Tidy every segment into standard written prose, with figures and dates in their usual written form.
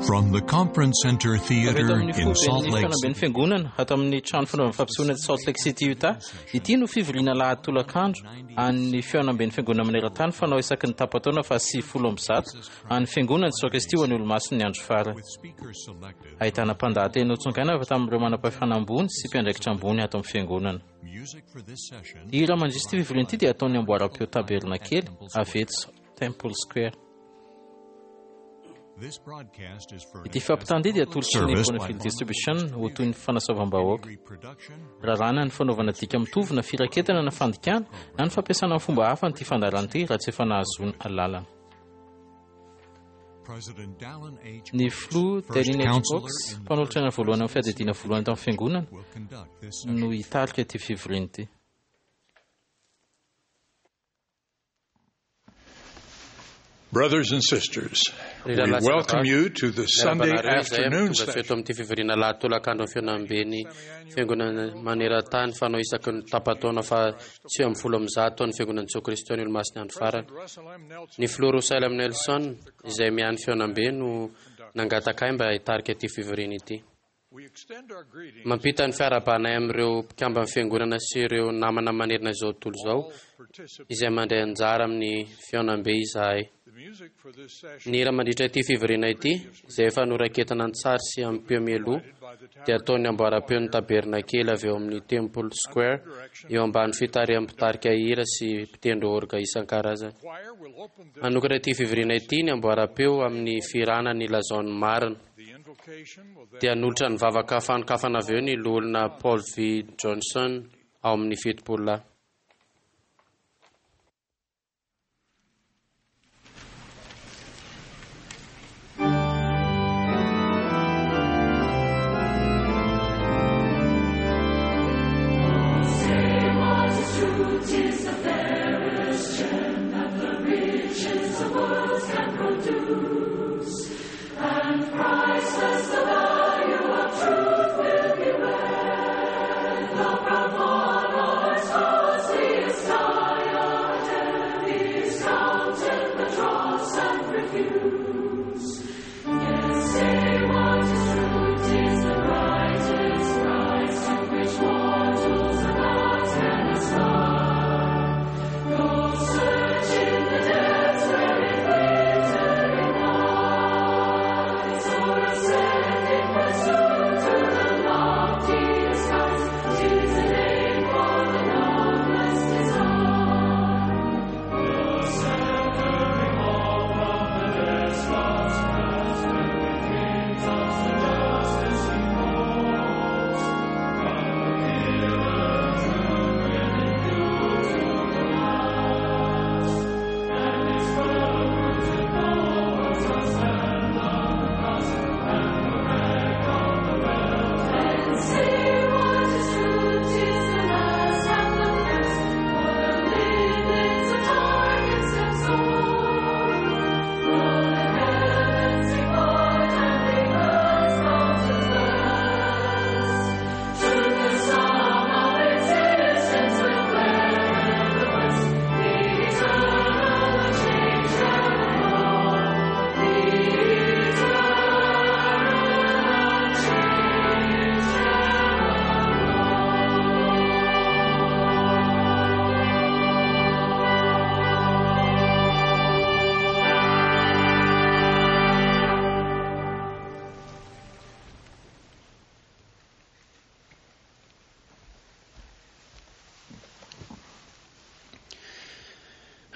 From the Conference Center Avy eto Theater amin'ny in foiben'ny Salt Lake fihaonamben'ny fiangonana ato amin'ny trano fanaovana fampisehoana eto Salt Lake City, Utah. Ity no fivoriana alahady tolakandro an'ny fihaonamben'ny fiangonana maneran-tany fanao isaky ny tapa-taona faha 190 an'ny fiangonana Jesoa Kristy ho an'ny Olomasin'ny andro farany. Ahitana mpandahateny notsongaina avy tamin'ireo manam-pahefana ambony sy mpiandraikitra ambony ato amin'ny fiangonana. Hira mandrisy ity fivoriana ity dia ataon'ny amboaram-peo Tabernakely avy eto Temple Square. Ity fampitana ity dia atolotry ny Bonneville Distribution ho toy ny fanasoavam-bahoaka. Raràna ny fanaovana dika mitovy na firaketana na fandikana na ny fampiasana amin'ny fomba hafa an'ity fandaharana ity raha tsy efa nahazoana alalana. Ny filoha Dallin H. Oaks, mpanolotsaina voalohany amin'ny fiadidiana voalohany tamin'ny fiangonana, no hitarika ity fivoriana ity. Brothers and sisters, Ry we rahalahy sy welcome anabavy, you to the miarahaba Sunday anareo izay afternoon tonga soa eto session. amin'ity fivoriana alahady tolakandro amin'ny fihaonamben'ny Fiangonana maneran-tany fanao isaky ny tapa-taona faha 190 an'ny Fiangonan'i Jesoa Kristy ny Olomasin'ny Andro Farany. Ny Filoha Russell M. Nelson, izay miahy ny fihaonambe, no nangataka ahy mba hitarika ity fivoriana ity. Mampita ny fiarahabanay amin'ireo mpikamban'ny Fiangonana sy ireo namana manerana izao tontolo izao izay mandray anjara amin'ny fihaonambe izahay. Ny hira mandritra ity fivoriana ity, izay efa noraiketana an-tsary sy amim-peo mialoha, dia ataon'ny amboaram-peon'ny Tabernakely avy eo amin'ny Temple Square, eo ambany fitarihan'ny mpitarika hira sy mpitendry orga isan-karazany. Hanokatra ity fivoriana ity ny amboaram-peo amin'ny fihirana ny Lazao ny Marina. Dia hanolotra ny vavaka fanokafana avy eo ny Loholona Paul V. Johnson ao amin'ny Fitopololahy.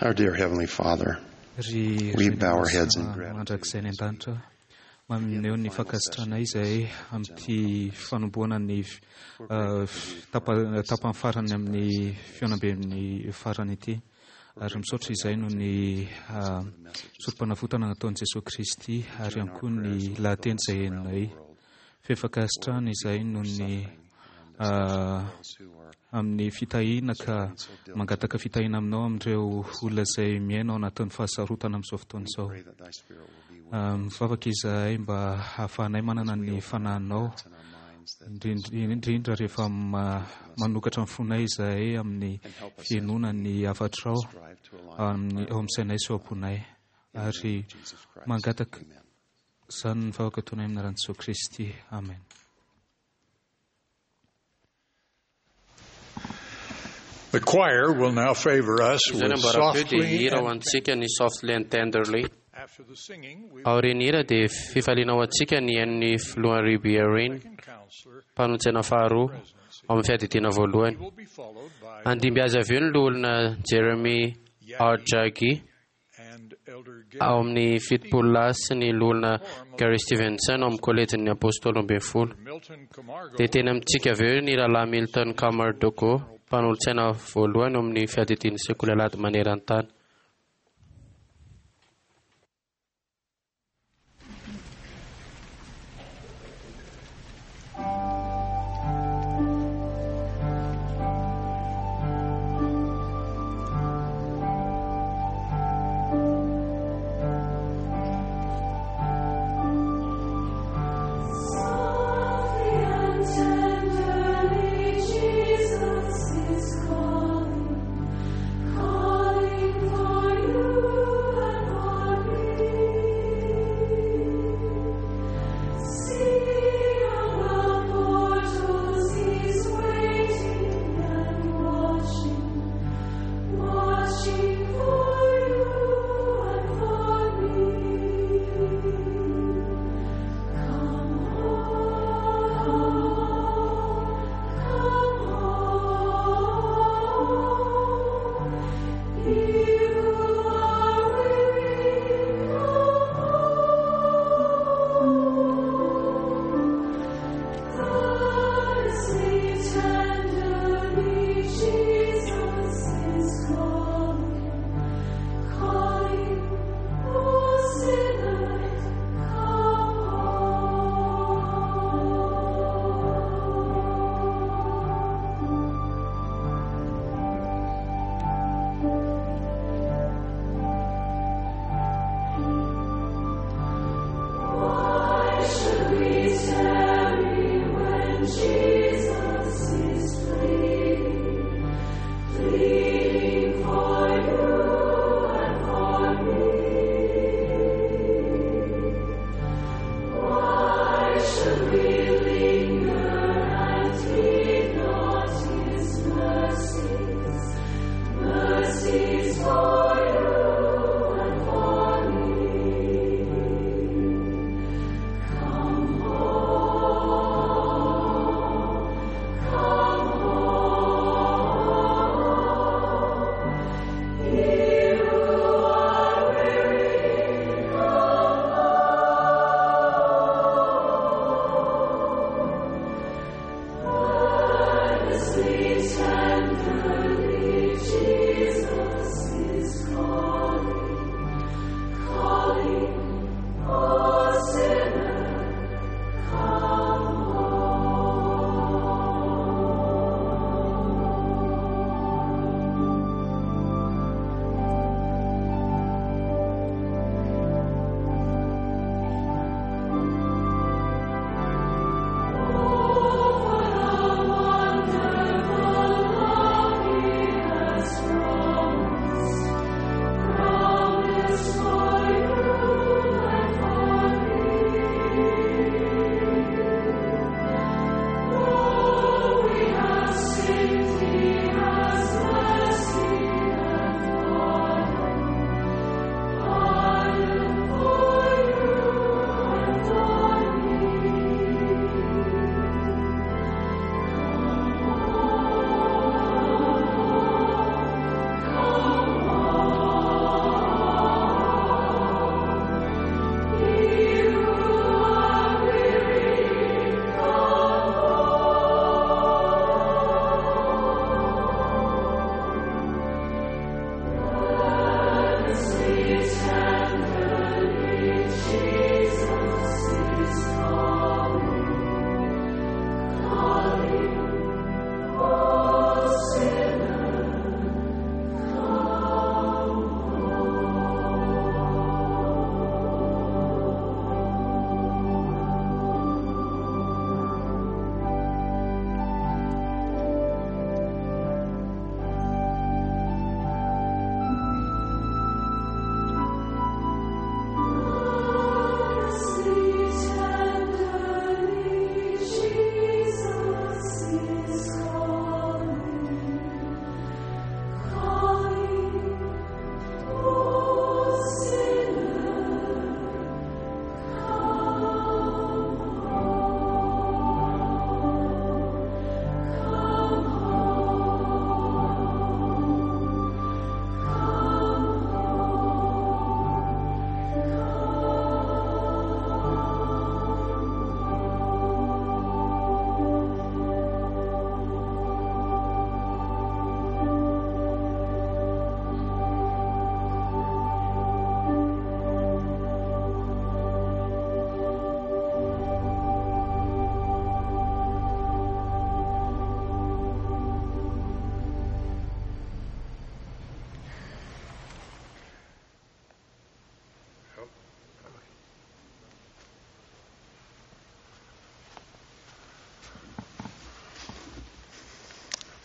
Our dear Heavenly Father, Ry we Ray bow our heads in Masina gratitude. mandrakizay any an-danitra, maneho ny fankasitrahana izay amin'ity fanombohana ny tapany farany amin'ny fihaonamben'ny farany ity. Ary misaotra izay noho ny sorom-panavotana nataon'i Jesoa Kristy ary ihany koa ny lahateny izay henonay. Feno fankasitrahana izay noho ny amin'ny fitahiana ka mangataka fitahiana aminao amin'ireo olona izay miaina ao anatin'ny fahasarotana amin'izao fotoana izao. Mivavaka izahay mba hahafahanay manana ny fanahinao, indrindra rehefa manokatra ny fonay izahay amin'ny fihainoana ny hafatrao ao amin'ny sainay sy ao am-ponay. Ary mangataka. Izany ny vavaka ataonay amin'ny anaran'i Jesoa Kristy. Amen. The choir will now favor us Izao ny with ambaram-peo dia softly hira ho and antsika ny Softly and Tenderly. after the singing we Aorian'ny hira dia fifaliana ho antsika ny hain'ny filohan'ny Ruby Irene, counselor mpanolotsaina faharoa ao amin'ny fiadidiana voalohany. will be followed by Handimby azy avy eo ny loholona Jeremy R. Jaggi and Elder ao Gary amin'ny 70 lahy sy ny loholona Gary Stevenson ao amin'ny kolejin'ny Apôstôly 12. Milton Camargo Dia teny amintsika avy eo ny rahalahy Milton Camardogo, mpanolotsaina voalohany ao amin'ny fiadidian'ny sekoly alahady maneran-tany. Softly and tenderly, Jesus is calling, calling for you and for me. See on the portals He's waiting and watching, watching for you and for me. Come home, come home. You are weary, come home. Thusly tenderly, Jesus is calling, calling, oh sinners, come home. Why should we tarry when Jesus is pleading, pleading for you and for me? Why should we linger and heed not His mercies, mercies for you and for me? Come home, come home. You are weary, come home. Earnestly, tenderly, Jesus is calling, calling, oh sinner, come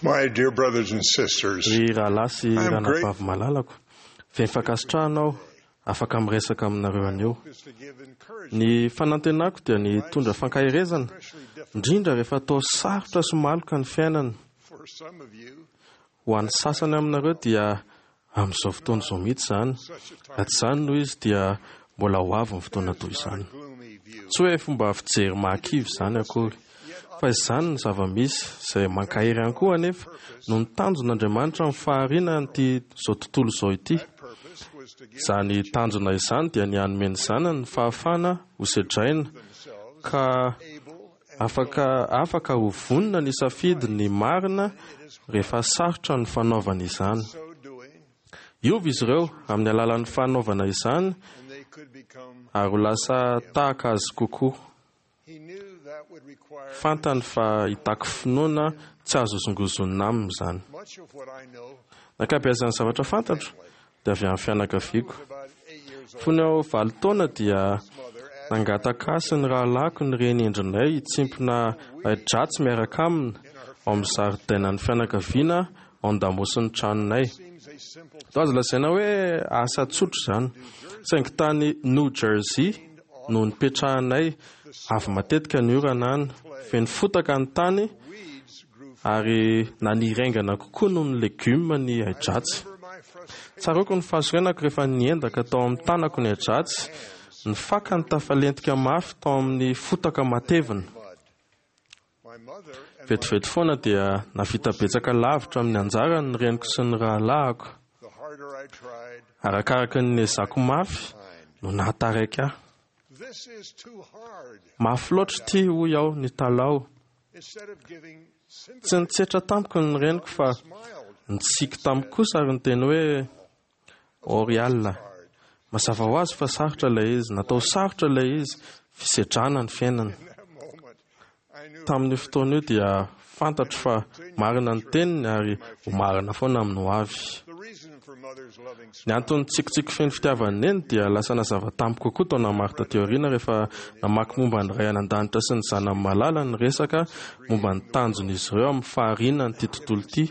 My dear brothers and sisters, Ry rahalahy sy I am ranabavy malalako, feno fankasitrahana aho afaka miresaka aminareo anio. is to give encouragement, Ny fanantenako dia ny hitondra fankaherezana, indrindra rehefa atao sarotra sy maloka ny fiainana. for some of you. Ho an'ny sasany aminareo dia amin'izao fotoana izao mihitsy izany. Raha tsy izany no izy dia mbola ho avy ny fotoana toy izany. Gloomy view. Tsy hoe fomba fijery mahakivy izany akory, fa izany ny zava-misy izay mankahery ihany koa anefa no ny tanjon'Andriamanitra amin'ny fahariana ity izao tontolo izao ity. Purpose was to give Izany tanjona izany dia ny hanome ny zanany ny fahafahana ho sedraina ka afaka afaka ho vonona ny safidy ny marina rehefa sarotra ny fanaovana izany. so doing, Hiova izy ireo amin'ny alalan'ny fanaovana izany and they could become. ary ho lasa tahaka azy kokoa. He knew that would require Fantany fa hitaky finoana tsy azo hozongozonina aminy izany. much of what I know. Ankabeazan'ny zavatra fantatro dia avy amin'ny fianakaviako. About 8 years old, Fony aho 8 taona dia mother asked nangataka ahy sy ny rahalahiko ny reny endrinay hitsimpona ahi-dratsy miaraka aminy ao amin'ny zaridainan'ny fianakaviana ao an-damosin'ny tranonay. seems a simple Toa azo lazaina hoe asa tsotra izany. Saingy tany New Jersey no nipetrahanay, avy matetika ny orana any, feno fotaka ny tany weeds grew ary naniry haingana kokoa noho ny legioma ny ahi-dratsy. for my frustration. Tsaroako ny fahasorenako rehefa niendaka tao amin'ny tanako ny ahi-dratsy, ny fakany tafalentika mafy tao amin'ny fotaka matevina. Mud. My mother and Vetivety foana dia navita betsaka lavitra amin'ny anjarany ny reniko sy ny rahalahako. the harder I tried, Arakaraka ny nezako mafy no nahataraiky ahy. this is too hard. Mafy loatra ity hoy aho nitalaho. Instead of giving sympathy, Tsy nitsetra tamiko ny reniko fa smiled. nitsiky tamiko kosa ary niteny hoe Oriala. Mazava ho azy fa sarotra ilay izy, natao sarotra ilay izy, fisedrana ny fiainana. In that moment, I knew Tamin'io fotoana io dia fantatro fa marina ny teniny ary ho marina foana amin'ny ho avy. the reason for mother's loving Ny antony tsikitsiky feno fitiavan'ny neny dia lasa nazava tamiko kokoa taona maro taty aoriana rehefa namaky momba ny ray any an-danitra sy ny zanany malala ny resaka momba ny tanjon'izy ireo amin'ny fahariana ity tontolo ity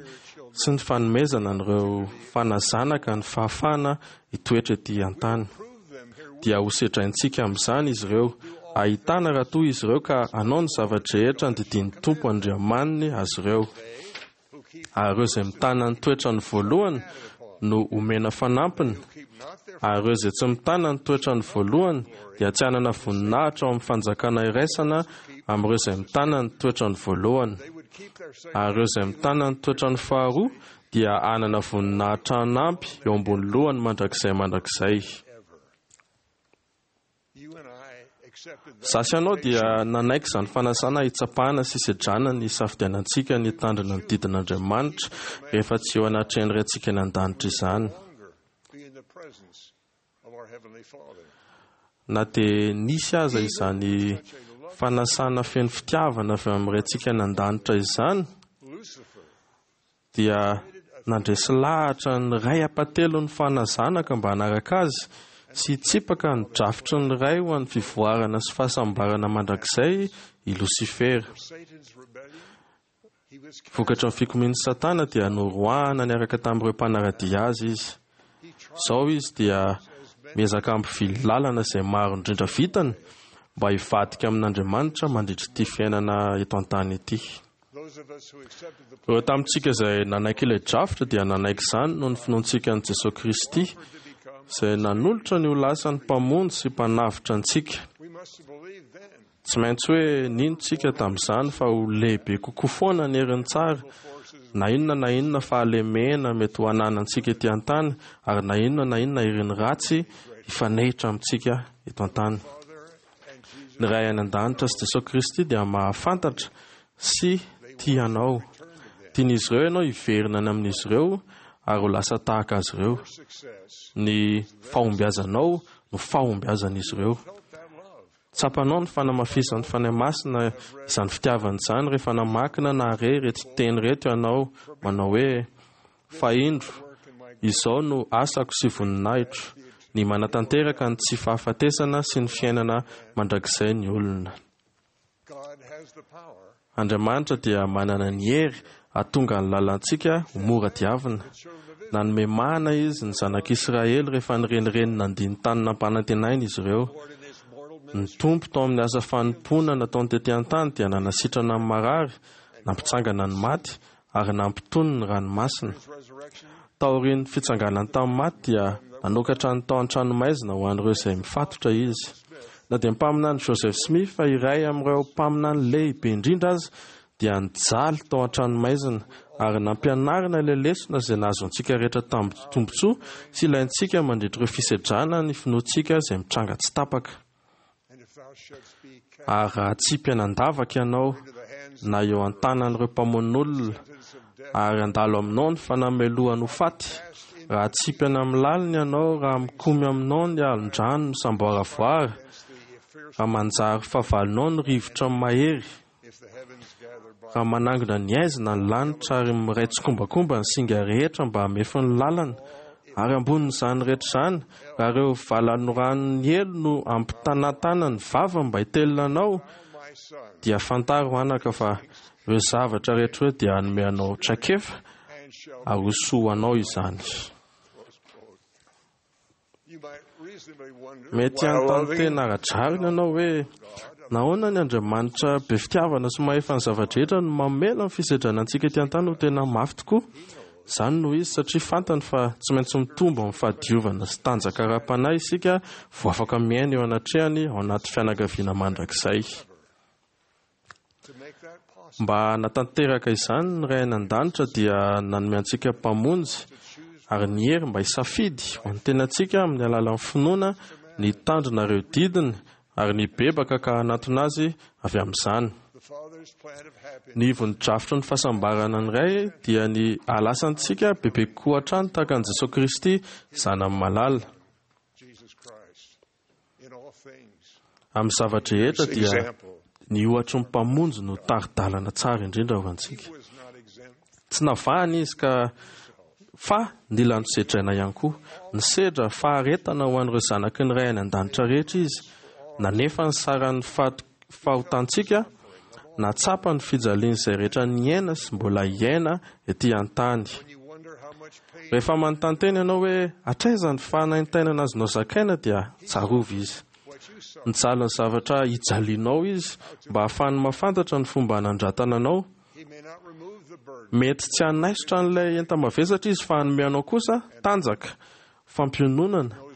sy ny fanomezana an'ireo fanazanaka ny fahafahana hitoetra ety an-tany. prove them here. Dia ho sedraintsika amin'izany izy ireo, ahitana raha toa izy ireo ka hanao ny zava-drehetra nodidian'ny Tompo Andriamaniny azy ireo. Ary ireo izay mitana ny toetrany voalohany no omena fanampiny, Keep not their ary ireo izay tsy mitana ny toetrany voalohany dia tsy hanana voninahitra ao amin'ny fanjakana iraisana amin'ireo izay mitana ny toetrany voalohany. they would keep their Ary ireo izay mitana ny toetrany faharoa dia hanana voninahitra hanampy eo ambony lohany mandrakizay mandrakizay. You and I accepted that Izaho sy ianao dia nanaiky izany fanasana hitsapana sy sedrana ny safidianantsika ny hitandrina ny didin'Andriamanitra rehefa tsy eo anatrehan'ny Raintsika any an-danitra izany. longer be in the presence of our Heavenly Father. Na dia nisy aza izany fanasana feno fitiavana avy amin'ny Raintsika any an-danitra izany, Lucifer dia nandresy lahatra ny ray ampatelon'ny fanazanaka mba hanaraka azy sy hitsipaka ny drafitry ny ray ho an'ny fivoarana sy fahasambarana mandrakizay i Losifera. Satan's rebellion, he was Vokatra ny fikomian'i Satana dia noroahana niaraka tamin'ireo mpanara-dia azy izy. Izao izy dia miezaka hampivily lalana izay maro indrindra vitany mba hivadika amin'Andriamanitra mandritra ity fiainana eto an-tany ity. those of us who accepted the Ireo tamintsika izay nanaiky ilay drafitra dia nanaiky izany noho ny finoantsika an'i Jesosy Kristy izay nanolotra ny ho lasa ny mpamonjy sy mpanavotra antsika. we must have believed then Tsy maintsy hoe nino-tsika tamin'izany fa ho lehibe kokoa foana ny herin'ny tsara, na inona na inona fahalemena mety ho ananantsika ety an-tany, ary na inona na inona herin'ny ratsy hifanehitra amintsika eto an-tany. Ny Ray any an-danitra sy Jesosy Kristy dia mahafantatra sy tia anao. Tian'izy ireo ianao hiverina any amin'izy ireo ary ho lasa tahaka azy ireo. success Ny fahombiazanao no fahombiazan'izy ireo. that love. Tsapanao ny fanamafisan'ny Fanahy Masina izany fitiavana izany rehefa namakina na re ireto teny ireto ianao manao hoe fa indro izao no asako sy voninahitro ny manatanteraka ny tsy fahafatesana sy ny fiainana mandrakizay ny olona. God has the power Andriamanitra dia manana ny hery hahatonga ny lalantsika ho mora diavina. Nanome mana izy ny zanak'Israely rehefa nirenireny nandia ny tany nampanantenaina izy ireo. Ny Tompo tao amin'ny asa fanompoana nataony tety an-tany dia nanasitrana ny marary, nampitsangana ny maty ary nampitony ny ranomasina. Taorian'ny fitsanganany tamin'ny maty dia nanokatra ny tao an-tranomaizina ho an'ireo izay mifatotra izy. Na dia mpaminany Joseph Smith fa iray amin'ireo mpaminany lehibe indrindra aza dia nijaly tao an-tranomaizina ary nampianarina ilay lesona izay nahazoantsika rehetra tombontsoa sy ilaintsika mandritra ireo fisedrana ny finoantsika izay mitranga tsy tapaka. Ary raha atsipy an'andavaka ianao na eo an-tanan'ireo mpamono olona ary handalo aminao ny fanamelohany ho faty, raha atsipy any amin'ny lalina ianao, raha mikomy aminao ny alon-drano misamboaravoara, raha manjary fahavalonao ny rivotra mahery, raha manangona ny aizina ny lanitra ary miray tsikombakomba ny singa rehetra mba hamefy ny lalana, ary ambonin'izany rehetra izany, raha ireo valanoranon'ny helo no ampitanatana ny vavany mba hitelina anao, dia fantaro anaka fa ireo zavatra rehetra ireo dia hanome anao traikefa ary ho soa ho anao izany. Mety hanontany tena ara-drariny ianao hoe, Nahoana ny Andriamanitra be fitiavana sy mahefa ny zava-drehetra no mamela ny fisedrana antsika ety an-tany ho tena mafy tokoa? Izany no izy satria fantany fa tsy maintsy mitombo amin'ny fahadiovana sy tanjaka ara-panahy isika vao afaka miaina eo anatrehany ao anaty fianakaviana mandrakizay. Mba hanatanteraka izany ny Ray any An-danitra dia nanome antsika Mpamonjy ary ny hery mba hisafidy ho an'ny tenantsika amin'ny alalan'ny finoana ny hitandrina ireo didiny ary ny hibebaka ka hanatona Azy avy amin'izany. Ny ivon'ny drafitry ny fahasambarana ny Ray dia ny hahalasantsika bebe kokoa hatrany tahaka an'i Jesoa Kristy Zanany malala. Amin'ny zava-drehetra dia ny ohatry ny Mpamonjy no tari-dalana tsara indrindra ho antsika. Tsy navahana izy ka fa nila nosedraina ihany koa. Nisedra faharetana ho an'ireo zanaky ny Ray any an-danitra rehetra izy. Nanefa ny saran'ny fahotantsika, nahatsapa ny fijalian'izay rehetra niaina sy mbola hiaina ety an-tany. Rehefa manontany tena ianao hoe hatraiza ny fanaintainana azonao zakaina dia tsarovy izy. Nijaly ny zavatra ijalianao izy mba hahafahany mahafantatra ny fomba hanandratana anao. Mety tsy hanaisotra an'ilay enta-mavesatra izy fa hanome anao kosa tanjaka, fampiononana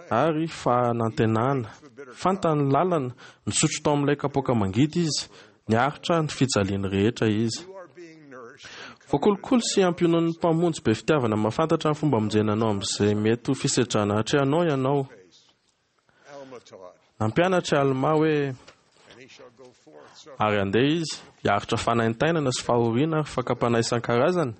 ary fanantenana. Fantany ny lalana, nisotro tao amin'ilay kapoaka mangidy izy, niaritra ny fijaliany rehetra izy. Voakolokolo sy ampionon'ny Mpamonjy be fitiavana mahafantatra ny fomba hamonjena anao amin'izay mety ho fisedrana atrehanao ianao. Nampianatra i Almà hoe, Ary handeha izy, hiaritra fanaintainana sy fahoriana ary fakam-panahy isan-karazany,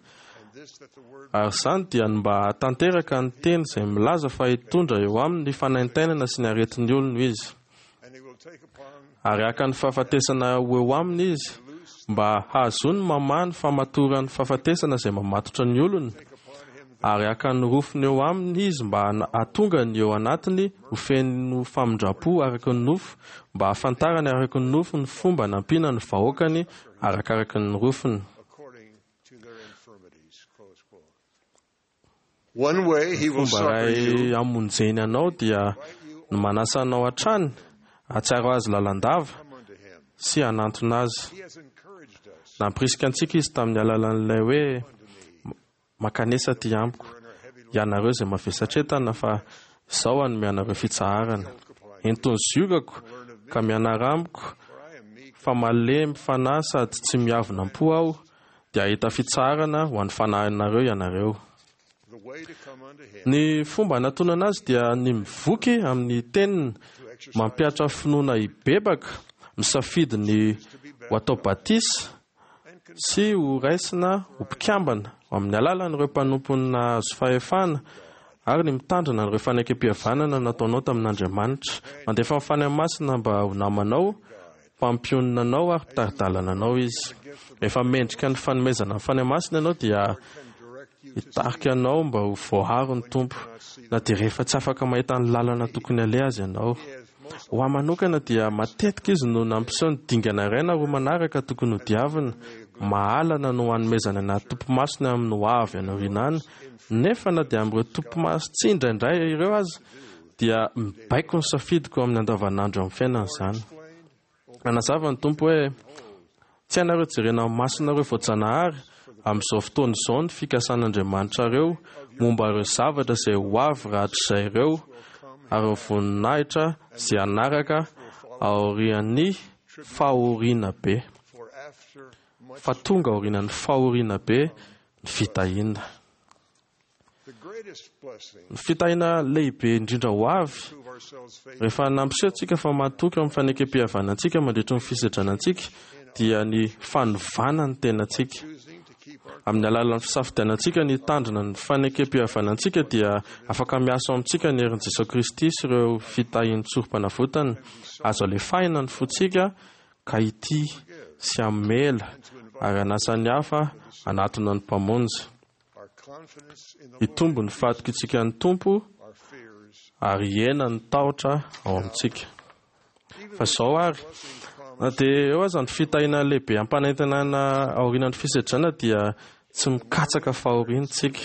ary izany dia ny mba hahatanteraka ny teny izay milaza fa hitondra eo aminy ny fanaintainana sy ny aretin'ny olony izy. Ary haka ny fahafatesana ho eo aminy izy, mba hahazoany mamaha ny famatoran'ny fahafatesana izay mamatotra ny olony, ary haka ny rofiny eo aminy izy mba hahatonga ny eo anatiny ho feno famindram-po araka ny nofo, mba hahafantarany araka ny nofo ny fomba nampiana ny vahoakany arakaraka ny rofiny. Ny fomba iray hamonjeny anao dia ny manasa anao hatrany hahatsiaro azy lalandava sy hanantona azy. Nampirisika antsika izy tamin'ny alalan'ilay hoe Mankanesa aty amiko, ianareo izay mavesatretana, fa Izaho hanome anareo fitsaharana. Ento ny ziogako, ka mianara amiko, fa malemy fanahy sady tsy miavona am-po Aho, dia hahita fitsaharana ho an'ny fanahinareo ianareo. Ny fomba hanatonana Azy dia ny mivoky amin'ny Teniny, mampihatra finoana hibebaka, misafidy ny ho atao batisa, sy ho raisina ho mpikambana amin'ny alalan'ireo mpanompony nahazo fahefana ary ny mitandrina an'ireo fanekempihavanana nataonao tamin'Andriamanitra. Mandefa ny Fanahy Masina mba ho namanao, mpampionona anao ary mpitari-dalana anao Izy. Rehefa mendrika ny fanomezana ny Fanahy Masina ianao dia hitarika anao mba ho voaaro ny Tompo, na dia rehefa tsy afaka mahita ny lalana tokony haleha aza ianao. Ho ahy manokana dia matetika izy no nampiseho ny dingana iray na roa manaraka tokony hodiavina. Mahalana no hanomezana anaty topimaso ny amin'ny ho avy any aoriana any, nefa na dia amin'ireo topimaso tsy indraindray ireo aza, dia mibaiko ny safidiko amin'ny andavanandro amin'ny fiainana izany. Nanazava ny Tompo hoe, Tsy hainareo jerena amin'ny masonareo voajanahary amin'izao fotoana izao ny fikasan'Andriamanitrareo momba ireo zavatra izay ho avy rahatrizay ireo ary ny voninahitra izay hanaraka aorian'ny fahoriana be. Fa tonga aorianan'ny fahoriana be ny fitahiana. Ny fitahiana lehibe indrindra ho avy, rehefa nampiseho antsika fa matoky amin'ny fanekem-pihavanantsika mandritry ny fisedrana antsika, dia ny fanovana ny tenantsika. Amin'ny alalan'ny fisafidianantsika ny hitandrina ny fanekem-pihavanantsika dia afaka miasa ao amintsika ny herin'i Jesoa Kristy sy ireo fitahian'ny tsorom-panavotany. Azo alefahina ny fontsika ka hitia sy hamela ary hanasa ny hafa hanatona ny Mpamonjy. Hitombo ny fahatokiantsika ny Tompo ary hihena ny tahotra ao amintsika. Fa izao ary, na dia eo aza ny fitahiana lehibe ampanantenana aorianan'ny fisedrana dia tsy mikatsaka fahoriana isika.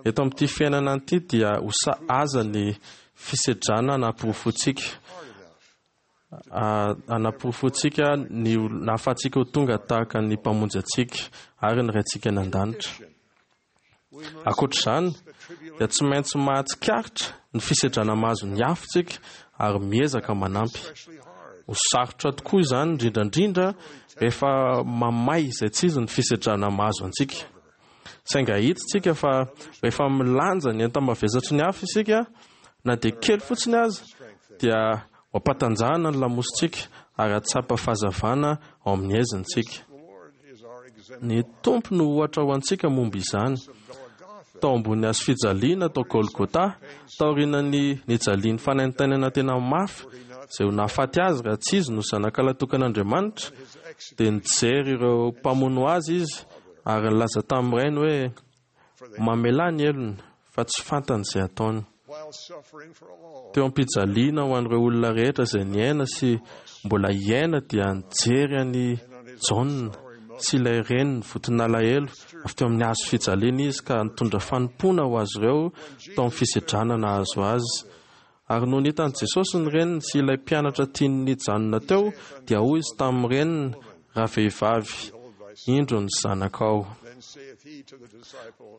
Eto amin'ity fiainana ity dia ho sahaza ny fisedrana anaporofoantsika. Anaporofoantsika ny nahafahantsika ho tonga tahaka ny Mpamonjy antsika ary ny Raintsika any an-danitra. Ankoatra izany, dia tsy maintsy mahatsikaritra ny fisedrana mahazo ny hafa isika ary miezaka manampy. Ho sarotra tokoa izany, indrindra indrindra rehefa mamay izay tsy izy ny fisedrana mahazo antsika. Saingy ahitsitsika fa rehefa milanja ny enta-mavesatry ny hafa isika, na dia kely fotsiny aza, dia ho ampatanjahana ny lamosintsika ary hahatsapa fahazavana ao amin'ny haizintsika. Ny Tompo no ohatra ho antsika momba izany. Tao ambony hazo fijaliana tao Golgota, taorian'ny nijaliany fanaintainana tena mafy izay ho nahafaty azy raha tsy izy no Zanaka Lahitokan'Andriamanitra, dia nijery ireo mpamono azy izy ary nilaza tamin'ny Rainy hoe, Mamelà ny helony, fa tsy fantany izay ataony. Teo am-pijaliana ho an'ireo olona rehetra izay niaina sy mbola hiaina dia nijery an'i Jaona sy ilay reniny voton'alahelo avy teo amin'ny hazo fijaliana izy ka nitondra fanompoana ho azy ireo tao amin'ny fisedrana nahazo azy. Ary nony hitan'i Jesosy ny reniny sy ilay mpianatra tiany nijanona teo, dia hoy izy tamin'ny reniny, Ravehivavy, indro ny zanakao.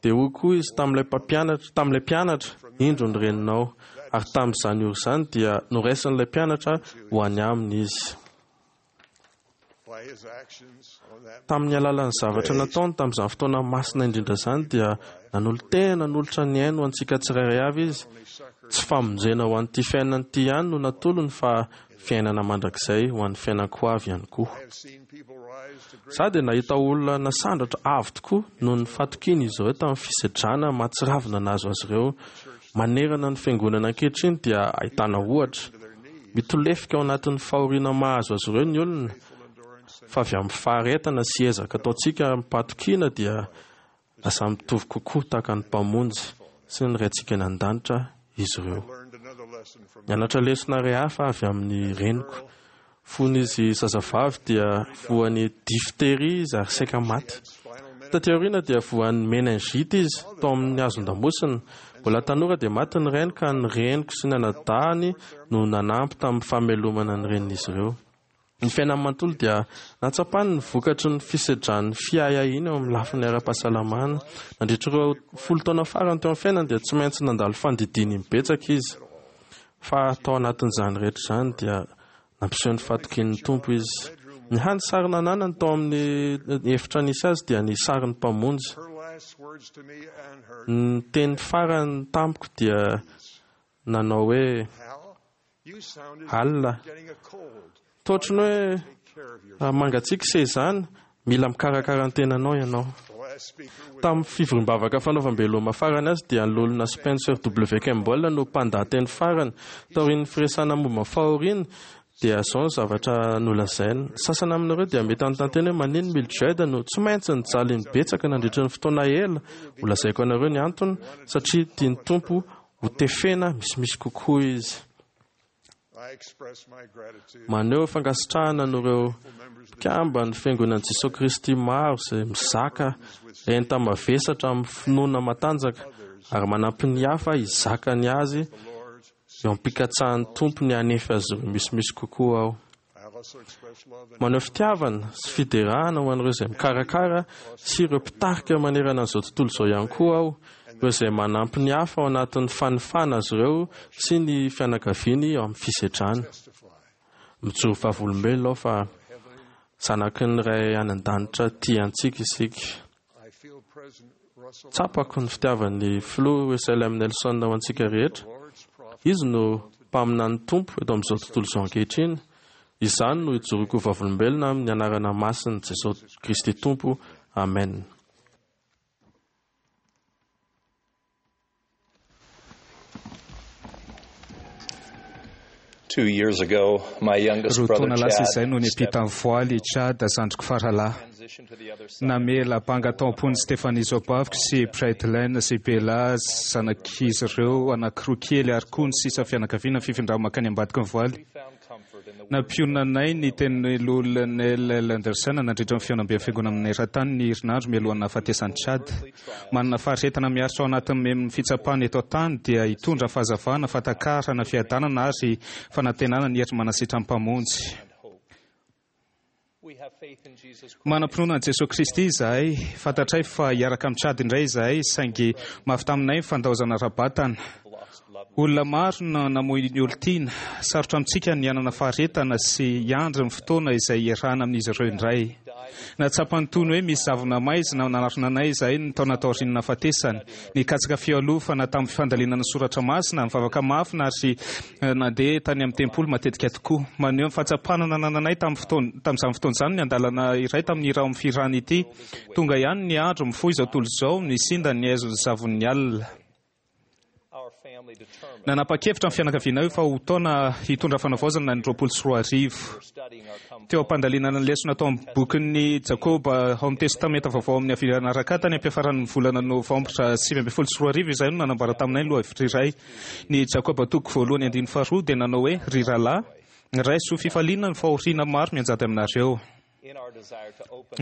Dia hoy koa izy tamin'ilay mpampianatra, tamin'ilay mpianatra, Indro ny reninao. Ary tamin'izany ora izany dia noraisin'ilay mpianatra ho any aminy izy. Tamin'ny alalan'ny zavatra nataony tamin'izany fotoana masina indrindra izany dia nanolo-tena nanolotra ny ainy ho antsika tsirairay avy izy. Tsy famonjena ho an'ity fiainana ity ihany no natolony fa fiainana mandrakizay ho an'ny fiainan-ko avy ihany koa. Izaho dia nahita olona nasandratra avo tokoa noho ny fatokiany izy ireo tamin'ny fisedrana mahatsiravina nahazo azy ireo. Manerana ny fiangonana ankehitriny dia ahitana ohatra. Mitolefika ao anatin'ny fahoriana mahazo azy ireo ny olona, fa avy amin'ny faharetana sy ezaka ataontsika amim-pahatokiana dia lasa mitovy kokoa tahaka ny Mpamonjy sy ny Raintsika any An-danitra izy ireo. Nianatra lesona iray hafa avy amin'ny reniko. Fony izy zazavavy dia voan'ny diphtérie izy ary saika maty. Taty aoriana dia voan'ny méningite izy tao amin'ny hazon-damosina. Mbola tanora dia maty ny rainy ka ny reniko sy ny anadahiny no nanampy tamin'ny famelomana ny renin'izy ireo. Ny fiainany manontolo dia nahatsapany ny vokatry ny fisedran'ny fiahiahiana eo amin'ny lafiny ara-pahasalamana. Nandritra ireo 10 taona farany teo amin'ny fiainany dia tsy maintsy nandalo fandidiana imbetsaka izy. Fa tao anatin'izany rehetra izany dia nampiseho ny fahatokian'ny Tompo izy. Ny hany sary nananany tao amin'ny efitra nisy azy dia ny sarin'ny Mpamonjy. Ny teny farany tamiko dia nanao hoe, Alina. Toa ohatry ny hoe mangatsiaka ise izany, mila mikarakara ny tenanao ianao. Tamin'ny fivoriam-bavaka fanaovam-beloma farany azy dia ny Loholona Spencer W. Kimball no mpandahateny farany. Taorian'ny firesahana momba ny fahoriana dia izao ny zavatra nolazainy. Ny sasany aminareo dia mety hanontany tena hoe maninona Mildred no tsy maintsy nijaly imbetsaka nandritra ny fotoana ela. Holazaiko anareo ny antony, satria tian'ny Tompo ho tefena misimisy kokoa izy. Maneho fankasitrahana an'ireo mpikamban'ny Fiangonan'i Jesoa Kristy maro izay mizaka enta-mavesatra amin'ny finoana matanjaka ary manampy ny hafa hizaka ny azy eo am-pikatsahan'ny Tompo ny hanefy azy ireo misimisy kokoa aho. Maneho fitiavana sy fiderana ho an'ireo izay mikarakara sy ireo mpitarika manerana an'izao tontolo izao ihany koa aho, ireo izay manampy ny hafa ao anatin'ny fanofana azy ireo sy ny fianakaviany ao amin'ny fisedrana. Mijoro vavolombelona aho fa zanaky ny Ray any an-danitra tia antsika isika. Tsapako ny fitiavan'ny Filoha Russell M. Nelson ho antsika rehetra. Izy no mpaminan'ny Tompo eto amin'izao tontolo izao ankehitriny. Izany no ijoroako ho vavolombelona amin'ny anarana masin'i Jesoa Kristy Tompo. Amen. Roa taona lasa izay no niampita ny voaly i Chad, zandriko faralahy. Namela banga tao am-pon'i Stephanie zaobaviko sy Brightline sy Bella zanak'izy ireo anankiroa kely ary koa ny sisa fianakaviana ny fifindrany mankany ambadiky ny voaly. Nampionona anay ny tenin'i Lowell Nell Anderson nandritra ny fihaonamben'ny Fiangonana maneran-tany ny herinandro mialohan'ny nahafatesan'i Chad. Manana faharetana miaritra ao anatin'ny memin'ny fitsapana eto an-tany dia hitondra fahazavana, fahatakarana, fiadanana ary fanantenana ny hery manasitran'ny Mpamonjy. Manam-pinoana an'i Jesoa Kristy izahay. Fantatray fa hiaraka amin'i Chad indray izahay, saingy mafy taminay ny fandaozana ara-batana. Olona maro no namoy ny olon-tiana. Sarotra amintsika ny hanana faharetana sy hiandry ny fotoana izay hiarahana amin'izy ireo indray. Nahatsapa ny toy ny hoe misy zavona maizina nanarona anay izahay ny taona taorian'ny nahafatesany. Nikatsaka fialofana tamin'ny fandalinana ny soratra masina, nivavaka mafy ary nandeha tany amin'ny tempoly matetika tokoa. Maneho ny fahatsapana nanananay tamin'ny fotoana tamin'izany fotoana izany ny andalana iray tamin'ny hira ao amin'ny fihirana ity, Tonga ihany ny andro, mifoha izao tontolo izao, nisinda ny haizon'ny zavon'ny alina. Nanapa-kevitra ny fianakavianay fa ho taona hitondra fanavaozana ny 2020. Teo am-pandalinana ny lesona tao amin'ny bokin'i Jakoba ao amin'ny Testamenta Vaovao amin'ny Avirana Raka tany am-piafaran'ny volana Novambra 2019 izahay no nanambara taminay ny lohahevitra iray. Ny Jakoba toko voalohany andininy faharoa dia nanao hoe, Ry rahalahy, raiso fifaliana ny fahoriana maro mianjady aminareo.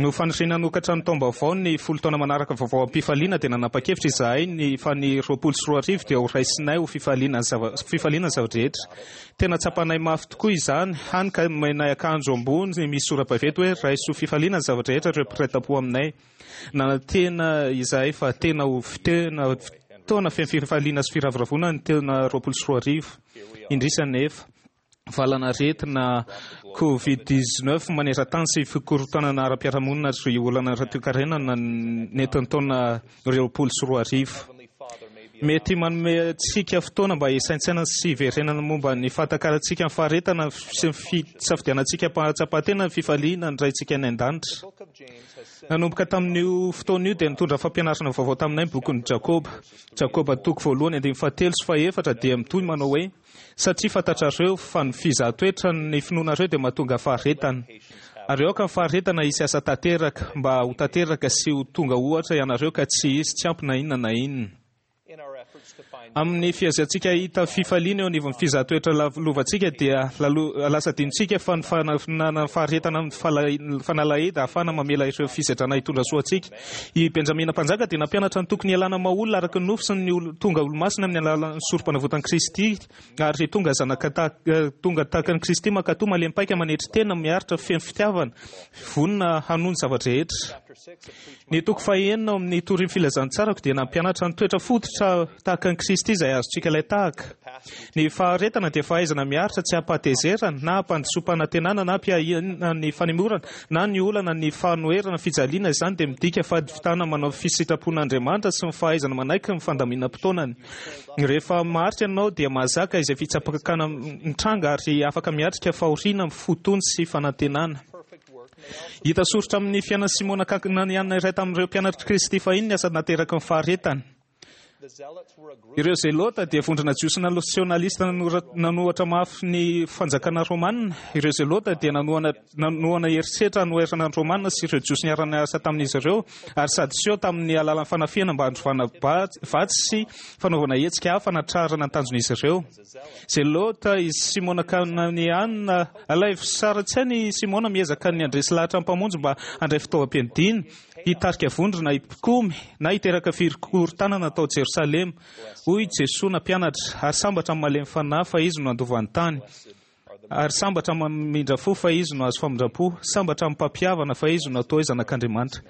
No faniriana hanokatra ny taom-baovao ny folo taona manaraka vaovao am-pifaliana dia nanapa-kevitra izahay ny fa ny 2020 dia ho raisinay ho fifaliana ny zava fifaliana ny zava-drehetra. Tena tsapanay mafy tokoa izany, hany ka nomenay akanjo ambony misy sora-baventy hoe raiso ho fifaliana ny zava-drehetra ireo mpiray tampo aminay. Nanantena izahay fa tena ho tena taona feno fifaliana sy firavoravoana ny taona 2020. Indrisy anefa. Valanaretina Covid 19 maneran-tany sy fikorontanana ara-piarahamonina ary olana ara-toekarena nentin'ny taona 2020. Mety manome antsika fotoana mba hisaintsainana sy hiverenana momba ny fahatakarantsika ny faharetana sy ny fisafidianantsika am-pahatsapan-tena ny fifaliana ny Raintsika any an-danitra. Nanomboka tamin'io fotoana io dia nitondra fampianarana vaovao taminay ny bokin'i Jakoba. Jakoba toko voalohany andininy fahatelo sy fahefatra dia mitohy manao hoe, Satria fantatrareo fa ny fizahan-toetra ny finoanareo dia mahatonga faharetana. Ary aoka ny faharetana hisy asa tanteraka, mba ho tanteraka sy ho tonga ohatra ianareo ka tsy hisy tsy ampy na inona na inona. Amin'ny fihaziantsika hahita fifaliana eo anivon'ny fizahan-toetra lovantsika dia lasa adinontsika fa ny fananana faharetana amin'ny fanalahidy ahafahana mamela ireo fisedrana hitondra soa antsika. I Benjamina Mpanjaka dia nampianatra ny tokony hialana maha olona araka ny nofo sy ny tonga olomasina amin'ny alalan'ny sorom-panavotan'i Kristy ary tonga zanaka tonga tahaka an'i Kristy mankatò malemy paika manetry tena miaritra feno fitiavana vonona hanoa ny zava-drehetra. Ny toko fahenina ao amin'ny Torin'ny Filazantsarako dia nampianatra ny toetra fototra tahaka an'i Kristy izay azontsika ilay tahaka. Ny faharetana dia fahaizana miaritra tsy am-pahatezerana na am-pandisoam-panantenana na am-piahiana ny fanemorana na ny olana, ny fanoherana, fijaliana, izany dia midika fahavitana manao fisitrapon'Andriamanitra sy ny fahaizana manaiky ny fandaminam-potoanany. Rehefa maharitra ianao dia mahazaka izay fitsapakana mitranga ary afaka miatrika fahoriana amin'ny fo tony sy fanantenana. Hita soritra amin'ny fiainan'i Simona Kananiana iray tamin'ireo mpianatr'i Kristy fahiny ny asa nateraky ny faharetana. Ireo Zelota dia vondrona jiosy nasionalista nanohatra mafy ny fanjakana romanina. Ireo Zelota dia nanohana herisetra hanoherana ny Romanina sy ireo Jiosy niara-niasa tamin'izy ireo, ary Sadoseo tamin'ny alalan'ny fanafihana mba handrovana vatsy sy fanaovana hetsika hafa hanatrarana ny tanjon'izy ireo. Zelota i Simona Kananeana. Alaivo sary an-tsaina i Simona miezaka ny handresy lahatra ny Mpamonjy mba handray fitaovam-piadiana. Hitarika vondrona hikomy na hiteraka fikorontanana tao Jerosalema. Hoy Jesoa nampianatra, Ary sambatra ny malemy fanahy, fa izy no handova ny tany. Ary sambatra ny mamindra fo, fa izy no hahazo famindram-po. Sambatra ny mpampihavana, fa izy no hatao hoe zanak'Andriamanitra.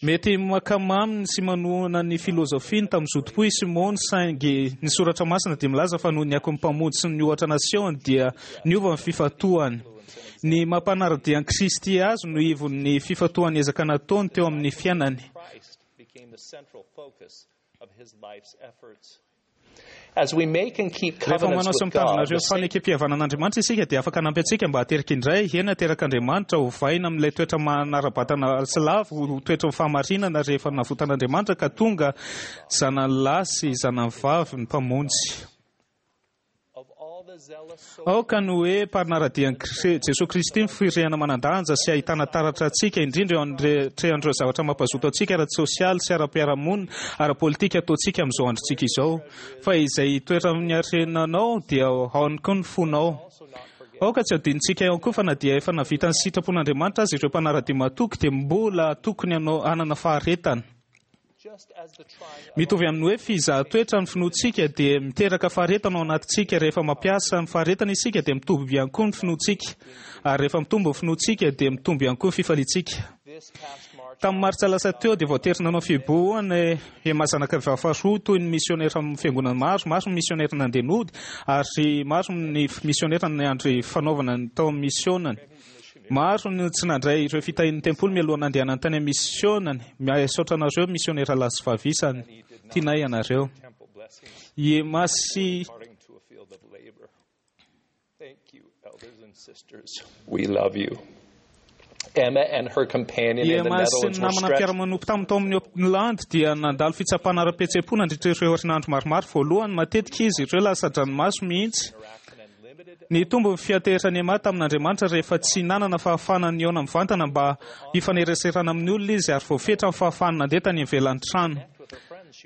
Mety mankamamy sy manohana ny filozofiany tamin'ny zotom-po i Simona, saingy ny Soratra Masina dia milaza fa noho ny akon'ny Mpamonjy sy ny ohatra nasehony dia niova ny fifantohany. Ny maha mpanara-dia an'i Kristy azy no ivon'ny fifantohan'ny ezaka nataony teo amin'ny fiainany. Rehefa manao sy mitandrina ireo fanekempihavanan'Andriamanitra isika dia afaka hanampy antsika mba hateraka indray, eny haterak'Andriamanitra, hovaina amin'ilay toetra manara-batana sy lavo ho toetry ny fahamarinana rehefa navotan'Andriamanitra ka tonga zanany lahy sy zanany vavy ny Mpamonjy. Aoka ny hoe mpanara-dia an'i Jesoa Kristy ny firehana manan-danja sy ahitana taratra antsika, indrindra eo anatrehan'ireo zavatra mampazoto antsika ara-tsosialy sy ara-piarahamonina, ara-politika ataontsika amin'izao androntsika izao. Fa izay hitoetra amin'ny harenanao dia ao ihany koa ny fonao. Aoka tsy hadinontsika ihany koa fa na dia efa nahavita ny sitrapon'Andriamanitra aza ireo mpanara-dia matoky dia mbola tokony hanana faharetana. Mitovy amin'ny hoe fizahan-toetra ny finoantsika dia miteraka faharetana ao anatintsika. Rehefa mampiasa ny faharetana isika dia mitombo ihany koa ny finoantsika. Ary rehefa mitombo ny finoantsika dia mitombo ihany koa ny fifaliantsika. Tamin'ny martsa lasa teo dia voatery nanao fihibohana i Emma zanaka vavy faharoa toy ny misionera amin'ny fiangonana maro. Maro ny misionera nandeha nody ary maro ny misionera niandry fanaovana ny tao amin'ny misionany. Maro no tsy nandray ireo fitahian'ny tempoly mialoha nandehanany tany amin'ny misionany. Misaotra anareo misionera lahy sy vavy isany. Tianay ianareo. I Emma sy. I Emma sy ny namana mpiara-manompo taminy tao amin'ny Hollande dia nandalo fitsapana ara-pihetseham-po nandritra ireo herinandro maromaro voalohany. Matetika izy ireo lasa-dranomaso mihitsy. Nitombo ny fianteheran'i Emma tamin'Andriamanitra rehefa tsy nanana fahafahana nihaona mivantana mba hifaneraserana amin'ny olona izy ary voafetra ny fahafahany nandeha tany ivelan'ny trano.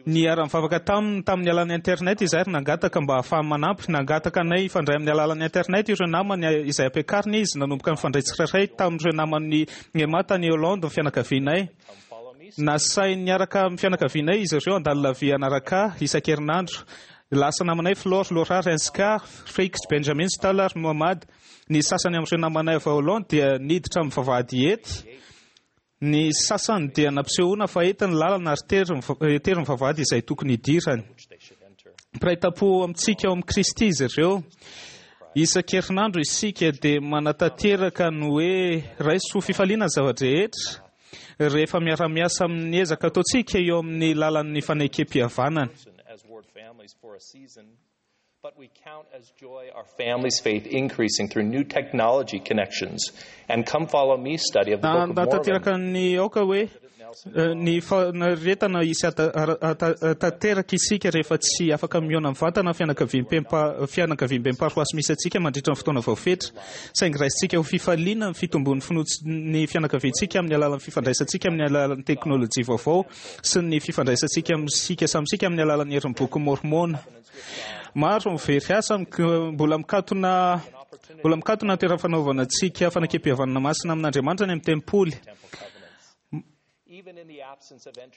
Niara-nivavaka taminy tamin'ny alalan'ny Internet izahay ary nangataka mba hahafahany manampy. Nangataka anay hifandray amin'ny alalan'ny Internet ireo namany izay ampiakarina izy. Nanomboka nifandray tsirairay tamin'ireo naman'i Emma tany Hollande ny fianakavianay. Nasainy niaraka amin'ny fianakavianay izy ireo handalo la vie hanaraka ahy isan-kerinandro. Lasa namanay Flor, Laura, Renska, Freiks, Benjamin, Stahl ary Mohammad. Ny sasany amin'ireo namanay avy ao Hollande dia niditra amin'ny vavahady ety. Ny sasany dia nampisehoana fa ety ny lalana ary tery ny vavahady izay tokony hidirany. Mpiray tampo amintsika ao amin'i Kristy izy ireo. Isan-kerinandro isika dia manatanteraka ny hoe raiso ho fifaliana ny zava-drehetra rehefa miara-miasa amin'ny ezaka ataontsika eo amin'ny lalan'ny fanekem-pihavanana. But we count as joy our family's faith increasing through new technology connections and Come Follow Me study of the Book of Mormon. Nahatanteraka ny aoka hoe ny fanaretana hisy tanteraka isika rehefa tsy afaka mihaona mivantana fianakaviamben'ny paroasy misy antsika mandritra ny fotoana voafetra. Saingy raisintsika ho fifaliana ny fitombon'ny finoan'ny fianakaviantsika amin'ny alalan'ny fifandraisantsika amin'ny alalan'ny teknolojia vaovao sy ny fifandraisantsika amintsika samy isika amin'ny alalan'ny herin'ny Bokin'i Môrmôna. Maro ny very asa mbola mikatona mbola mikatona ny toerana fanaovana antsika fanekempihavanana masina amin'Andriamanitra any amin'ny tempoly.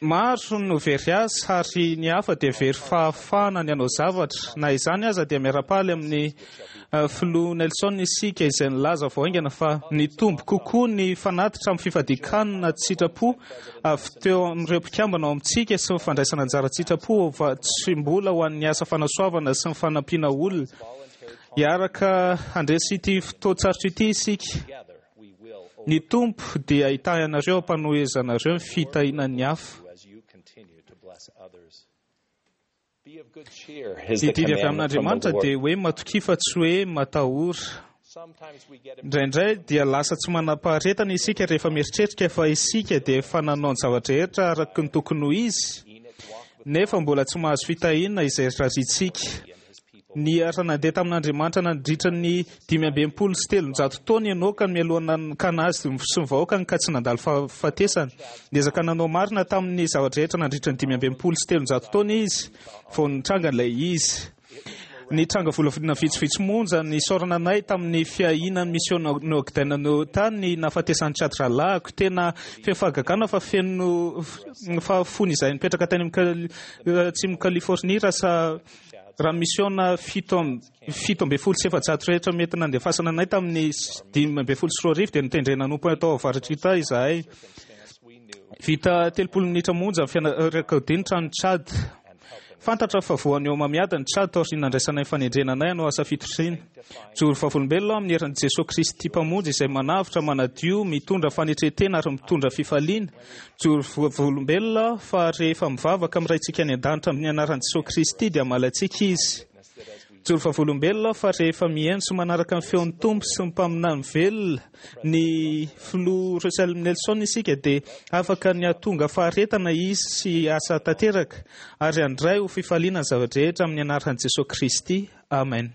Maro no very asa ary ny hafa dia very fahafahana ny hanao zavatra. Na izany aza dia miara-paly amin'ny Filoha Nelson isika izay nilaza vao haingana fa nitombo kokoa ny fanatitra amin'ny fifadian-kanina an-tsitrapo avy teo amin'ireo mpikambana ao amintsika sy ny fandraisana anjara an-tsitrapo vatsim-bola ho an'ny asa fanasoavana sy ny fanampiana olona. Hiaraka handresy ity fotoan-tsarotra ity isika. Ny Tompo dia hitahy anareo am-panohezanareo ny fitahiana ny hafa. Ny didy avy amin'Andriamanitra dia hoe matokia fa tsy hoe matahora. Indraindray dia lasa tsy manam-paharetana isika rehefa mieritreritra fa isika dia efa nanao ny zava-drehetra araka ny tokony ho izy, nefa mbola tsy mahazo fitahiana izay rarintsika. Niara-nandeha tamin'Andriamanitra nandritra ny 365 taona i Enoka mialoha nanokana azy sy ny vahoakany ka tsy nandalo fahafatesana. Niezaka nanao marina tamin'ny zava-drehetra nandritra ny 365 taona izy vao nitranga ilay izy. Nitranga volavolana vitsivitsy monja nisaorana anay tamin'ny fiahiana ny misiona Ogden Utah ny nahafatesan'i Chad rahalahiko. Tena feno fahagagana fa feno fa fony izahay nipetraka tany amin'ny atsimon'i Californie raha Raha misiona 417 rehetra mety nandefasana anay tamin'ny 2015 dia notendrena hanompo tao avaratr'i Utah izahay. Vita 30 minitra monja ny fianakaviany ny tranon'i Chad. Fantatra fa voan'ny homamiadana i Chad taorian'ny nandraisanay ny fanendrena anay hanao asa fitoriana. Mijoro vavolombelona aho amin'ny herin'i Jesoa Kristy Mpamonjy izay manavotra, manadio, mitondra fanetren-tena ary mitondra fifaliana. Mijoro vavolombelona aho fa rehefa mivavaka amin'ny Raintsika any An-danitra amin'ny anaran'i Jesoa Kristy dia hamaly antsika Izy. Mijoro vavolombelona aho fa rehefa mihaino sy manaraka ny feon'ny Tompo sy ny mpaminany velona, ny Filoha Russell Nelson isika dia afaka ny hahatonga faharetana hisy sy asa tanteraka ary handray ho fifaliana ny zava-drehetra amin'ny anaran'i Jesoa Kristy. Amen.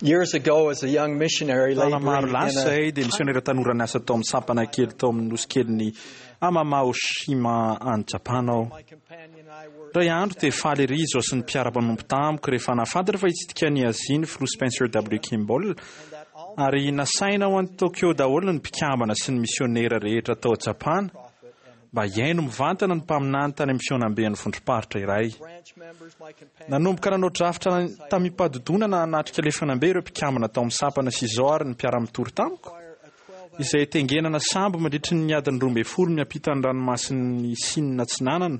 Years ago, as a young missionary Taona maro laboring in lasa a izay dia misionera tanora niasa tao amin'ny sampana kely tao amin'ny nosy kelin'i Amamaoshima any Japana aho. Indray andro dia faly ery izaho sy ny mpiara-manompo tamiko rehefa nahafantatra fa hitsidika an'i Azia ny filoha Spencer W. Kimball ary nasaina ho any Tokyo daholo ny mpikambana sy ny misionera rehetra tao Japana mba hihaino mivantana ny mpaminany tany amin'ny fihaonamben'ny vondrom-paritra iray. Nanomboka nanao drafitra tamim-pahadodonana hanatrika ilay fihaonambe ireo mpikambana tao amin'ny sampana sy izaho ary ny mpiara-mitory tamiko, izay tengenana sambo mandritry ny adiny 12 miampita ny ranomasin'i Sina Atsinanana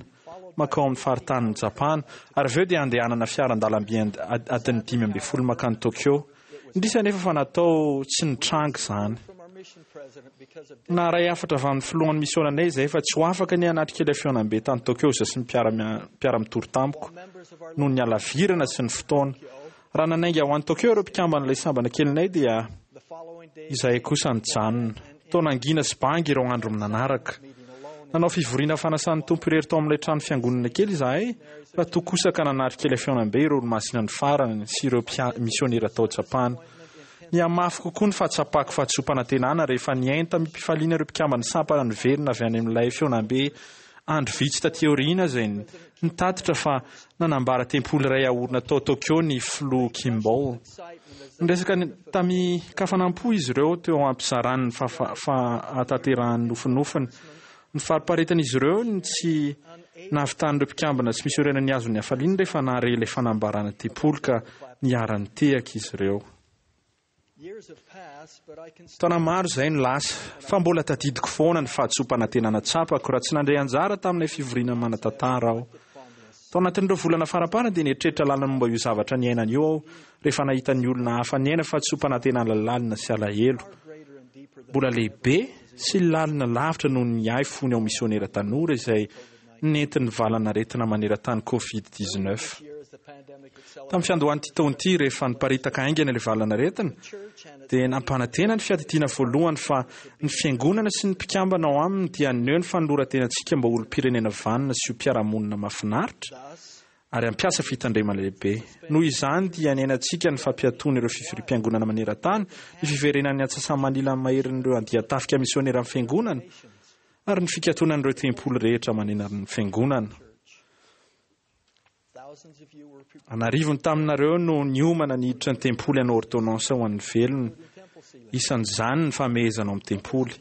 mankao amin'ny faritanin'i Japana, ary avy eo dia handehanana fiara an-dalamby adiny 15 mankany Tokyo. Indrisy anefa fa natao tsy nitranga izany. Naharay hafatra avy amin'ny filohan'ny misiônanay izahay fa tsy ho afaka ny hanatrika ilay fihaonambe tany Tokyo izaho sy ny mpiara-mitory tamiko, noho ny halavirana sy ny fotoana. Raha nanainga ho any Tokyo ireo mpikamban'ilay sambana kelinay dia izahay kosa nijanona. Toa nangina sy banga ireo andro nanaraka. Nanao fivoriana fanasan'ny Tompo irery tao amin'ilay trano fiangonana kely izahay, raha toa kosa ka nanatrika ilay fihaonambe ireo Olomasina ny farany sy ireo misionera tao Japana. Nihamafy kokoa ny fahatsapako fahadisoam-panantenana rehefa nihaino tamim-pifaliana ireo mpikamban'ny sampana niverina avy any amin'ilay fihaonambe andro vitsy taty aoriana izay nitatitra fa nanambara tempoly iray haorina tao Tokyo ny Filoha Kimball. Niresaka tamin-kafanam-po izy ireo teo am-pizarany ny fahatanterahan'ny nofinofiny. Ny fariparetan'izy ireo ny tsy nahavitan'ireo mpikambana tsy misionera nihazo ny hafaliany rehefa nahare ilay fanambarana tempoly ka niara-nitehaka izy ireo. Taona maro izay no lasa, fa mbola tadidiko foana ny fahadisoam-panantenana tsapako raha tsy nandray anjara tamin'ilay fivoriana manan-tantara aho. Tao anatin'ireo volana faramparany dia nieritreritra lalina momba io zavatra niainana io aho rehefa nahita ny olona hafa niaina fahadisoam-panantenana lalina sy alahelo. Mbola lehibe sy lalina lavitra noho ny ahy fony aho misionera tanora izay nentin'ny valanaretina maneran-tany Covid 19. Tamin'ny fiandohan'ity taona ity, rehefa niparitaka haingana ilay valanaretina, dia nampanantena ny Fiadidiana Voalohany fa ny Fiangonana sy ny mpikambana ao aminy dia haneho ny fanoloran-tenantsika mba ho olom-pirenena vanona sy ho mpiara-monina mahafinaritra ary hampiasa fitandremana lehibe. Noho izany dia niainantsika ny fampiatoana ireo fivoriam-piangonana maneran-tany, ny fiverenan'ny antsasa-manila maherin'ireo andian-tafika misioneran'ny Fiangonana, ary ny fikatonan'ireo tempoly rehetra manerana ny Fiangonana. An'arivony taminareo no niomana ny hiditra ny tempoly hanao ôrdônansa ho an'ny velona, isan'izany ny famehezana ao amin'ny tempoly.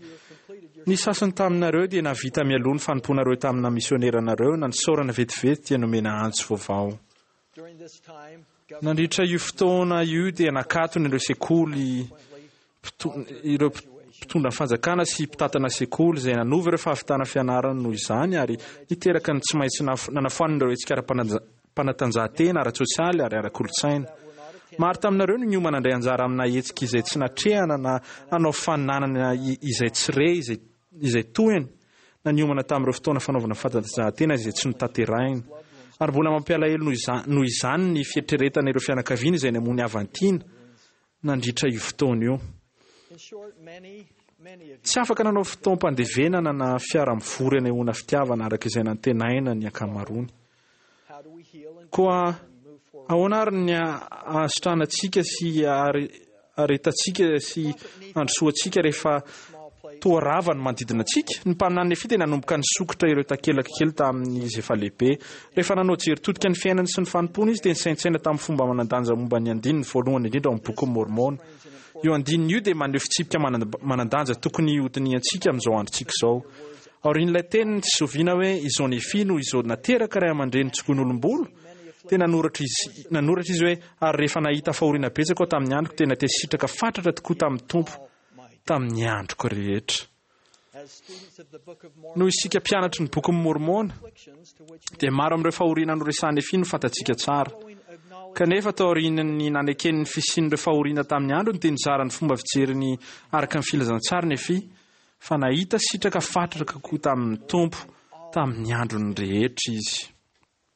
Ny sasany taminareo dia nahavita mialoha ny fanompoanareo tamina misioneranareo na nisaorana vetivety dia nomena antso vaovao. Nandritra io fotoana io dia nakatona ireo sekoly ireo mpitondra ny fanjakana sy mpitantana sekoly izay nanova ireo fahavitana fianarana noho izany ary niteraka ny tsy maintsy nanafoanana ireo hetsika ara-panatanjahantena, ara-tsosialy ary ara-kolontsaina. Maro taminareo no niomana handray anjara amina hetsika izay tsy natrehana na hanao faninanana izay tsy re izay tohiny na niomana tamin'ireo fotoana fanaovana fanatanjahantena izay tsy notanterahina. Ary mbola mampialahelo noho izany ny fieritreretana ireo fianakaviana izay namoy ny havan-tiana nandritra io fotoana io. Tsy afaka nanao fotoam-pandevenana na fiara-mivory anehoana fitiavana araka izay nantenaina ny ankamaroany. Koa ahoana ary ny hahasitranantsika sy haharetantsika sy handrosoantsika rehefa toa rava ny manodidina antsika? Ny mpaminany Nefia dia nanomboka nisokitra ireo takelaka kely tamin'izy efa lehibe. Rehefa nanao jery todika ny fiainany sy ny fanompoany izy dia nisaintsaina tamin'ny fomba manan-danja momba ny andininy voalohany indrindra ao amin'ny Bokin'i Môrmôna. Io andininy io dia maneho fitsipika manan-danja tokony hodinihantsika amin'izao androntsika izao. Aorian'ilay teniny tsy zoviana hoe izao Nefia no izao nateraka ray aman-dreny tsokoin'olom-bolo, dia nanoratra izy nanoratra izy hoe, Ary rehefa nahita fahoriana betsaka aho tamin'ny androko, dia natesitraka fatratra tokoa tamin'ny Tompo tamin'ny androko rehetra. Noho isika mpianatry ny Bokin'i Môrmôna, dia maro amin'ireo fahoriana noresahin'i Nefia no fantatsika tsara. Kanefa, taorian'ny nanekeny ny fisian'ireo fahoriana tamin'ny androny, dia nizara ny fomba fijeriny araka ny filazantsara Nefia, fa nahita sitraka fatratra kokoa tamin'ny Tompo tamin'ny androny rehetra izy.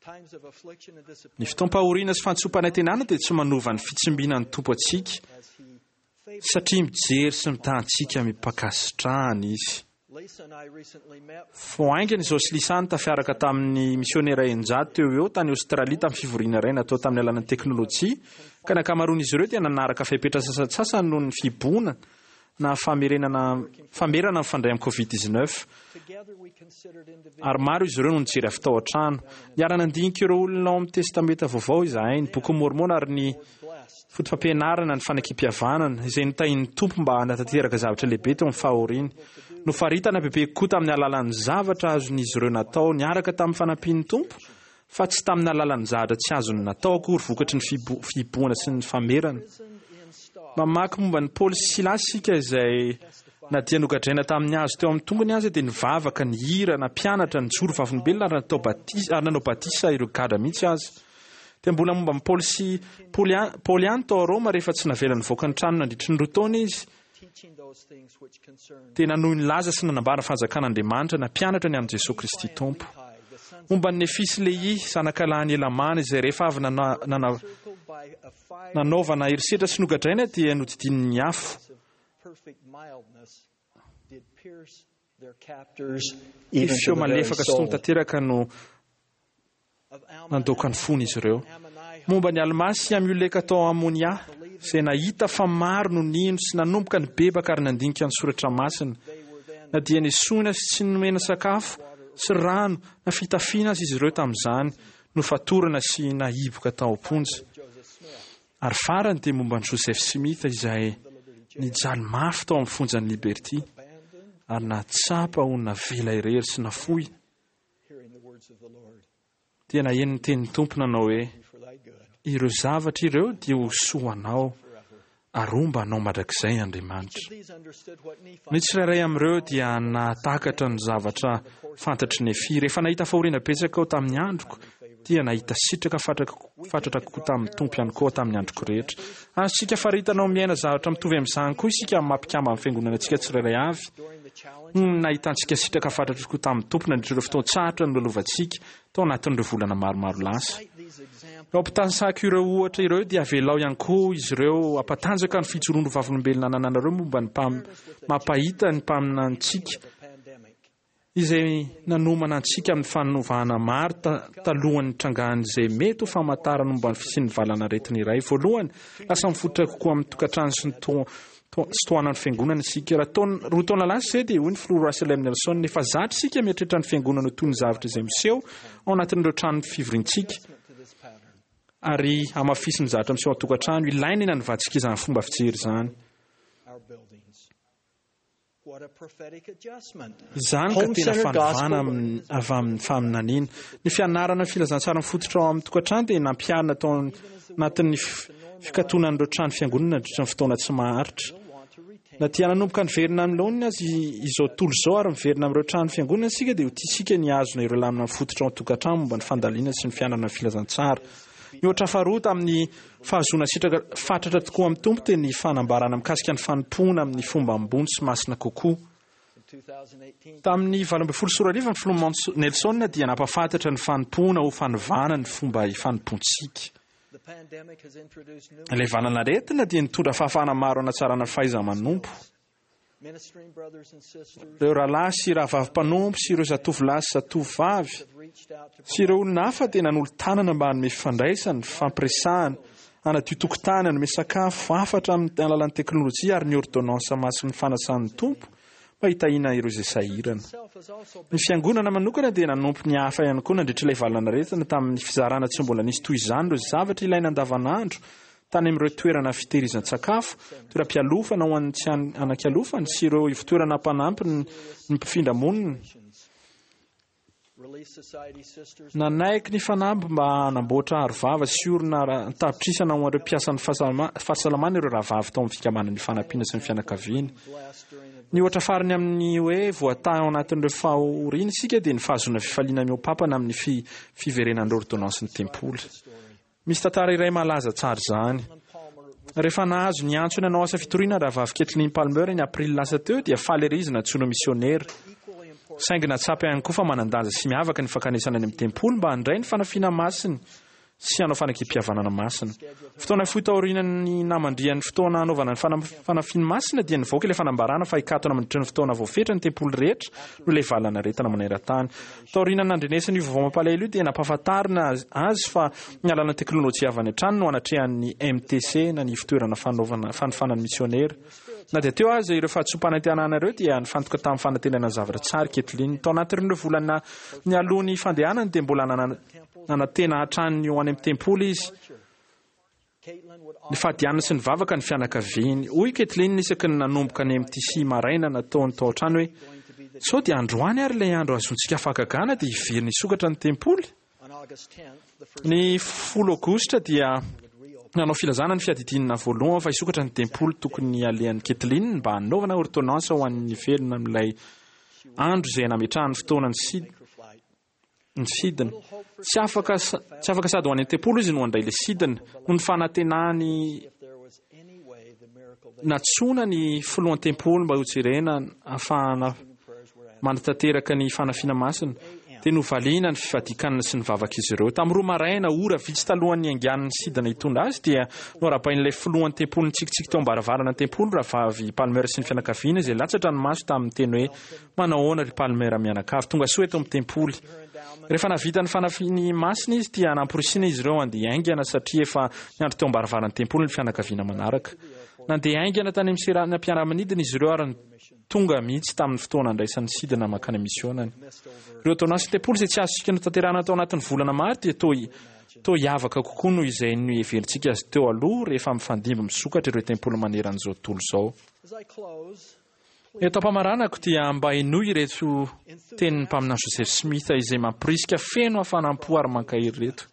Ny fotoam-pahoriana sy fantsom-panantenana dia tsy manova ny fitsimbinan'ny Tompo antsika, satria mijery sy mitaha antsika amim-pankasitrahana Izy. Vao haingana izao sy Lisa no tafiaraka tamin'ny misionera 600 teo ho eo tany Aostralia tamin'ny fivoriana iray natao tamin'ny alalan'ny teknolojia, ka ny ankamaroan'izy ireo dia nanaraka fepetra sasantsasany noho ny fihibohana na famerenana famerana mifandray amin'ny Covid 19. Ary maro izy ireo no nijery avy tao an-trano. Niara-nandinika ireo olona ao amin'ny Testamenta Vaovao izahay, ny Bokin'i Môrmôna ary ny Fotopampianarana ny Fanekempihavanana, izay notahian'ny Tompo mba hanatanteraka zavatra lehibe teo amin'ny fahoriany. Nofaritana bebe kokoa tamin'ny alalan'ny zavatra azon'izy ireo natao niaraka tamin'ny fanampian'ny Tompo, fa tsy tamin'ny alalan'ny zavatra tsy azony natao akory vokatry ny fihibohana sy ny famerana. Mamaky momba an'i Paoly sy Silasy isika izay na dia nogadraina tamin'ny hazo teo amin'ny tongony aza dia nivavaka, nihira, nampianatra, nijoro vavolombelona ary natao batisa ary nanao batisa ireo gadra mihitsy aza. Dia mbola momba an'i Paoly sy Paoly Paoly ihany tao Roma rehefa tsy navela nivoaka ny trano nandritry ny roa taona izy dia nanohy nilaza sy nanambara ny fanjakan'Andriamanitra, nampianatra ny amin'i Jesoa Kristy Tompo. Momba an'i Nefia sy Lehia, zanakalahin'i Helamàna, izay rehefa avy nanaovana herisetra sy nogadraina dia nodidinin'ny afo. Ny feo malefaka sy tony tanteraka no nandoaka ny fony izy ireo. Momba an'i Almà sy Amioleka tao Amônia, izay nahita fa maro no nino sy nanomboka nibebaka ary nandinika ny soratra masina, na dia nesoina sy tsy nomena sakafo sy rano na fitafiana aza izy ireo tamin'izany, nofatorana sy nahiboka tao am-ponja. Ary farany dia momba an'i Joseph Smith izay nijaly mafy tao amin'ny fonjan'i Liberty ary nahatsapa ho navela irery sy nafoy. Dia naheno ny tenin'ny Tompo nanao hoe, Ireo zavatra ireo dia ho soa ho anao ary homba anao mandrakizay Andriamanitra. Ny tsirairay amin'ireo dia nahatakatra ny zavatra fantatr'i Nefia. Rehefa nahita fahoriana betsaka aho tamin'ny androko, dia nahita sitraka fatratra kokoa tamin'ny Tompo ihany koa aho tamin'ny androko rehetra. Azontsika faritana ho miaina zavatra mitovy amin'izany koa isika amin'ny maha mpikamban'ny Fiangonana antsika tsirairay avy. Ny nahitantsika sitraka fatratra kokoa tamin'ny Tompo nandritra ireo fotoan-tsarotra nolalovantsika tao anatin'ireo volana maromaro lasa. Eo am-pitanisako ireo ohatra ireo dia avelao ihany koa izy ireo hampatanjaka ny fijoroan'ireo vavolombelona anananareo momba ny mampahita ny mpaminanintsika izay nanomana antsika amin'ny fanovana maro talohan'ny nitrangan'izay mety ho famantarana momba ny fisian'ny valanaretina iray. Voalohany, lasa mifototra kokoa amin'ny tokantrano sy ny sy tohanan'ny fiangonana isika. Raha taona, roa taona lasa izay dia hoy ny filoha Russell M. Nelson, efa zatra isika mieritreritra ny fiangonana ho toy ny zavatra izay miseho ao anatin'ireo trano fivoriantsika, ary hamafisin'ny zavatra miseho an-tokantrano. Ilaina ny hanovantsika izany fomba fijery izany. Izany ka tena fanovana avy amin'ny faminaniana. Ny fianarana ny filazantsara mifototra ao amin'ny tokantrano dia nampiharina tao anatin'ny fikatonan'ireo trano fiangonana nandritra ny fotoana tsy maharitra. Na dia nanomboka niverina amin'ny laoniny aza izao tontolo izao ary miverina amin'ireo trano fiangonana isika dia ho tiantsika ny hihazona ireo lamina mifototra ao an-tokantrano momba ny fandalinana sy ny fianarana ny filazantsara. Ny ohatra faharoa tamin'ny fahazoana sitraka fatratra tokoa amin'ny Tompo dia ny fanambarana mikasika ny fanompoana amin'ny fomba ambony sy masina kokoa. Tamin'ny 2018 ny filoha Nelson dia nampahafantatra ny fanompoana ho fanovana ny fomba ifanompoantsika. Ilay valanaretina dia nitondra fahafahana maro hanatsarana ny fahaiza-manompo. Ireo rahalahy sy rahavavy mpanompo sy ireo zatovolahy sy zatovovavy sy ireo olona hafa dia nanolo-tanana mba hanome fifandraisana, fifampiresahana, hanadio tokotany, hanome sakafo, hafatra amin'ny alalan'ny teknolojia ary ny ôrdônansa masin'ny fanasan'ny Tompo mba hitahiana ireo izay sahirana. Ny Fiangonana manokana dia nanompo ny hafa ihany koa nandritra ilay valanaretina tamin'ny fizarana tsy mbola nisy toy izany ireo zavatra ilaina andavanandro tany amin'ireo toerana fitehirizan-tsakafo, toeram-pialofana ho an'ny tsy anan-kialofana sy ireo ivotoerana mpanampy ny mpifindra monina. Nanaiky ny fanamby mba hanamboatra arovava sy orona an-tapitrisana ho an'ireo mpiasan'ny fahasalamana ireo rahavavy tao amin'ny fikambanan'ny Fanampiana sy ny fianakaviany. Ny ohatra farany amin'ny hoe voatahy ao anatin'ireo fahoriana isika dia ny fahazoana fifaliana mihoa-pampana amin'ny fiverenan'ireo ôrdônansin'ny tempoly. Misy tantara iray mahalaza tsara izany. Rehefa nahazo ny antsony hanao asa fitoriana Rahavavy Kaitlyn Palmer ny Aprily lasa teo, dia faly ery izy nantsoina ho misionera. Saingy nahatsapa ihany koa fa manan-danja sy miavaka ny fankanesana any amin'ny tempoly mba handray ny fanafiana masiny sy hanao fanekempihavanana masina. Fotoana fohy taorian'ny namandrihan'ny fotoana hanaovana ny fanafiany masina dia nivoaka ilay fanambarana fa hikatona mandritra ny fotoana voafetra ny tempoly rehetra noho ilay valanaretina maneran-tany. Taorian'ny nandrenesana io vaovao mampalahelo io dia nampahafantarina azy fa ny alalan'ny teknolojia avy any an-trano no anatrehan'ny MTC na ny ivontoerana fanaovana fanofanana misionera. Na dia teo aza ireo fahadisoam-panantenana ireo dia nifantoka tamin'ny fanantenana zavatra tsara i Kathleen. Tao anatin'ireo volana nialoha ny fandehanany dia mbola nanantena hatrany ny ho any amin'ny tempoly izy. Nifady hanina sy nivavaka ny fianakaviany. Hoy i Kathleen isaky ny nanomboka ny MTC maraina nataony tao an-trano hoe, Sao dia androany ary ilay andro hahazoantsika fahagagana dia hiverina hisokatra ny tempoly? Ny 10 aogositra dia nanao filazana ny fiadidiana voalohany fa hisokatra ny tempoly tokony halehan'i Kathleen mba hanaovana ordonnance ho an'ny velona amin'ilay andro izay nametrahany fotoana ny ny sidina. Tsy afaka tsy afaka sady ho any an-tempoly izy no handray ilay sidina. Noho ny fanantenany nantsoina ny filohan'ny tempoly mba hojerena ahafahana manatanteraka ny fanafiana masina, dia novaliana ny fifadian-kanina sy ny vavak'izy ireo. Tamin'ny 2 maraina, ora vitsy talohan'ny niaingan'ny sidina hitondra azy, dia noharabain'ilay filohan'ny tempoly nitsikitsiky teo am-baravarana ny tempoly, Rahavavy Palmer sy ny fianakaviany, izay latsa-dranomaso tamin'ny teny hoe, Manahoana ry Palmer mianakavy, tonga soa eto amin'ny tempoly. Rehefa nahavita ny fanafiany masina izy dia namporisihina izy ireo handeha haingana satria efa niandry teo am-baravaran'ny tempoly ny fianakaviana manaraka. Nandeha haingana tany amin'ny seranam-piaramanidina izy ireo ary tonga mihitsy tamin'ny fotoana handraisany sidina mankany amin'ny misionany. Ireo taonasy tempoly izay tsy azontsika notanterahina tao anatin'ny volana maro dia toa toa hiavaka kokoa noho izay noheverintsika azy teo aloha rehefa mifandimby misokatra ireo tempoly manerana izao tontolo izao. Eto am-pamaranako dia mba henoy ireto tenin'ny mpaminany Joseph Smith izay mamporisika feno hafanam-po ary mankahery ireto.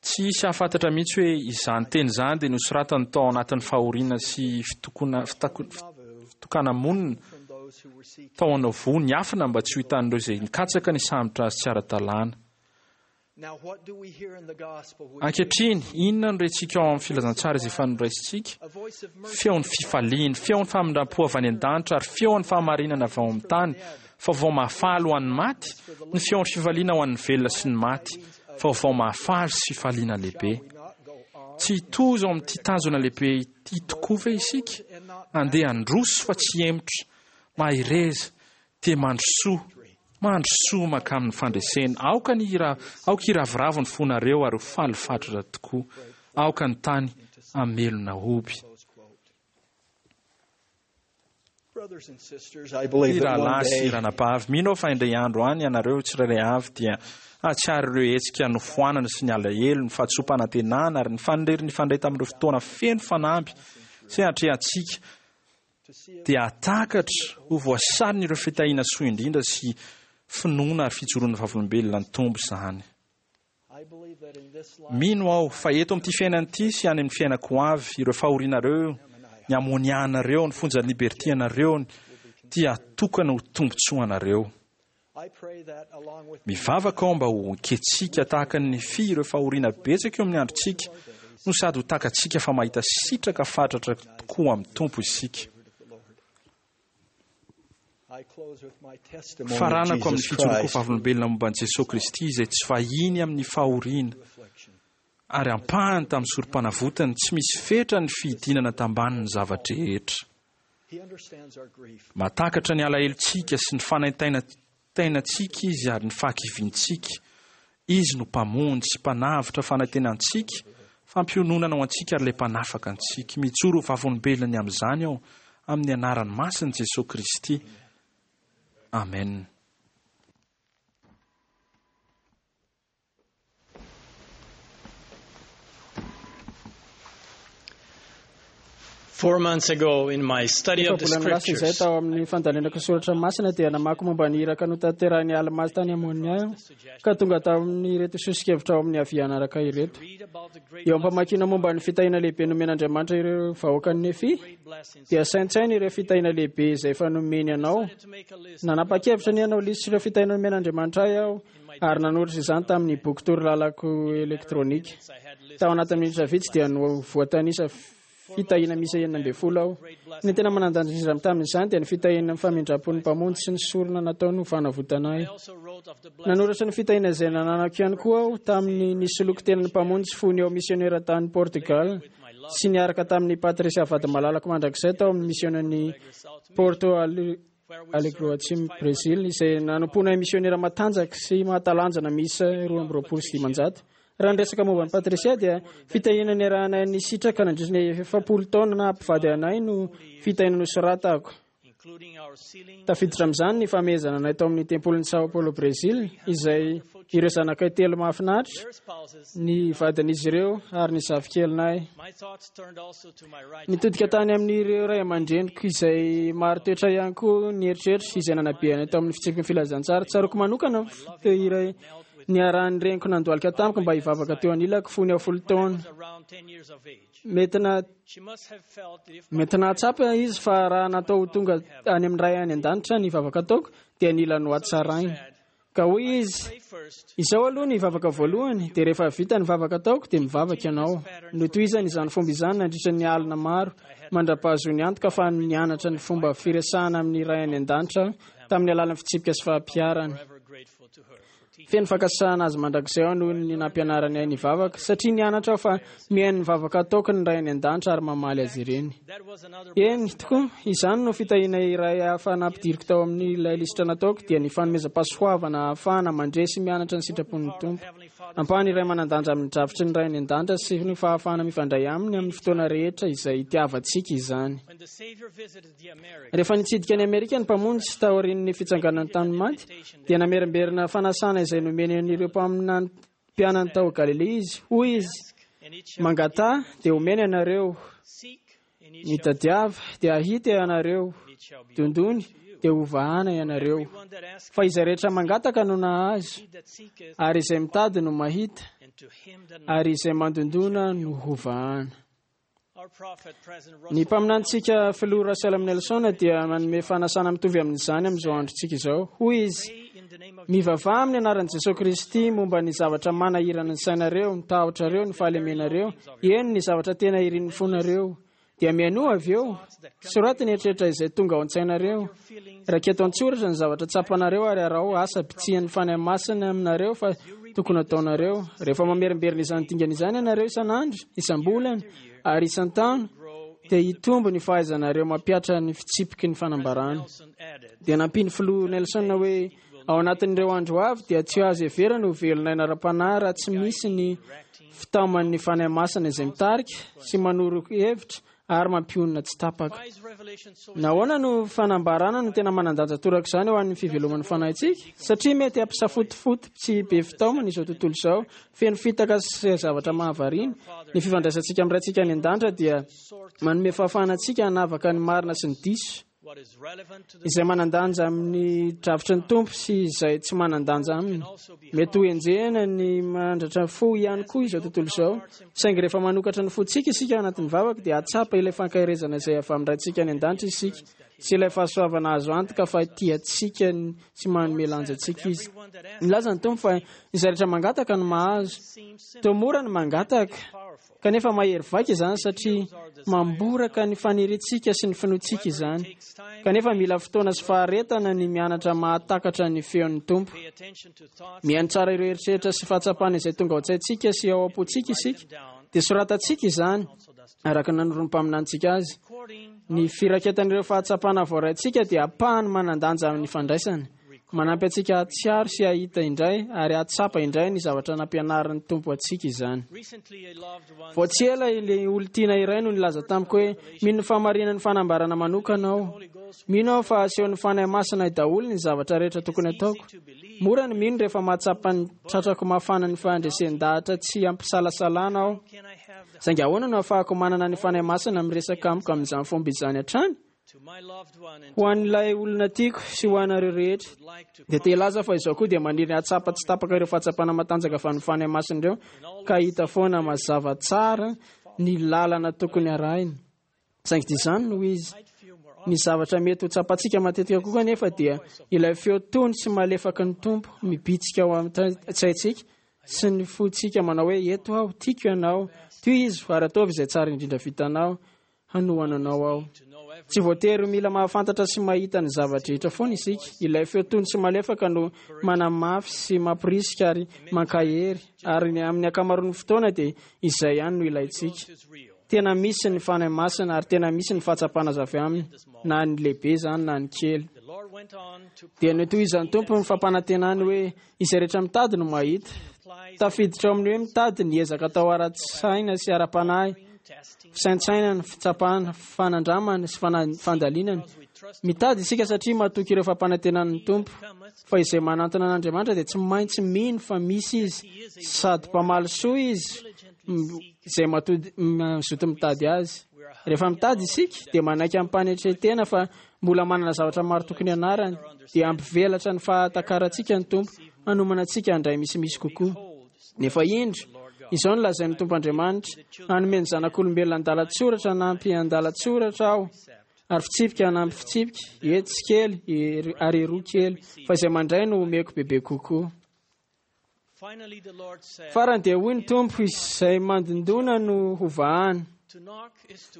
Tsy hisy hahafantatra mihitsy hoe izany teny izany dia nosoratany tao anatin'ny fahoriana sy fitokana-monina tao Nauvoo niafina mba tsy ho hitan'ireo izay nikatsaka ny hisambotra azy tsy ara-dalàna. Ankehitriny, inona no rentsika ao amin'ny filazantsara izay efa noraisintsika? Feon'ny fifaliana, feon'ny famindram-po avy any an-danitra ary feon'ny fahamarinana avy ao amin'ny tany, vaovao mahafaly ho an'ny maty, ny feon'ny fifaliana ho an'ny velona sy ny maty, vaovao mahafaly sy fifaliana lehibe. Tsy hitozo ao amin'ity tanjona lehibe ity tokoa ve isika? Andeha handroso fa tsy hihemotra. Mahereza, Dia mandrosoa, mandrosoa mankamin'ny fandresena. Aoka ny hira, aoka hiravoravo ny fonareo ary ho faly fatratra tokoa. Aoka ny tany hamelona hoby. Ry rahalahy sy ranabavy, mino aho fa indray andro any ianareo tsirairay avy dia hahatsiaro ireo hetsika nofoanana sy ny alahelo, ny fahadisoam-panantenana ary ny fanirery nifandray tamin'ireo fotoana feno fanamby sy atrehantsika dia hahatakatra ho voasariny ireo fitahiana soa indrindra sy finoana ary fijoroana vavolombelona ny Tompo izany. Mino aho fa eto amin'ity fiainana ity sy any amin'ny fiainako ho avy, ireo fahorianareo, ny hamoniahanareo, ny fonjan'ny liberty anareo dia tokana ho tombontsoanareo. Mivavaka aho mba ho ekentsika tahaka ny Nefia ireo fahoriana betsaka eo amin'ny androntsika, no sady ho takatsika fa mahita sitraka fatratra tokoa amin'ny Tompo isika. Faranako amin'ny fijoroako vavolombelona momba an'i Jesoa Kristy izay tsy vahiny amin'ny fahoriana ary ampahany tamin'ny sorom-panavotany tsy misy fetra ny fidinana tambanin'ny zava-drehetra. Mahatakatra ny alahelontsika sy ny fanaintainantsika Izy ary ny fahakiviantsika. Izy no Mpamonjy sy Mpanavotra fanantenantsika, fampiononana ho antsika ary ilay Mpanafaka antsika. Mijoro ho vavolombelona ny amin'izany aho amin'ny anarany masin'i Jesoa Kristy. Amen. 4 months ago in my study of the Efa-bolana lasa izay scriptures, tao amin'ny fandalinako soratra masina dia namaky momba ny iraka notanterahin'i Alma tany Amonia aho, ka tonga tamin'ireto soso-kevitra ao amin'ny havia hanaraka ireto. Eo am-pamakiana momba ny fitahiana lehibe nomen'Andriamanitra ireo vahoakan'i Nefy, dia saintsaino ireo fitahiana lehibe izay efa nomeny anao. Nanapa-kevitra ny hanao lisitra ireo fitahiana nomen'Andriamanitra ahy aho ary nanoratra izany tamin'ny boky torolalako elektronika. Tao anatin'ny minitra vitsy dia voatanisa fitahiana miisa 16 aho. Ny tena manan-danja indrindra tamin'izany dia ny fitahiana ny famindram-pon'ny Mpamonjy sy ny sorona nataony ho fanavotana ahy. Nanoratra ny fitahiana izay nananako ihany koa aho tamin'ny nisoloky tenan'ny Mpamonjy fony eo misionera tany Portugal sy niaraka tamin'ny Patricia vady malalako mandrakizay tao amin'ny misionan'i Porto Alegre Atsimo Brésil izay nanompoana misionera matanjaka sy mahatalanjana miisa 522. Raha niresaka momba an'i Patricia dia fitahiana niarahanay nisitraka nandritra ny 40 taona naha-mpivady anay no fitahiana nosoratako. Tafiditra amin'izany ny famehezana anay tao amin'ny tempolin'i Sao Paulo Brésil izay ireo zanakay telo mahafinaritra, ny vadin'izy ireo ary ny zafikelinay. Nitodika tany amin'ireo ray aman-dreniko izay maro toetra ihany koa ny eritreritra izay nanabe anay tao amin'ny fitsipiky ny filazantsara. Tsaroako manokana fotoa iray niarahan'ny reniko nandohalika tamiko mba hivavaka teo anilako fony aho 10 taona. Mety nahatsapa izy fa raha natao ho tonga any amin'ny ray any an-danitra ny vavaka ataoko dia nila nohatsaraina. Ka hoy izy, izao aloha ny vavaka voalohany, dia rehefa vita ny vavaka ataoko dia mivavaka ianao. Notohizany izany fomba izany nandritra ny alina maro mandra-pahazoany antoka fa nianatra ny fomba firesahana amin'ny ray any an-danitra tamin'ny alalan'ny fitsipika sy fampiharana. Feno fankasitrahana azy mandrakizay aho noho ny nampianarany ahy nivavaka, satria nianatra aho fa mihaino ny vavaka ataoko ny ray any an-danitra ary mamaly azy ireny. Eny tokoa, izany no fitahiana iray hafa nampidiriko tao amin'ilay lisitra nataoko, dia ny fanomezam-pahasoavana ahafahana mandre sy mianatra ny sitrapon'ny Tompo. Ampahany iray manan-danja amin'ny drafitry ny ray any an-danitra sy ny fahafahana mifandray aminy amin'ny fotoana rehetra izay itiavantsika izany. Rehefa nitsidika an'i Amerika ny Mpamonjy taorian'ny fitsanganany tamin'ny maty, dia namerimberina fanasana izay nomeny an'ireo mpaminany mpianany tao Galilia izy. Hoy izy, mangataha dia homena ianareo, mitadiava dia hahita ianareo, dondony dia hovahana ianareo. Fa izay rehetra mangataka no nahazo, ary izay mitady no mahita, ary izay mandondona no hovahana. Ny mpaminanintsika filoha Russell M. Nelson dia manome fanasana mitovy amin'izany amin'izao androntsika izao. Hoy izy, mivavaha amin'ny anaran'i Jesoa Kristy momba ny zavatra manahirana ny sainareo, ny tahotrareo, ny fahalemenareo, eny ny zavatra tena irin'ny fonareo. Dia mihainoa avy eo, soraty ny eritreritra izay tonga ao an-tsainareo. Raketo an-tsoratra ny zavatra tsapanareo ary araho asa bitsihan'ny Fanahy Masina aminareo fa tokony ataonareo. Rehefa mamerimberina izany dingana izany ianareo isan'andro, isam-bolana ary isan-taona, dia hitombo ny fahaizanareo mampihatra ny fitsipiky ny fanambarana. Dia nampian'ny filoha Nelson hoe, ao anatin'ireo andro avy dia tsy azo heverina ho velon'aina ara-panahy raha tsy misy ny fitaoman'ny Fanahy Masina izay mitarika sy manoro hevitra ary mampionona tsy tapaka. Nahoana no fanambarana no tena manan-danja toraka izany ho an'ny fiveloman'ny fanahintsika? Satria mety hampisafotofoto tsy be fitaomana izao tontolo izao, feno fitaka sy zavatra mahavariana. Ny fifandraisantsika amin'ny Raintsika any an-danitra dia manome fahafahana antsika hanavaka ny marina sy ny diso, izay manan-danja amin'ny drafitry ny Tompo sy izay tsy manan-danja aminy. Mety ho enjehina ny mandratra fo ihany koa izao tontolo izao, saingy rehefa manokatra ny fontsika isika ao anatin'ny vavaka dia hahatsapa ilay fankaherezana izay avy amin'ny Raintsika any an-danitra isika sy ilay fahasoavana azo antoka fa tia antsika sy manome lanja antsika izy. Nilaza ny Tompo fa izay rehetra mangataka no mahazo. Toa mora ny mangataka. Kanefa mahery vaika izany satria mamboraka ny faniriantsika sy ny finoantsika izany. Kanefa mila fotoana sy faharetana ny mianatra mahatakatra ny feon'ny Tompo. Mihaino tsara ireo eritreritra sy fahatsapana izay tonga ao an-tsaintsika sy ao am-pontsika isika, dia soratantsika izany araka ny nanoron'ny mpaminanintsika azy. Ny firaketan'ireo fahatsapana voaraintsika dia ampahany manan-danja amin'ny fandraisana. Manampy antsika hahatsiaro sy hahita indray ary hahatsapa indray ny zavatra nampianarin'ny Tompo antsika izany. Vao tsy ela ilay olon-tiana iray no nilaza tamiko hoe, Mino ny fahamarinan'ny fanambarana manokana aho. Mino aho fa asehon'ny Fanahy Masina ahy daholo ny zavatra rehetra tokony hataoko. Mora ny mino rehefa mahatsapa ny tratrako mafana ny fandresen-dahatra tsy ampisalasalana aho. Saingy ahoana no ahafahako manana ny Fanahy Masina miresaka amiko amin'izany fomba izany hatrany? Ho an'ilay olona tiako sy ho anareo rehetra, dia te hilaza fa izaho koa dia maniry ny hahatsapa tsy tapaka ireo fahatsapana matanjaka avy amin'ny Fanahy Masina ireo ka hahita foana mazava tsara ny lalana tokony harahina. Saingy dia izany no izy. Ny zavatra mety ho tsapantsika matetika kokoa anefa dia ilay feo tony sy malefaky ny Tompo mibitsika ao an-tsaintsika sy ny fontsika manao hoe, Eto aho, tiako ianao, tohizo ary ataovy izay tsara indrindra vitanao. Hanohana anao aho. Tsy voatery ho mila mahafantatra sy mahita ny zava-drehetra foana isika. Ilay feo tony sy malefaka no manamafy sy mamporisika ary mankahery, ary amin'ny ankamaroan'ny fotoana dia izay ihany no ilaintsika. Tena misy ny Fanahy Masina ary tena misy ny fahatsapana azo avy aminy, na ny lehibe izany na ny kely. Dia notohizan'ny Tompo ny fampanantenany hoe, Izay rehetra mitady no mahita. Tafiditra ao amin'ny hoe mitady ny ezaka atao ara-tsaina sy ara-panahy, fisaintsainana, fitsapana, fanandramana sy fandalinana. Mitady isika satria matoky ireo fampanantenan'ny Tompo fa izay manantona an'Andriamanitra dia tsy maintsy mino fa misy Izy sady mpamaly soa Izy izay mazoto mitady Azy. Rehefa mitady isika dia manaiky amim-panetren-tena fa mbola manana zavatra maro tokony hianarana, dia hampivelatra ny fahatakarantsika ny Tompo, hanomana antsika handray misimisy kokoa. Nefa indro, izao no lazain'ny Tompo Andriamanitra, Hanome ny zanak'olombelona andalan-tsoratra hanampy andalan-tsoratra Aho, ary fitsipika hanampy fitsipika, etsy kely, ary eroa kely, fa izay mandray no homeko bebe kokoa. Farany dia hoy ny Tompo, Izay mandindona no hovahana.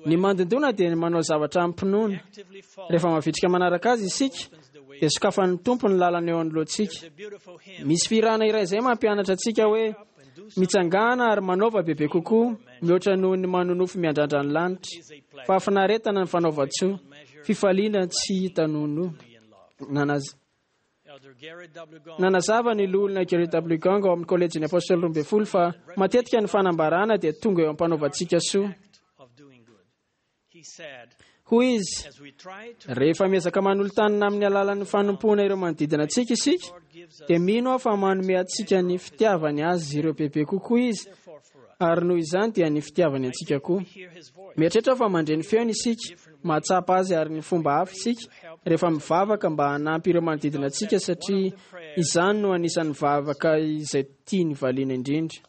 Ny mandindona dia ny manao zavatra amim-pinoana. Rehefa mavitrika manaraka azy isika, dia sokafan'ny Tompo ny lalana eo anoloantsika. Misy fihirana iray izay mampianatra antsika hoe, Mitsangàna ary manaova bebe kokoa mihoatra noho ny manonofy miandrandra ny lanitra. Fahafinaretana ny fanaovan-tsoa, fifaliana tsy hita nonoa. Nanazava ny Loholona Gerrit W. Gong ao amin'ny Kolejin'ny Apôstôly Roambinifolo fa matetika ny fanambarana dia tonga eo am-panaovantsika soa. Hoy izy, Rehefa miezaka manolo-tanana amin'ny alalan'ny fanompoana ireo manodidina antsika isika, dia mino aho fa manome antsika ny fitiavany azy ireo bebe kokoa izy, ary noho izany dia ny fitiavany antsika koa. Mieritreritra aho fa mandre ny feony isika, mahatsapa azy ary ny fomba hafa isika rehefa mivavaka mba hanampy ireo manodidina antsika satria izany no anisan'ny vavaka izay tiany valiana indrindra.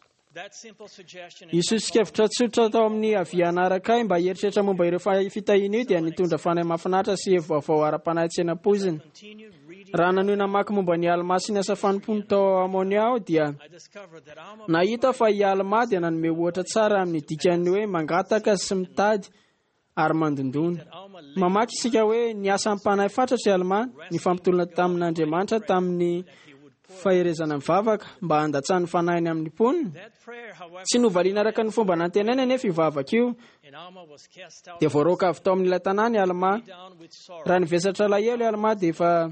Io soso-kevitra tsotra tao amin'ny Avia hanaraka ahy mba hieritreritra momba ireo fitahiana io dia nitondra fanahy mahafinaritra sy hevi-vaovao ara-panahy tsy nampoizina. Raha nanohy namaky momba an'i Almà sy ny asa fanompoany tao Amônia aho dia nahita fa i Almà dia nanome ohatra tsara amin'ny dikan'ny hoe mangataka sy mitady ary mandondona. Mamaky isika hoe niasa am-panahy fatratra i Almà, nifampitolona tamin'Andriamanitra tamin'ny faherezana mivavaka mba handatsany ny fanahiny amin'ny mponina. Tsy novaliana araka ny fomba nantenainy anefa io vavaka io. Dia voaroaka avy tao amin'ilay tanàna i Almà. Raha nivesatra alahelo i Almà dia efa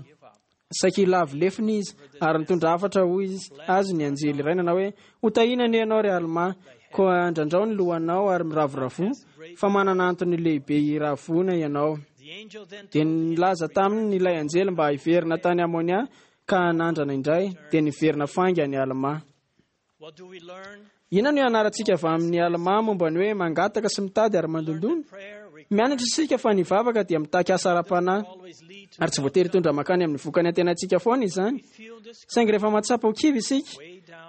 Saika hilavo lefona izy, ary nitondra hafatra hoy azy ny anjely iray nanao hoe, Ho tahiana anie ianao, ry Almà, koa andrandrao ny lohanao ary miravoravoa, fa manana antony lehibe hiravoana ianao. Dia nilaza taminy ilay anjely mba hiverina tany Amônia ka hanandrana indray, dia niverina faingana i Almà. Inona no ianarantsika avy amin'i Almà momba ny hoe mangataka sy mitady ary mandondona? Mianatra isika fa ny vavaka dia mitaky asa ara-panahy, ary tsy voatery hitondra mankany amin'ny vokany antenaintsika foana izany. Saingy rehefa mahatsapa ho kivy isika,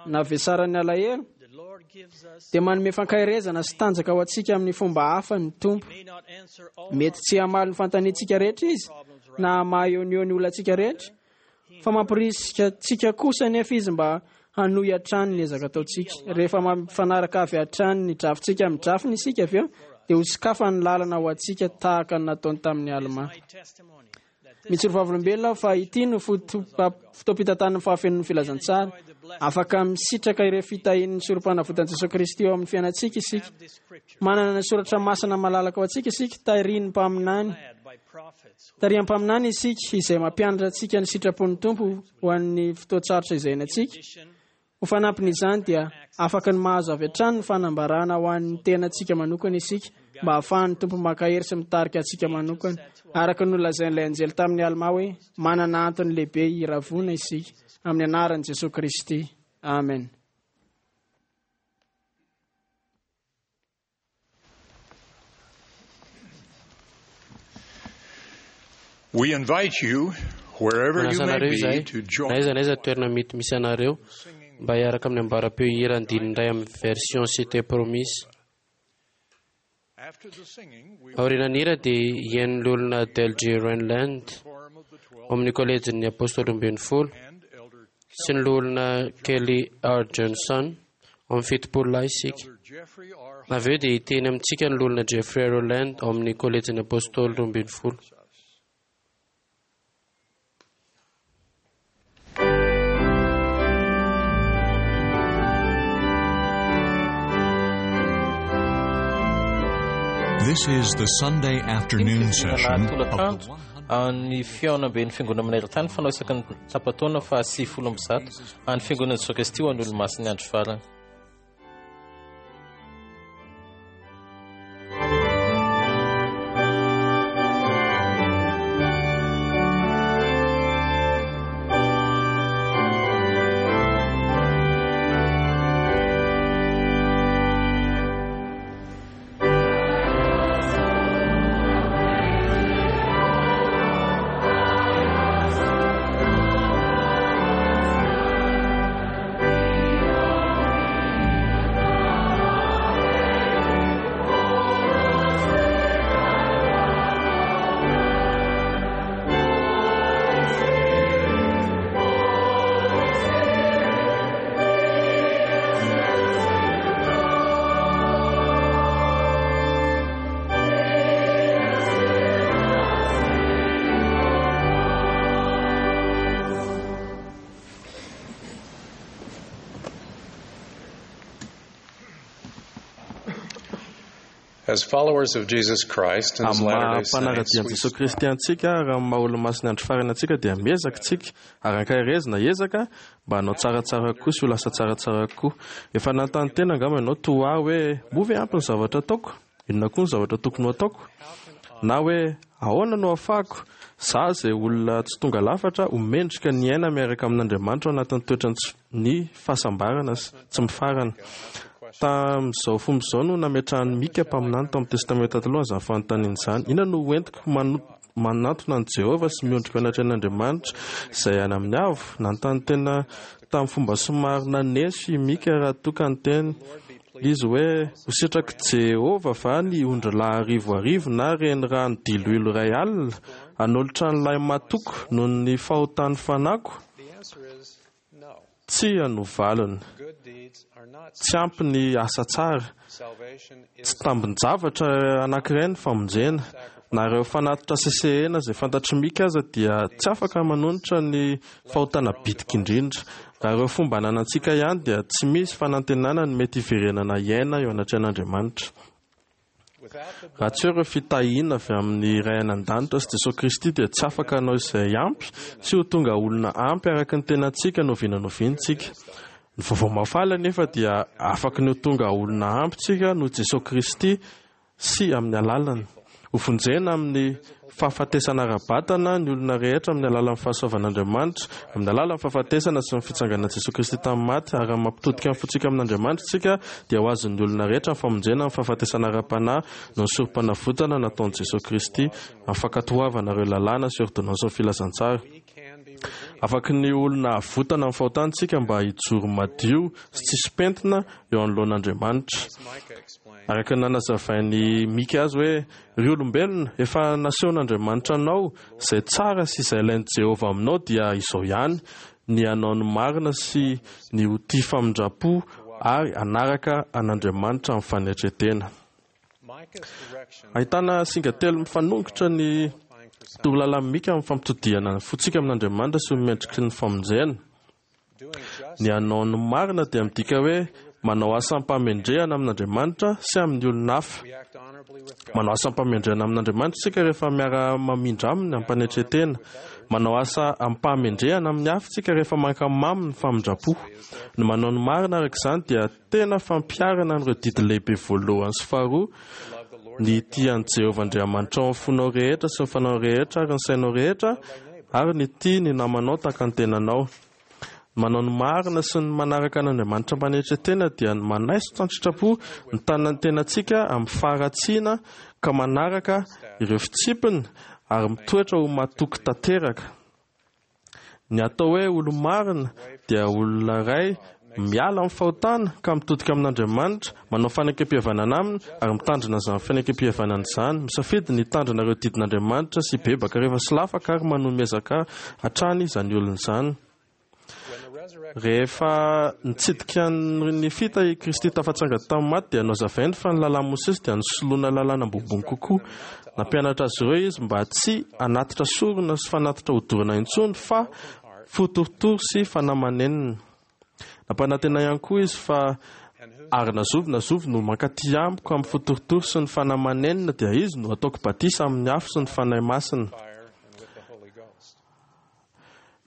na vesaran'ny alahelo, dia manome fankaherezana sy tanjaka ho antsika amin'ny fomba hafa ny Tompo. Mety tsy hamaly ny fanontaniantsika rehetra Izy, na hamaha eo no eo ny olantsika rehetra, fa mampirisika antsika kosa anefa Izy mba hanohy hatrany ny ezaka ataontsika. Rehefa mampifanaraka avy hatrany ny drafintsika amin'ny drafiny isika avy eo, dia ho sokafany ny lalana ho antsika tahaka ny nataony tamin'ny Almà. Mijoro vavolombelona aho fa ity no fotoam-pitantanan'ny fahafenoan'ny filazantsara. Afaka misitraka ireo fitahian'ny sorom-panavotan'i Jesoa Kristy eo amin'ny fiainantsika isika. Manana ny soratra masina malalaka ho antsika isika, tarihin'ny mpaminany. Tarihan'ny mpaminany isika izay mampianatra antsika ny sitrapon'ny Tompo ho an'ny fotoan-tsarotra izay iainantsika. Ho fanampin'izany dia afaka ny mahazo avy hatrany ny fanambarana ho an'ny tenantsika manokana isika mba hahafahan'ny Tompo mankahery sy mitarika antsika manokana. Araka ny nolazain'ilay anjely tamin'i Almà hoe, Manana antony lehibe hiravoana isika, amin'ny anaran'i Jesoa Kristy. Amen. We invite you, wherever you Manasa may anareo be, izahay, to join na aiza na aiza toerana mety misy anareo, mba hiaraka amin'ny ambaram-peo hira andininy iray amin'ny version C'était promise. After the singing, we Aorian'ny hira dia hihaino ny olona Del J. Renland ao amin'ny kolejin'ny Apôstôly 12 sy ny loholona Kelly R. Johnson ao amin'ny 70 lahy isika. Avy eo dia hiteny amintsika ny loholona Jeffrey Rowland ao amin'ny kolejin'ny Apôstôly 12. This is the Sunday afternoon session of the tolakandro an'ny fihaonamben'ny fiangonana maneran-tany fanao isaky ny tapa-taona faha 190 an'ny fiangonan'i Jesoa Kristy ho an'ny olomasin'ny andro farany. As followers of Jesus Christ and his Amin'ny maha Latter-day Saints, mpanara-dia an'i we Jesoa Kristy antsika ary amin'ny maha olomasin'ny andro farany antsika dia miezaka isika ary ankaherezina hiezaka mba hanao tsaratsara kokoa sy ho lasa tsaratsara kokoa. Efa nanontany tena angamba ianao toa ahy hoe moa ve ampy ny zavatra ataoko? Inona koa ny zavatra tokony ho ataoko? Na hoe ahoana no ahafahako za izay olona tsy tonga lafatra ho mendrika ny hiaina miaraka amin'Andriamanitra ao anatin'ny toetrany tsy ny fahasambarana sy tsy mifarana. Tamin'izao fomba izao no nametrahan'i Mika mpaminany tao amin'ny Testamenta Taloha an'izany fanontaniana izany, Inona no hoentiko manantona an'i Jehovah sy miondrika eo anatrehan'Andriamanitra izay any amin'ny avo? Nanontany tena tamin'ny fomba somary naneso i Mika raha toa ka niteny izy hoe, Ho sitrak'i Jehovah va ny ondrilahy arivoarivo na renirano diloilo 1000 hanolotra ny lahimatoako noho ny fahotan'ny fanahiko? Tsia no valiny. Tsy ampy ny asa tsara. Tsy tambin-javatra anankiray ny famonjena. Na ireo fanatitra sesehena izay fantatr'i Mika aza dia tsy afaka manonitra ny fahotana bitika indrindra. Raha ireo fomba ananantsika ihany dia tsy misy fanantenana ny mety hiverenana hiaina eo anatrehan'Andriamanitra. Raha tsy eo ireo fitahiana avy amin'ny Ray any An-danitra sy Jesoa Kristy dia tsy afaka hanao izay ampy sy ho tonga olona ampy araka ny tenantsika n'oviana n'oviana isika. Ny vaovao mahafaly anefa dia afaky ny ho tonga olona ampy isika noho Jesoa Kristy sy amin'ny alalany. Hovonjena amin'ny fahafatesana ara-batana ny olona rehetra amin'ny alalan'ny fahasoavan'Andriamanitra, amin'ny alalan'ny fahafatesana sy ny fitsanganan'i Jesoa Kristy tamin'ny maty, ary raha mampitodika ny fontsika amin'Andriamanitra isika, dia ho azon'ny olona rehetra ny famonjena amin'ny fahafatesana ara-panahy noho ny sorompanavotana nataon'i Jesoa Kristy, amin'ny fankatoavana ireo lalàna sy ôrdônansin'ny filazantsara. Afaky ny olona avotana amin'ny fahotana isika mba hijoro madio sy tsisy pentina eo anoloan'Andriamanitra. Araka ny nanazavain'i Mika azy hoe, Ry olombelona, efa nasehon'Andriamanitra anao izay tsara sy izay ilain'i Jehovah aminao dia izao ihany, ny hanao ny marina sy ny ho tia famindram-po ary hanaraka an'Andriamanitra amin'ny fanetren-tena. Ahitana singa telo mifanongotra ny torolalan'i Mika amin'ny fampitodihana ny fontsika amin'Andriamanitra sy ho mendriky ny famonjena. Ny hanao ny marina dia midika hoe manao asa am-pahamendrehana amin'Andriamanitra sy amin'ny olona hafa. Manao asa am-pahamendrehana amin'Andriamanitra isika rehefa miara-mamindra aminy am-panetren-tena. Manao asa am-pahamendrehana amin'ny hafa isika rehefa mankamamy ny famindram-po. Ny manao ny marina araka izany dia tena fampiharana an'ireo didy lehibe voalohany sy faharoa, ny hitia an'i Jehovah Andriamanitrao amin'ny fonao rehetra sy ny fanahinao rehetra ary ny sainao rehetra, ary ny hitia ny namanao tahaka ny tenanao. Ny manao ny marina sy ny manaraka an'Andriamanitra am-panetren-tena dia ny manaisotra an-tsitrapo ny tanan'ny tenantsika amin'ny faharatsiana ka manaraka ireo fitsipiny ary mitoetra ho matoky tanteraka. Ny atao hoe olo-marina dia olona iray miala amin'ny fahotana ka mitodika amin'Andriamanitra, manao fanekempihavanana aminy ary mitandrina izany fanekempihavanana izany, misafidy ny hitandrina ireo didin'Andriamanitra sy hibebaka rehefa solafaka ary manohy miezaka hatrany izany olona izany. Rehefa nitsidika ny Nefita i Kristy tafatsangana tamin'ny maty dia nohazavainy fa ny lalàn'i Mosesy dia nosoloana lalàna ambonimbony kokoa. Nampianatra azy ireo izy mba tsy hanatitra sorona sy fanatitra hodorana intsony fa fo torotoro sy fanahy manenina. Nampanantena ihany koa izy fa ary na zovy na zovy no mankaty amiko amin'ny fo torotoro sy ny fanahy manenina dia izy no hataoko batisa amin'ny afo sy ny Fanahy Masina.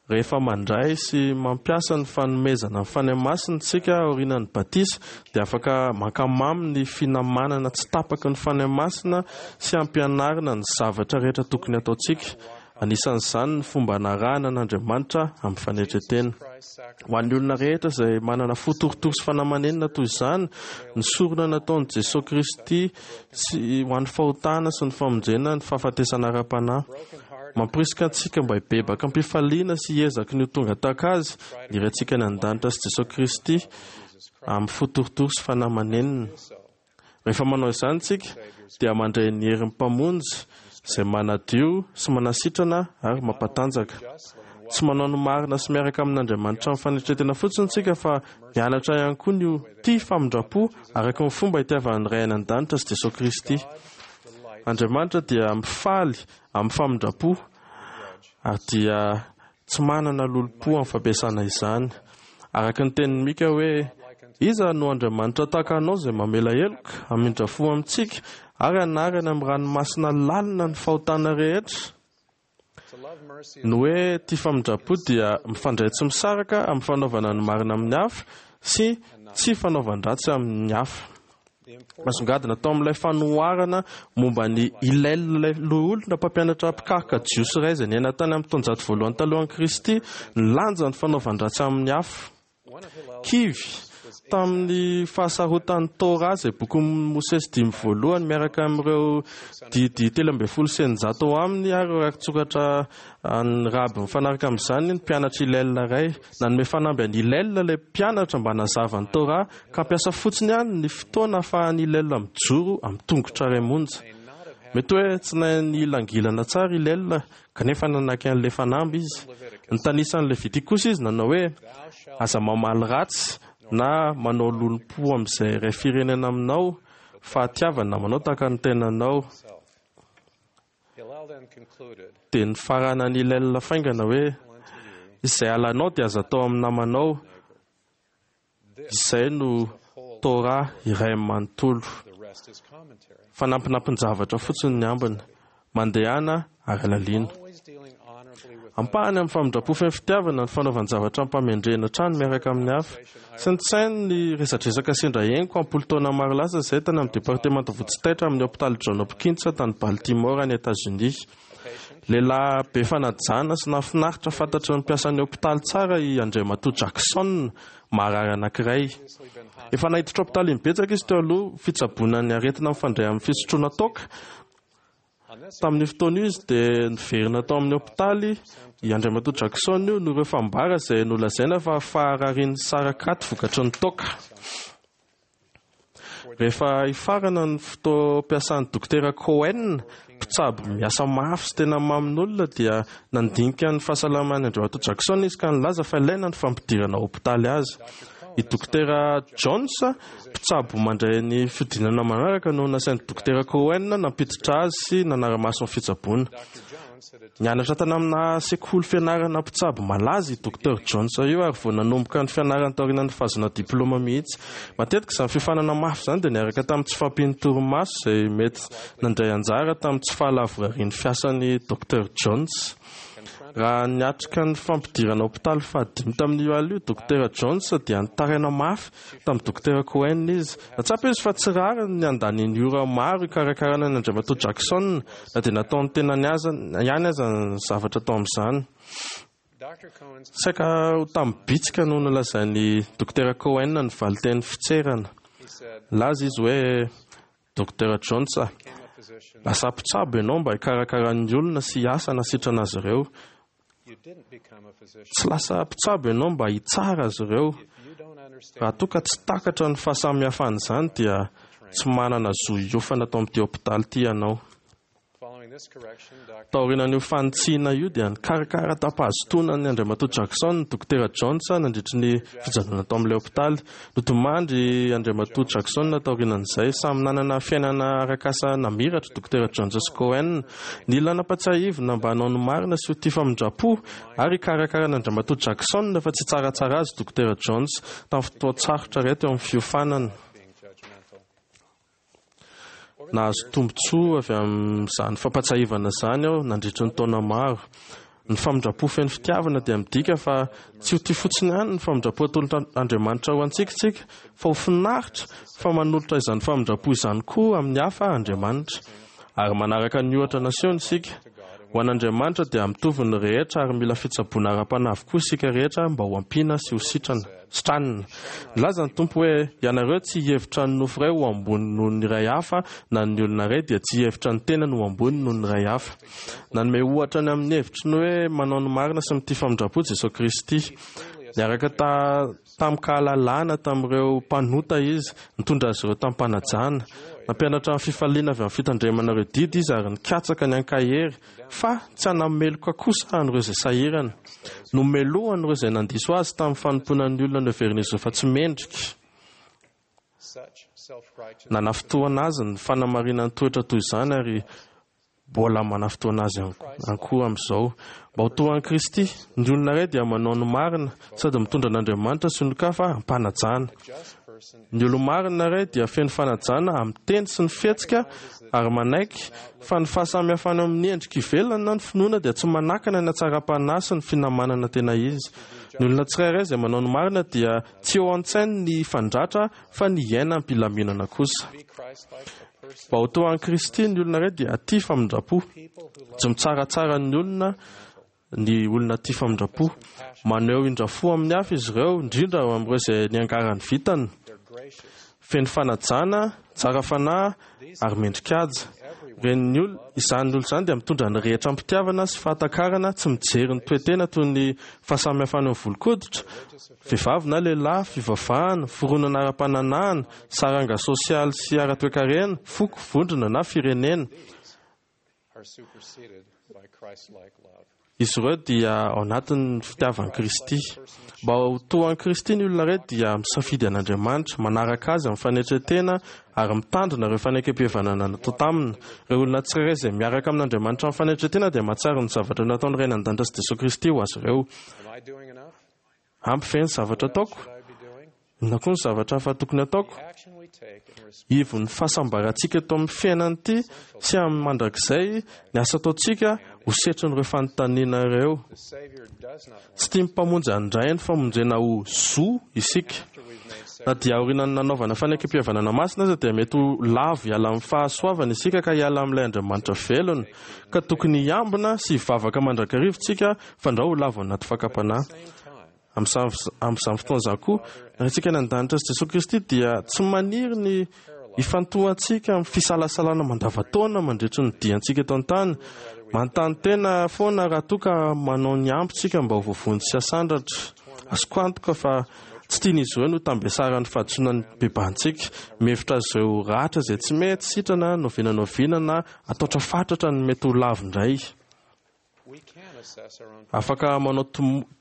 Rehefa mandray sy mampiasa ny fanomezana ny Fanahy Masina isika aorianan'ny batisa, dia afaka mankamamy ny finamanana tsy tapaky ny Fanahy Masina sy ampianarina ny zavatra rehetra tokony hataontsika, anisan'izany ny fomba hanarahana an'Andriamanitra amin'ny fanetren-tena. Ho an'ny olona rehetra izay manana fo torotoro sy fanahy manenina toy izany, ny sorona nataon'i Jesoa Kristy sy ho an'ny fahotana sy ny famonjena ny fahafatesana ara-panahy. Mamporisika antsika mba hibebaka am-pifaliana sy hiezaky ny ho tonga tahaka Azy ny Raintsika any An-danitra sy Jesoa Kristy amin'ny fo torotoro sy fanahy manenina. Rehefa manao izany isika dia mandray ny herin'ny Mpamonjy izay manadio sy manasitrana ary mampatanjaka. Tsy manao ny marina sy miaraka amin'Andriamanitra amin'ny fanetren-tena fotsiny isika fa mianatra ihany koa ny ho tia famindram-po araka ny fomba itiavan'ny Ray any An-danitra sy Jesoa Kristy. Andriamanitra dia mifaly amin'ny famindram-po ary dia tsy manana lolompo amin'ny fampiasana izany. Araka ny tenin'i Mika hoe, Iza no Andriamanitra tahaka Anao izay mamela heloka, hamindra fo amintsika, ary hanary any amin'ny ranomasina lalina ny fahotana rehetra? Ny hoe tia famindram-po dia mifandray tsy misaraka amin'ny fanaovana ny marina amin'ny hafa sy tsy fanaovan-dratsy amin'ny hafa. Nasongadina tao amin'ilay fanoharana momba an'i Hillel ilay loholona mpampianatra mpikaroka jiosy iray izay niaina tany amin'ny taonjato voalohany talohan'i Kristy ny lanjan'ny fanaovan-dratsy amin'ny hafa. Kivy tamin'ny fahasarotan'ny Torah izay bokin'i Mosesy dimy voalohany miaraka amin'ireo didy 613 ao aminy ary ireo rakitsoratra an'ny raby mifanaraka amin'izany ny mpianatr'i Hillel iray. Nanome fanamby an'i Hillel ilay mpianatra mba hanazava ny Torah ka hampiasa fotsiny ihany ny fotoana ahafahan'i Hillel mijoro amin'ny tongotra iray monja. Mety hoe tsy nahay nihilangilana tsara i Hillel kanefa nanaiky an'ilay fanamby izy. Nitanisa ny Levitika kosa izy nanao hoe, Aza mamaly ratsy na manao lolompo amin'izay iray firenena aminao, fa tiava ny namanao tahaka ny tenanao. Dia nifaranan'i Hillel faingana hoe, Izay halanao dia aza atao amin'ny namanao. Izay no Torah iray manontolo. Fanampinampin-javatra fotsiny ny ambiny. Mandehana ary alalino. Ampahany amin'ny famindram-po feno fitiavana ny fanaovan-javatra amim-pahamendrehana hatrany miaraka amin'ny hafa. Saintsaino ny resadresaka sendra henoko am-polo taona maro lasa izay tany amin'ny departemanta vonjitaitra amin'ny hopitaly John Hopkins tany Baltimore any Etazonia. Lehilahy be fanajana sy nahafinaritra fantatry ny mpiasan'ny hopitaly tsara i Andriamatoa Jackson, marary anankiray. Efa naiditra hopitaly imbetsaka izy teo aloha fitsaboana ny aretina mifandray amin'ny fisotroana toaka. Tamin'io fotoana io izy dia niverina tao amin'ny hopitaly I Andriamatoa Jackson io noho ireo fambara izay nolazaina fa fahararian'ny sarakaty vokatry ny toaka. Rehefa hifarana ny fotoam-piasan'ny Dokotera Cohen, mpitsabo miasa mafy sy tena mamin'olona, dia nandinika ny fahasalaman'i Andriamatoa Jackson izy ka nilaza fa ilaina ny fampidirana hopitaly azy. I Dokotera Jones, mpitsabo mandray ny fihodinana manaraka no nasain'ny Dokotera Cohen nampiditra azy sy nanara-maso ny fitsaboana. Nianatra tany amina sekoly fianarana mpitsabo malaza i Docteur Jones io ary vao nanomboka ny fianarany taorian'ny fahazoana diplaoma mihitsy. Matetika izany fiofanana mafy izany dia niaraka tamin'ny tsy fahampian'ny torimaso izay mety nandray anjara tamin'ny tsy fahalavorarian'ny fiasan'i Docteur Jones. Raha niatrika ny fampidirana hopitaly fahadimy tamin'io alina io Dokotera Jones dia nitaraina mafy tamin'ny Dokotera Cohen izy. Nahatsapa izy fa tsy rariny ny handaniany ora maro hikarakarana an'i Andriamatoa Jackson, na dia nataon'ny tenany aza ihany aza ny zavatra tao amin'izany. Saika ho tamin'ny bitsika no nolazain'i Dokotera Cohen ny valinteny fitserana. Nilaza izy hoe, Dokotera Jones a, lasa mpitsabo ianao mba hikarakara ny olona sy hiasa hanasitrana azy ireo. Tsy lasa mpitsabo ianao mba hitsara azy ireo. Raha toa ka tsy takatra ny fahasamihafan'izany dia tsy manana zo hiofana ato amin'ity hopitaly ity ianao. Taorianan'io fanitsiana io dia nikarakara tam-pahazotoana an'i Andriamatoa Jackson ny Dokotera Jones nandritry ny fijanonana tao amin'ilay hopitaly. Nodimandry Andriamatoa Jackson taorianan'izay. Samy nanana fiainana arak'asa namiratra Dokotera Jones sy Cohen. Nila nampatsiahivina mba hanao ny marina sy ho tia famindram-po ary hikarakara an'Andriamatoa Jackson fa tsy hitsaratsara azy Dokotera Jones tamin'ny fotoan-tsarotra iray teo amin'ny fiofanana. Nahazo tombontsoa avy amin'izany fampatsiahivana izany aho nandritry ny taona maro. Ny famindram-po feno fitiavana dia midika fa tsy ho tia fotsiny ihany ny famindram-po atolotr'Andriamanitra ho antsika isika, fa ho finaritra fa manolotra izany famindram-po izany koa amin'ny hafa Andriamanitra. Ary manaraka ny ohatra nasehony isika. Ho an'Andriamanitra dia mitovy ny rehetra ary mila fitsaboana ara-panahy avokoa isika rehetra mba ho ampiana sy ho sitrana, sitranina. Nilaza ny Tompo hoe, Ianareo tsy hihevitra ny nofo iray ho ambony noho ny iray hafa na ny olona iray dia tsy hihevitra ny tenany ho ambony noho ny iray hafa. Nanome ohatra ny amin'ny hevitry ny hoe manao ny marina sy mitia famindram-po Jesoa Kristy. Niaraka ta. Tamin-kahalalana tamin'ireo mpanota izy, nitondra azy ireo tamim-panajana. Nampianatra ny fifaliana avy amin'ny fitandremana ireo didy izy ary nikatsaka ny hankahery, fa tsy hanameloka kosa an'ireo izay sahirana. Nomelohany ireo izay nandiso azy tamin'ny fanompoana ny olona noheverin'izy ireo fa tsy mendrika. Nanafintohina azy ny fanamarinan-toetra toy izany ary Mbola manafintohina azy ihany koa amin'izao. Mba ho toa an'i Kristy, ny olona iray dia manao ny marina sady mitondra an'Andriamanitra sy ny olon-kafa am-panajana. Ny olo-marina iray dia feno fanajana amin'ny teny sy ny fihetsika ary manaiky fa ny fahasamihafana eo amin'ny endrika ivelany na ny finoana dia tsy manakana ny hatsaram-panahy sy ny finamanana tena izy. Ny olona tsirairay izay manao ny marina dia tsy eo an-tsainy ny hifandratra fa ny hiaina am-pilaminana kosa. Mba ho toa an'i Kristy, ny olona iray dia tia famindram-po. Tsy mitsaratsara ny olona ny olona tia famindram-po. Maneho indra-fo amin'ny hafa izy ireo, indrindra amin'ireo izay niangaran'ny vintana. Feno fanajana, tsara fanahy ary mendri-kaja. Ireny olona, izany olona izany dia mitondra ny rehetra am-pitiavana sy fahatakarana, tsy mijery ny toe-tena toy ny fahasamihafana eo amin'ny volon-koditra, Vehivavy na lehilahy, fivavahana, fironana ara-pananahana, saranga sosialy sy ara-toekarena, foko, vondrona na firenena. Izy ireo dia ao anatin'ny fitiavan'i Kristy. Mba ho toa an'i Kristy ny olona iray dia misafidy an'Andriamanitra, manaraka Azy amin'ny fanetren-tena ary mitandrina ireo fanekempihavanana natao taminy. Ireo olona tsirairay izay miaraka amin'Andriamanitra amin'ny fanetren-tena dia mahatsiaro ny zavatra nataon'ny Ray any An-danitra sy Jesoa Kristy ho azy ireo. Ampy ve ny zavatra ataoko? Inona koa ny zavatra hafa tokony hataoko? Ivon'ny fahasambarantsika eto amin'ny fiainana ity sy amin'ny mandrakizay ny asa ataontsika ho setrin'ireo fanontaniana ireo. Tsy tian'ny Mpamonjy handray ny famonjena ho zo isika. Na dia aorian'ny nanaovana fanekempihavanana masina aza dia mety ho lavo hiala amin'ny fahasoavana isika ka hiala amin'ilay Andriamanitra velona, ka tokony hiambina sy hivavaka mandrakariva isika Fandrao ho lavo anaty fakam-panahy. Amin'izany fotoana izany koa, ny Raintsika any an-danitra sy Jesoa Kristy dia tsy maniry ny Ifantohantsika amin'ny fisalasalana mandavantaona mandritry ny diantsika eto an-tany. Manontany tena foana raha toa ka manao ny ampy tsika mba ho voavonjy sy hasandratra. Azoko antoka fa tsy tian'izy ireo ny ho tambesaran'ny fahadisoana ny bebantsika. Mihevitra azy ireo ho ratra izay tsy mety sitrana n'oviana n'oviana na ataotra fatratra ny mety ho lavo indray. Afaka manao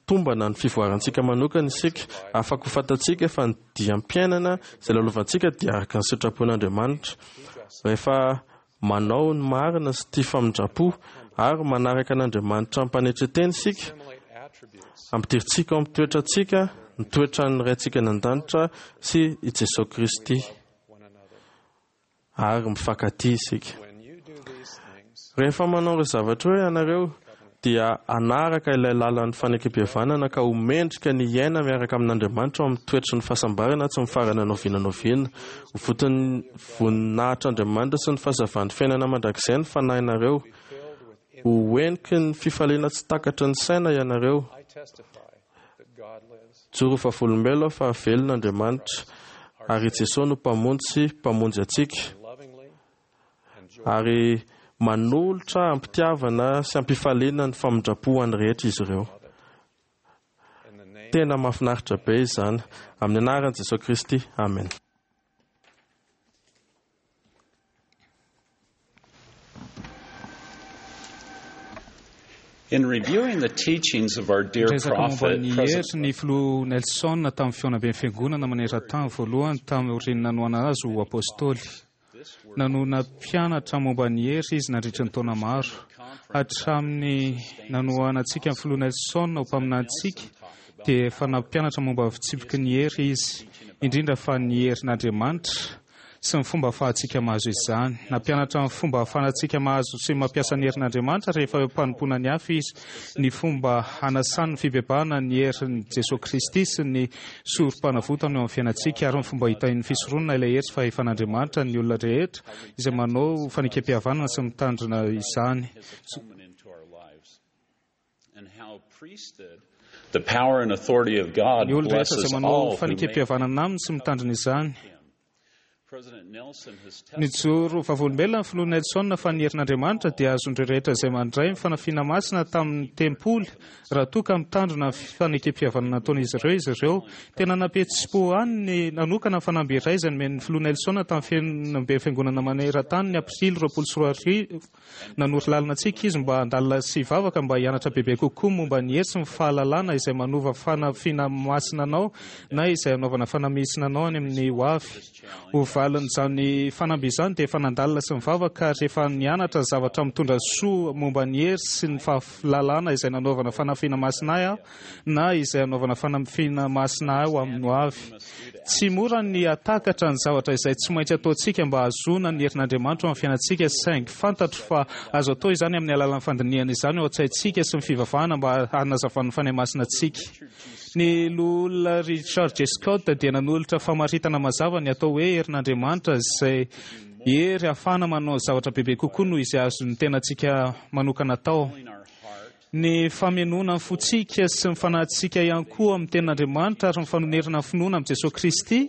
tombana ny fivoarantsika manokana isika. Afaka ho fantatsika fa ny diam-piainana izay lalovantsika dia araka ny sitrapon'Andriamanitra. Rehefa manao ny marina sy tia famindram-po ary manaraka an'Andriamanitra am-panetren-tena isika, ampidirintsika ao amin'ny toetrantsika ny toetran'ny Raintsika any an-danitra sy i Jesoa Kristy. Ary mifankatia isika. Rehefa manao ireo zavatra ireo ianareo, dia hanaraka ilay lalan'ny fanekempihavanana ka ho mendrika ny hiaina miaraka amin'Andriamanitra ao amin'ny toetry ny fahasambarana tsy mifarana n'oviana n'oviana. Ho voton'ny voninahitr'Andriamanitra sy ny fahazavan'ny fiainana mandrakizay ny fanahinareo. Ho heniky ny fifaliana tsy takatry ny saina ianareo. Joro vavolombelo aho fa velona Andriamanitra, ary i Jesoa no Mpamonjy sy Mpamonjy antsika, ary manolotra am-pitiavana sy am-pifaliana ny famindram-po ho an'ny rehetra izy ireo. Tena mahafinaritra be izany. Amin'ny anaran'i Jesoa Kristy, amena. In reviewing the teachings of our dear Niresaka momba prophet, ny President hery ny filoha Nelson tamin'ny fihaonamben'ny fiangonana maneran-tany voalohany taorian'ny nanohanana azy ho apôstôly. Nanohana mpianatra momba ny hery izy nandritra ny taona maro. Hatramin'ny nanohanantsika ny filoha Nelson ho mpaminanintsika dia efa nampianatra momba ny fitsipiky ny hery izy, indrindra fa ny herin'Andriamanitra sy ny fomba ahafahantsika mahazo izany. Nampianatra ny fomba ahafahantsika mahazo sy mampiasa ny herin'Andriamanitra rehefa eo am-panompoana ny hafa izy, ny fomba hanasany ny fibebahana ny herin'i Jesoa Kristy sy ny sorom-panavotana eo amin'ny fiainantsika, ary ny fomba hitahian'ny fisoronana ilay hery sy fahefan'Andriamanitra ny olona rehetra izay manao fanekempihavanana sy mitandrina izany. The power and authority of God Ny olona rehetra blesses izay manao all who make fanekempihavanana aminy sy mitandrina izany. President Nelson has Nijoro vavolombelona ny filoha Nelson fa ny herin'Andriamanitra dia azon'ireo rehetra izay mandray ny fanafiana masina tamin'ny tempoly raha toa ka mitandrina ny fanekempihavanana nataon'izy ireo izy ireo. Tena nampihetsi-po ahy ny nanokana ny fanamby iray izay nomen'ny filoha Nelson tamin'ny fihaonamben'ny fiangonana maneran-tany ny aprily 2020. Nanoro lalana antsika izy mba handalina sy hivavaka mba hianatra bebe kokoa momba ny hery sy ny fahalalana izay manova fanafiana masina anao na izay hanaovana fanamisina anao any amin'ny ho avy. Ho valin'izany fanamby izany dia efa nandalina sy nivavaka ary efa nianatra zavatra mitondra soa momba ny hery sy ny fahalalana izay nanaovana fanafiana masina ahy aho na izay hanaovana fanafiana masina ahy ho amin'ny ho avy. Tsy mora ny hahatakatra ny zavatra izay tsy maintsy ataontsika mba hahazoana ny herin'Andriamanitra ao amin'ny fiainantsika, saingy fantatro fa azo atao izany amin'ny alalan'ny fandinihana izany ao an-tsaintsika sy ny fivavahana mba hanazavan'ny Fanahy Masina antsika. Ny Loholona Richard J. Scott dia nanolotra famaritana mazava ny atao hoe herin'Andriamanitra, izay hery ahafahana manao zavatra bebe kokoa noho izay azon'ny tenantsika manokana atao. Ny famenoana ny fontsika sy ny fanahintsika ihany koa amin'ny Tenin'Andriamanitra ary ny fanonerana ny finoana amin'i Jesoa Kristy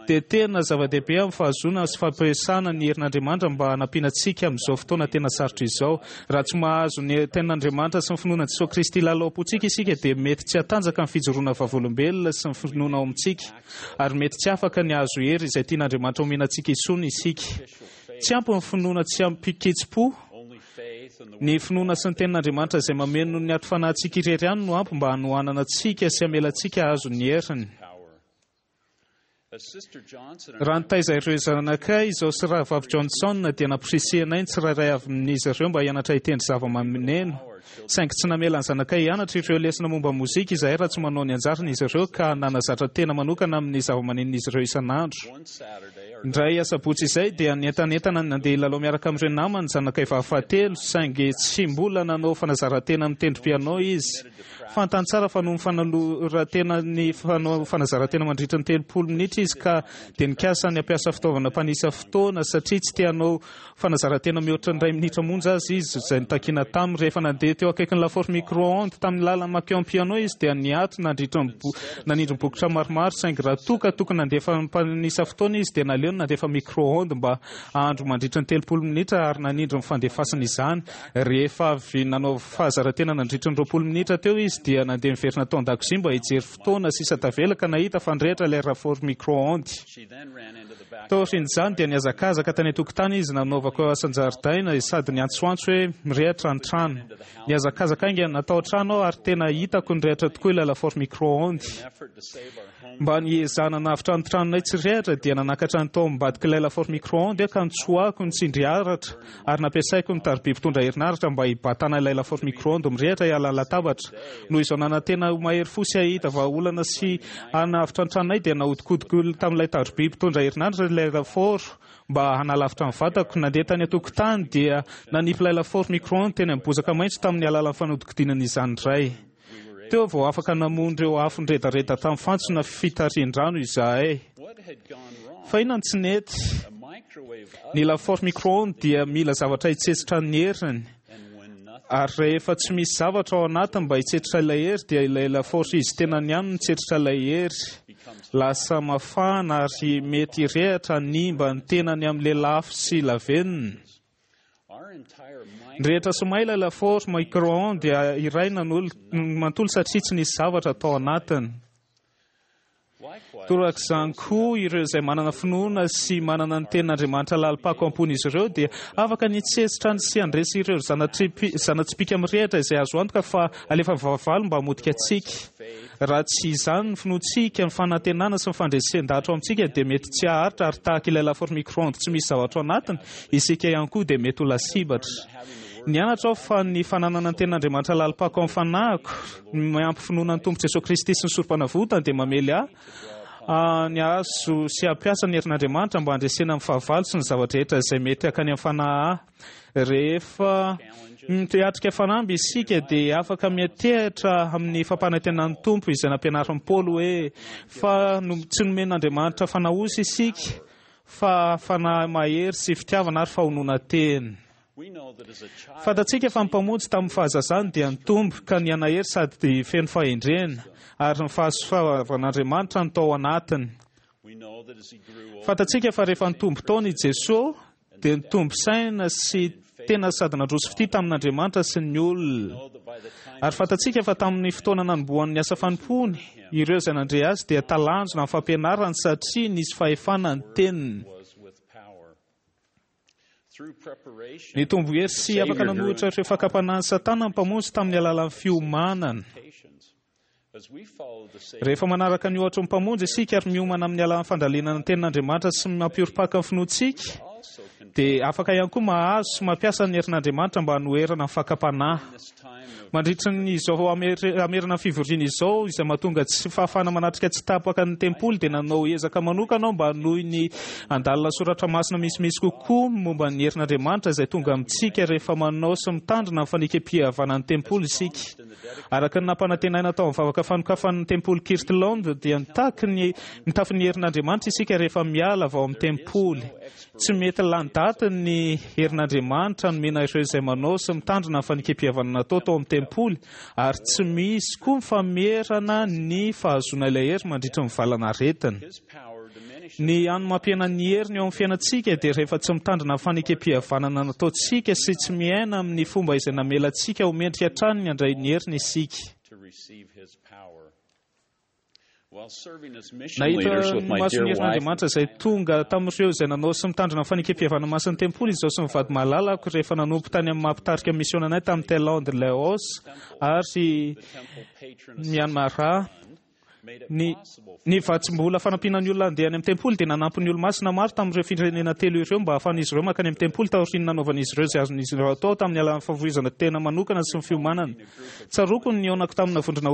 dia tena zava-dehibe amin'ny fahazoana sy fampiasana ny herin'Andriamanitra mba hanampiana antsika amin'izao fotoana tena sarotra izao. Raha tsy mahazo ny Tenin'Andriamanitra sy ny finoana an'i Jesoa Kristy lalao am-pontsika isika dia mety tsy hatanjaka ny fijoroana vavolombelona sy ny finoana ao amintsika ary mety tsy afaka ny hahazo hery izay tian'Andriamanitra omena antsika intsony isika. Tsy ampy ny finoana tsy ampy-kitsim-po. Ny finoana sy ny Tenin'Andriamanitra izay mameno ny ati-fanahintsika irery ihany no ampy mba hanohanana antsika sy hamela antsika hahazo ny heriny. Raha nitaiza ireo zanakay izaho sy Rahavavy Johnson dia namporisihanay ny tsirairay avy amin'izy ireo mba hianatra hitendry zava-maneno. Saingy tsy namela ny zanakay hianatra ireo lesona momba ny mozika izahay raha tsy manao ny anjarany izy ireo ka nanazatra tena manokana amin'ny zava-manenon'izy ireo isan'andro. Indray asabotsy izay dia nientanentana ny nandeha hilalao miaraka amin'ireo namany ny zanakay vavy fahatelo, saingy tsy mbola nanao fanazaran-tena amin'ny tendry piano izy. Fantany tsara fa noho ny fanoloran-tena ny fanazaran-tena mandritra ny 30 minitra izy ka dia nikasa ny hampiasa fitaovana mpanisa fotoana satria tsy te hanao fanazaran-tena mihoatra ny iray minitra monja aza izy, izay notakina taminy. Rehefa nandeha teo akaikin'ny lafaoro micro-ondes tamin'ny lalan'i Makion-Piano izy dia niato nandritra ny nanindry ny bokotra maromaro, saingy raha toa ka tokony nandefa mpanisa fotoana izy dia naleony nandefa micro-ondes mba hahandro mandritra ny 30 minitra ary nanindry ny fandefasana izany. Rehefa avy nanao fahazaran-tena nandritra ny 20 minitra teo izy dia nandeha niverina tao an-dakozia mba hijery fotoana sisa tavela ka nahita fa nirehitra ilay lafaoro micro-ondes. Taorian'izany dia nihazakazaka tany an-tokotany izy nanaovako asan-jaridaina sady niantsoantso hoe mirehitra ny trano. Nihazakazaka haingana tao an-trano aho ary tena hitako nirehitra tokoa ilay lafaoro micro-ondes. Mba niezahana hanavotra ny tranonay tsy rehitra dia nanakatra ny tao ambadik'ilay lafaoro micro-ondes aho ka notsoahako ny tsindry aratra ary nampiasaiko ny tariby mpitondra herinaratra mba hibatana ilay lafaoro micro-ondes mirehitra hiala ny latabatra. Noho izao nanantena ho mahery fo sy hahita vahaolana sy hanavotra ny tranonay dia nahodinkodiko tamin'ilay tariby mpitondra herinaratra ilay lafaoro mba hanalavitra ny vatako. Nandeha tany an-tokotany dia nanipy ilay lafaoro micro-ondes teny amin'ny bozaka maitso tamin'ny alalan'ny fanodinkodinana izany indray. Teo vao afaka namono ireo afo niredareda tamin'ny fantsona fitarihin-drano izahay. Fa inona no tsy nety? Ny lafaoro micro-ondes dia mila zavatra hitsetsitra ny heriny. Ary rehefa tsy misy zavatra ao anatiny mba hitsetritra ilay hery dia ilay lafaoro izy tenany ihany no mitsetritra ilay hery. Lasa mafana ary mety hirehitra hanimba ny tenany amin'ny lelafo sy lavenona. Nirehitra sy may ilay lafaoro micro-ondes iray manontolo satria tsy nisy zavatra tao anatiny. Torak'izany koa, ireo izay manana finoana sy manana ny Tenin'Andriamanitra lalim-pako am-pon'izy ireo dia afaka ny hitsetsitra sy handresy ireo zana-tsipìka mirehitra izay azo antoka fa alefan'ny fahavalo mba hamotika antsika. Raha tsy izany, ny finoantsika, ny fanantenana sy ny fandresen-dahatra ao amintsika dia mety tsy haharitra ary tahaka ilay lafaoro micro-ondes tsy misy zavatra ao anatiny, isika ihany koa dia mety ho lasibatra. Nianatra aho fa ny fananana ny Tenin'Andriamanitra lalim-pako amin'ny fanahiko, miampy finoana ny Tompo Jesoa Kristy sy ny Sorompanavotany dia mamely ahy ny hahazo sy hampiasa ny herin'Andriamanitra mba handresena ny fahavalo sy ny zava-drehetra izay mety hakany amin'ny fanahy ahy. Rehefa miatrika fanamby isika dia afaka miantehitra amin'ny fampanantenan'ny Tompo izay nampianarin'i Paoly hoe fa tsy nomen'Andriamanitra fanahy osa isika fa fanahy mahery sy fitiavana ary fahononan-tena. Fantatsika fa ny Mpamonjy tamin'ny fahazazany dia nitombo ka nihanahery sady feno fahendrena, ary ny fahasoavan'Andriamanitra no tao anatiny. Fantatsika fa rehefa nitombo taona i Jesoa dia nitombo saina sy tena sady nandroso fitia tamin'Andriamanitra sy ny olona. Ary fantatsika fa tamin'ny fotoana nanombohany ny asa fanompoany, ireo izay nandre azy dia talanjona amin'ny fampianarany satria nisy fahefana ny teniny. Nitombo hery sy afaka nanohitra ireo fakam-panahin'i Satana ny Mpamonjy tamin'ny alalan'ny fiomanana. Rehefa manaraka ny ohatry ny Mpamonjy isika ary miomana amin'ny alalan'ny fandalinana ny Tenin'Andriamanitra sy mampiorim-paka ny finoantsika, dia afaka ihany koa mahazo sy mampiasa ny herin'Andriamanitra mba hanoherana ny fakam-panahy. Mandritra ny izao hamerana ny fivoriana izao, izay mahatonga tsy fahafahana manatrika tsy tapaka ny tempoly, dia nanao ezaka manokana aho mba hanohy ny handalina soratra masina misimisy kokoa momba ny herin'Andriamanitra izay tonga amintsika rehefa manao sy mitandrina ny fanekem-pihavanan'ny tempoly isika. Araka ny nampanantenaina tao amin'ny vavaka fanokafan'ny tempoly Kirtland, dia mitaky ny mitafy ny herin'Andriamanitra isika rehefa miala avy ao amin'ny tempoly. Tsy mety lany daty ny herin'Andriamanitra nomena ireo izay manao sy mitandrina ny fanekem-pihavanana natao tao amin'ny tempoly, ary tsy misy koa ny famerana ny fahazoana ilay hery mandritra ny valanaretina. Ny hany mampihena ny heriny eo amin'ny fiainantsika dia rehefa tsy mitandrina ny fanekem-pihavanana nataontsika sy tsy miaina amin'ny fomba izay namela antsika ho mendrika hatrany ny handray ny heriny isika. Nahita ny mason'ny herin'Andriamanitra izay tonga tamin'ireo izay nanao sy mitandrina ny fanekem-pihavanana masin'ny tempoly izaho sy ny vady malalako rehefa nanompo tany amin'ny maha mpitarika misiona anay tamin'i Thaïlande, Laos ary Myanmar. Ny vatsim-bola fanampiana ny olona handeha any amin'ny tempoly dia nanampy ny Olomasina maro tamin'ireo firenena telo ireo mba hahafahan'izy ireo mankany amin'ny tempoly taorian'ny nanaovan'izy ireo izay azon'izy ireo atao tamin'ny alalan'ny fahafoizana tena manokana sy ny fiomanana. Tsaroako ny nihaonako tamina vondrona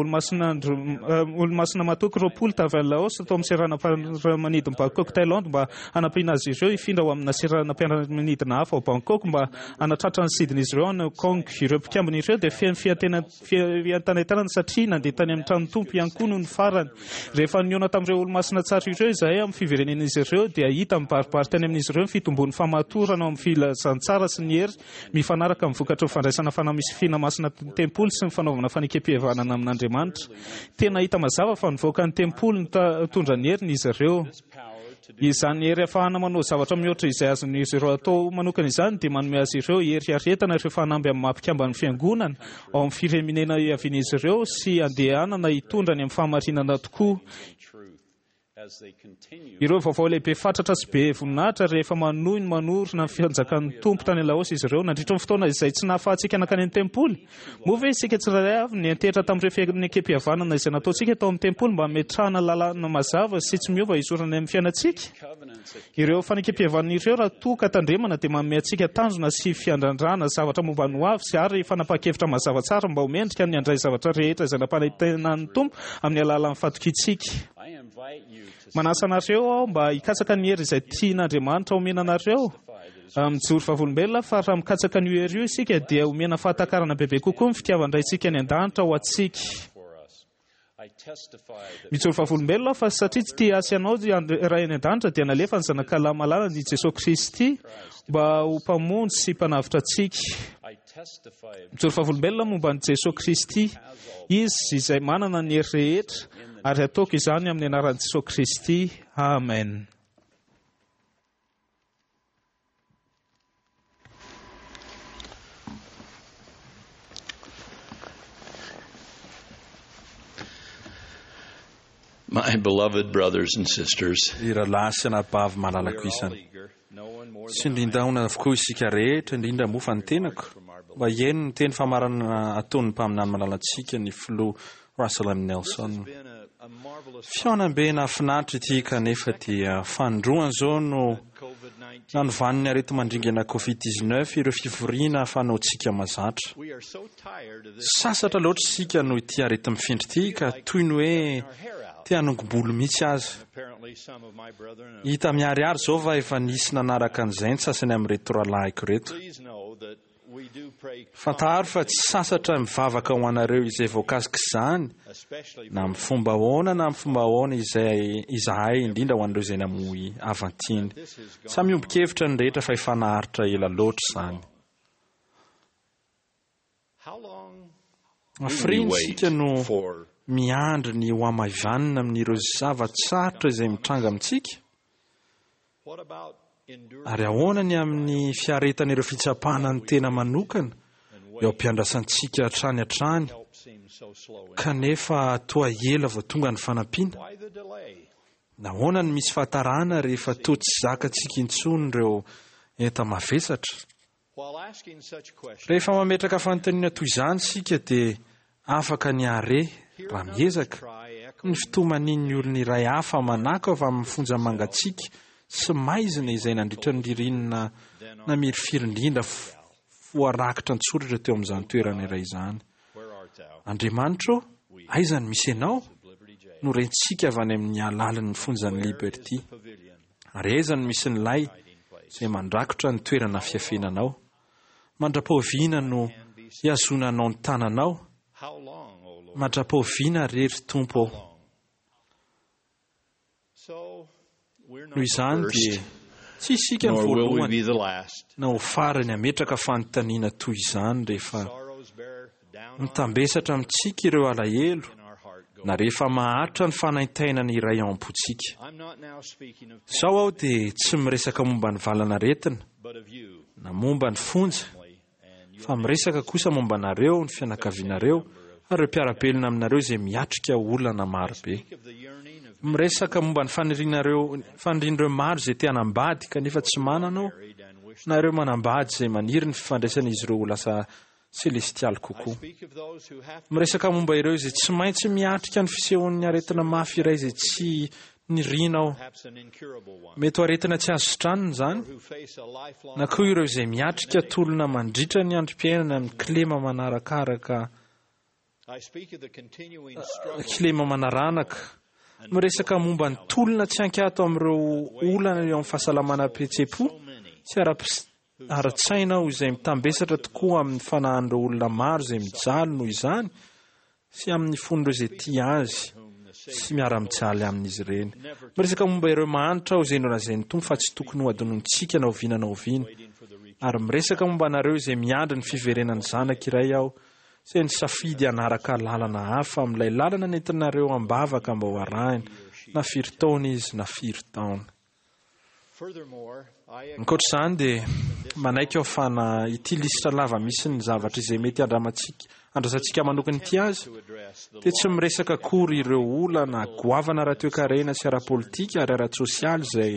Olomasina matoky 20 tavy any Laos tao amin'ny seranam-piaramanidin'i Bangkok, Thaïlande mba hanampiana azy ireo hifindra ho amina seranam-piaramanidina hafa ao Bangkok mba hanatratra ny sidin'izy ireo any Hong Kong. Ireo mpikambana ireo dia feno fientanentanana satria nandeha tany amin'ny tranon'ny Tompo ihany koa nony farany. Rehefa nihaona tamin'ireo Olomasina tsara ireo izahay amin'ny fiverenen'izy ireo dia hita mibaribary tany amin'izy ireo ny fitombon'ny famatorana ao amin'ny filazantsara sy ny hery mifanaraka amin'ny vokatry ny fandraisana fanamisifiana masina tempoly sy ny fanaovana fanekem-pihavanana amin'Andriamanitra. Tena hita mazava fa nivoaka ny tempoly nitondra ny heriny izy ireo. Izany hery ahafahana manao zavatra mihoatra izay azon'izy ireo atao manokana izany dia manome azy ireo hery hiaretana ireo fanamby amin'ny maha mpikamban'ny Fiangonana ao amin'ny firenena hiavian'izy ireo sy handehanana hitondra any amin'ny fahamarinana tokoa. Ireo vaovao lehibe fatratra sy be voninahitra rehefa manohy ny manorina ny fanjakan'ny Tompo tany Laos izy ireo nandritra ny fotoana izay tsy nahafahantsika nankany amin'ny tempoly. Moa ve isika tsirairay avy niantehitra tamin'ireo fianekempihavanana izay nataontsika tao amin'ny tempoly mba hametrahana lalàna mazava sy tsy miova hizorana amin'ny fiainantsika? Ireo fanekempihavanana ireo raha toa ka tandremana dia manome antsika tanjona sy fiandrandrana zavatra momba ny hoavy sy ary fanapahan-kevitra mazava tsara mba ho mendrika ny handray zavatra rehetra izay nampanantenan'ny Tompo amin'ny alalan'ny fatokiantsika. Manasa anareo aho mba hikatsaka ny hery izay tian'Andriamanitra homena anareo. Mijoro vavolombelona aho fa raha mikatsaka an'io hery io isika dia homena fahatakarana bebe kokoa ny fitiavan-dRaintsika any an-danitra ho antsika. Mijoro vavolombelona aho fa satria tsy tia ahy sy anao Ray any an-danitra dia nalefa ny Zanakalahy malalany i Jesoa Kristy mba ho Mpamonjy sy Mpanavotra antsika. Mijoro vavolombelona momba an'i Jesoa Kristy, Izy izay manana ny hery rehetra, ary ataoko izany amin'ny anaran'i Jesoa Kristy. Amen. My beloved brothers and sisters, Ry rahalahy sy anabavy malalako isany. Tsindrin-daona avokoa isika rehetra, indrindra moa fa ny tenako, mba hihaino ny teny famaranana ataon'ny mpaminany malalantsika, ny Filoha Russell M. Nelson. Fihaonambe nahafinaritra ity kanefa dia fanindroany izao no nanovan'ny areti-mandringana Covid 19 ireo fivoriana fanaontsika mazatra. Sasatra loatra isika noho ity areti-mifindra ity ka toy ny hoe te hanongom-bolo mihitsy aza. Hita miharihary izao fa efa nisy nanaraka an'izay ny sasany amin'ireto rahalahiko ireto. Fantaro fa tsy sasatra mivavaka ho anareo izay voakasik'izany, na amin'ny fomba ahoana na amin'ny fomba ahoana izay izahay, indrindra ho an'ireo izay namoy havan-tiany. Samy miombon-kevitra ny rehetra fa efa naharitra ela loatra izany. Hafiriana isika no miandry ny ho hamaivanina amin'ireo zava-tsarotra izay mitranga amintsika? Ary ahoana ny amin'ny fiaretana ireo fitsapana ny tena manokana eo am-piandrasantsika hatrany hatrany, kanefa toa ela vao tonga ny fanampiana? Nahoana no misy fahatarana rehefa toa tsy zakantsika intsony ireo enta-mavesatra? Rehefa mametraka fanontaniana toy izany isika dia afaka ny hahare, raha miezaka, ny fitomanian'ny olona iray hafa manako avy amin'ny fonja mangatsiaka sy maizina izay nandritra ny ririnina namirifiry indrindra voarakitra an-tsoratra teo amin'izany toerana iray izany. Andriamanitra ô, aiza no misy Anao? no rentsika avy any amin'ny halalin'ny fonjan'i Liberty. Ary aiza no misy ny lay izay mandrakotra ny toerana fiafenanao? Mandra-pahoviana no hihazonanao ny tananao? Mandra-pahoviana re, ry Tompo ô? Noho izany dia tsy isika no voalohany na ho farany hametraka fanontaniana toy izany rehefa Mitambesatra amintsika ireo alahelo na rehefa maharitra ny fanaintainana iray ao am-pontsika. Izao aho dia tsy miresaka momba ny valanaretina na momba ny fonja, fa miresaka kosa momba anareo, ny fianakavianareo ary ireo mpiara-belona aminareo izay miatrika olana maro be. Miresaka momba ny fanirianareo, fanirian'ireo maro izay te hanambady kanefa tsy manana aho, na ireo manambady izay maniry ny fifandraisan'izy ireo ho lasa. selestialy kokoa. Miresaka momba ireo izay tsy maintsy miatrika ny fisehon'ny aretina mafy iray izay tsy niriana aho. Mety ho aretina tsy azo sitranina izany, na koa ireo izay miatrika tolona mandritra ny androm-piainana amin'ny kilema manarakaraka kilema manaranaka. Miresaka momba ny tolona tsy ankiato amin'ireo olana eo amin'ny fahasalamana ara-pihetseham-po sy ara-tsaina aho izay mitambesatra tokoa amin'ny fanahin'ireo olona maro izay mijaly noho izany sy amin'ny fon'ireo izay tia azy sy miara-mijaly amin'izy ireny. Miresaka momba ireo mahantra aho izay nolazain'ny Tompo fa tsy tokony hohadinointsika na oviana na oviana. Ary miresaka momba anareo izay miandry ny fiverenan'ny zanaka iray aho izay nisafidy hanaraka lalana hafa amin'ilay lalana nentinareo am-bavaka mba ho arahina, na firy taona izy na firy taona. Ankoatra izany dia manaiky aho fa na ity lisitra lava misy ny zavatra izay mety handramantsika andrasantsika manokana ity aza dia tsy miresaka akory ireo olana goavana ara-toekarena sy ara-politika ary ara-tsosialy izay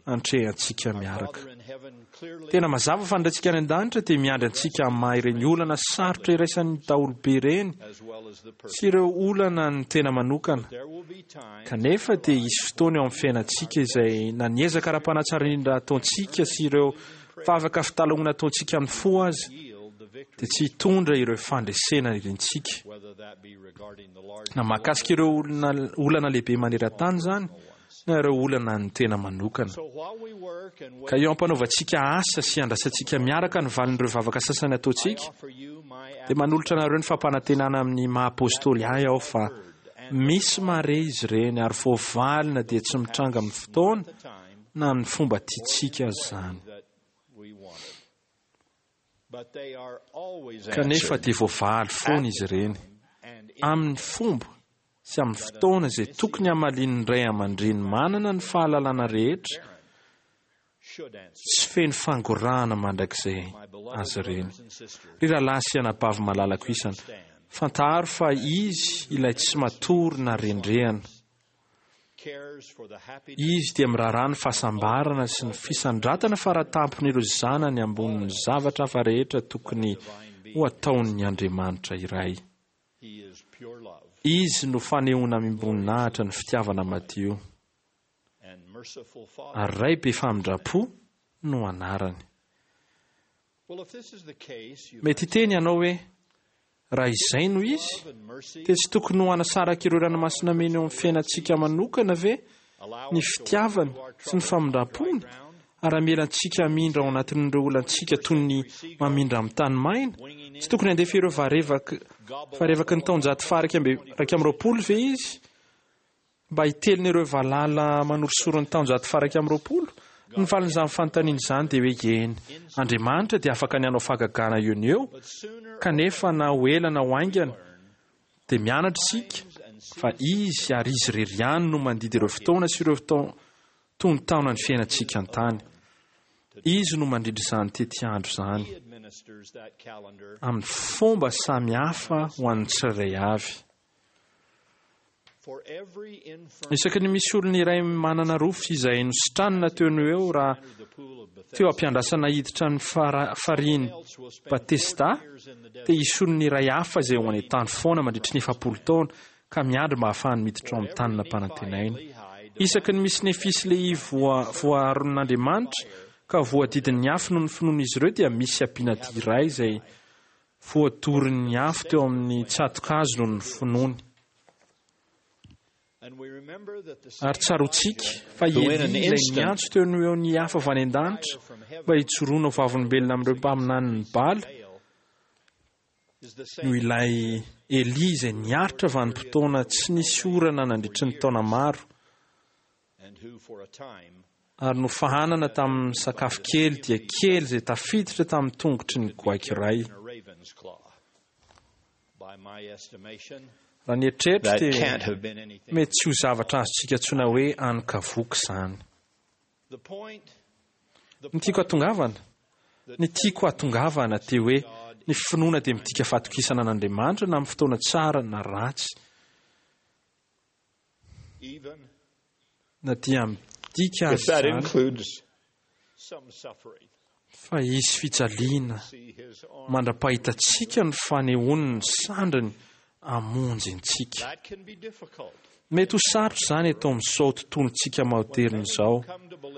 antrehantsika miaraka. Tena mazava fa ny Raintsika any An-danitra dia miandry antsika hamaha ireny olana sarotra iraisan'ny daholobe ireny sy ireo olana ny tena manokana. Kanefa dia hisy fotoana eo amin'ny fiainantsika izay na ny ezaka ara-panahy tsara indrindra ataontsika sy ireo vavaka fitalahoana ataontsika amin'ny fo aza dia tsy hitondra ireo fandresena irintsika. Na mahakasika ireo olana lehibe maneran-tany izany, na ireo olana ny tena manokana. Ka eo am-panaovantsika asa sy andrasantsika miaraka ny valin'ireo vavaka sasany ataontsika, dia manolotra anareo ny fampanantenana amin'ny maha apostoly ahy aho fa misy mahare izy ireny ary voavalina dia tsy mitranga amin'ny fotoana na amin'ny fomba tiantsika aza izany. Kanefa dia voavaly foana izy ireny, amin'ny fomba sy amin'ny fotoana izay tokony hamalian'ny ray aman-dreny manana ny fahalalana rehetra sy feno fangorahana mandrakizay azy ireny. Ry rahalahy sy anabavy malalako isany, fantaro fa Izy ilay tsy matory na rendrehana. Izy dia miraharaha ny fahasambarana sy ny fisandratana faratampon'ireo zanany ambonin'ny zavatra hafa rehetra tokony ho ataon'ny Andriamanitra iray. Izy no fanehoana amim-boninahitra ny fitiavana madio. Ary Ray be famindram-po no anarany. Mety hiteny ianao hoe, Raha izay no izy, dia tsy tokony ho hanasaraka ireo ranomasina mena eo amin'ny fiainantsika manokana ve ny fitiavany sy ny famindram-pony, ary hamela antsika hamindra ao anatin'ireo olantsika toy ny mamindra amin'ny tany maina? Tsy tokony handefa ireo varevaky ny taonjato faha-21 ve izy? Mba hitelina ireo valala manorisory ny taonjato faha-21? Ny valin'izany fanontaniana izany dia hoe eny. Andriamanitra dia afaka ny hanao fahagagana eo no eo, kanefa na ho ela na ho haingana, dia mianatra isika fa Izy ary Izy irery ihany no mandidy ireo fotoana sy ireo tonon-taonan'ny fiainantsika an-tany. Izy no mandrindra izany tetiandro izany amin'ny fomba samy hafa ho an'ny tsirairay avy. Isaky ny misy olona iray manana rofy izay nositranina teo no eo raha teo am-piandrasana hiditra ny farihin'i Batesda, dia hisy olona iray hafa izay ho any an-tany foana mandritry ny 40 taona ka miandry mba hahafahany miditra ao amin'ny tany nampanantenaina. Isaky ny misy Nefia sy Lehia voaaron'Andriamanitra ka voadidin'ny afo noho ny finoan'izy ireo dia misy Abinadia iray izay Voadorin'ny afo teo amin'ny tsato-kazo noho ny finoany. Ary tsaroantsika fa i Elia ilay niantso teo no eo ny afo avy any an-danitra mba hijoroana ho vavolombelona amin'ireo mpaminanin'i Bala no ilay Elia izay niaritra vanim-potoana tsy nisy orana nandritry ny taona maro. Ary nofahanana tamin'ny sakafo kely dia kely izay tafiditra tamin'ny tongotry ny goaika iray. Raha ny eritreritro dia mety tsy ho zavatra azontsika antsoina hoe ankavoka izany. Ny tiako hatongavana? Ny tiako hatongavana dia hoe ny finoana dia midika fatokisana an'Andriamanitra na amin'ny fotoana tsara na ratsy. Na dia midika aza izany. Fa hisy fijaliana mandra-pahitantsika ny fanehoany ny sandriny hamonjy antsika. Mety ho sarotra izany eto amin'izao tontolontsika maoderina izao,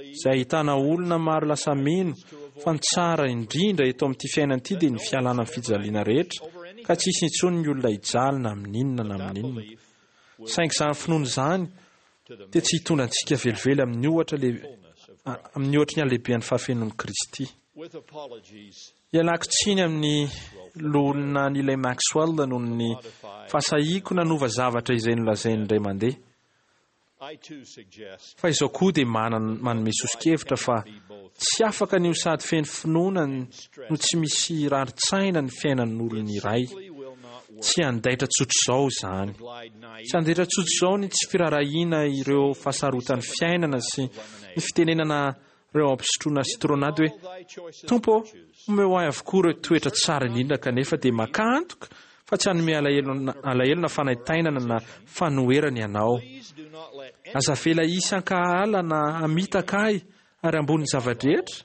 izay ahitana olona maro lasa mino fa ny tsara indrindra eto amin'ity fiainana ity dia ny fialana amin'ny fijaliana rehetra, ka tsy hisy intsony ny olona hijaly na amin'inona na amin'inona. Saingy izany finoana izany dia tsy hitondra antsika velively amin'ny ohatra amin'ny ohatry ny halehiben'ny fahafenoan'i Kristy. Ialako tsiny amin'ny loholona Neil Maxwell noho ny fahasahiako nanova zavatra izay nolazainy indray mandeha. Fa izao koa dia manome soso-kevitra fa tsy afaka ny ho sady feno finoana no tsy misy rarin-tsaina ny fiainan'olona iray. Tsy handaitra tsotr'izao izany. Tsy handaitra tsotr'izao ny tsy firaharahiana ireo fahasarotan'ny fiainana sy ny fitenenana ireo ampisotroana citronade hoe, Tompo ô, omeo ahy avokoa ireo toetra tsara indrindra kanefa dia makà antoka fa tsy hanome alahelo na fanaintainana na fanoherana Ianao. Aza avela hisy hankahala na hamitaka ahy ary ambonin'ny zava-drehetra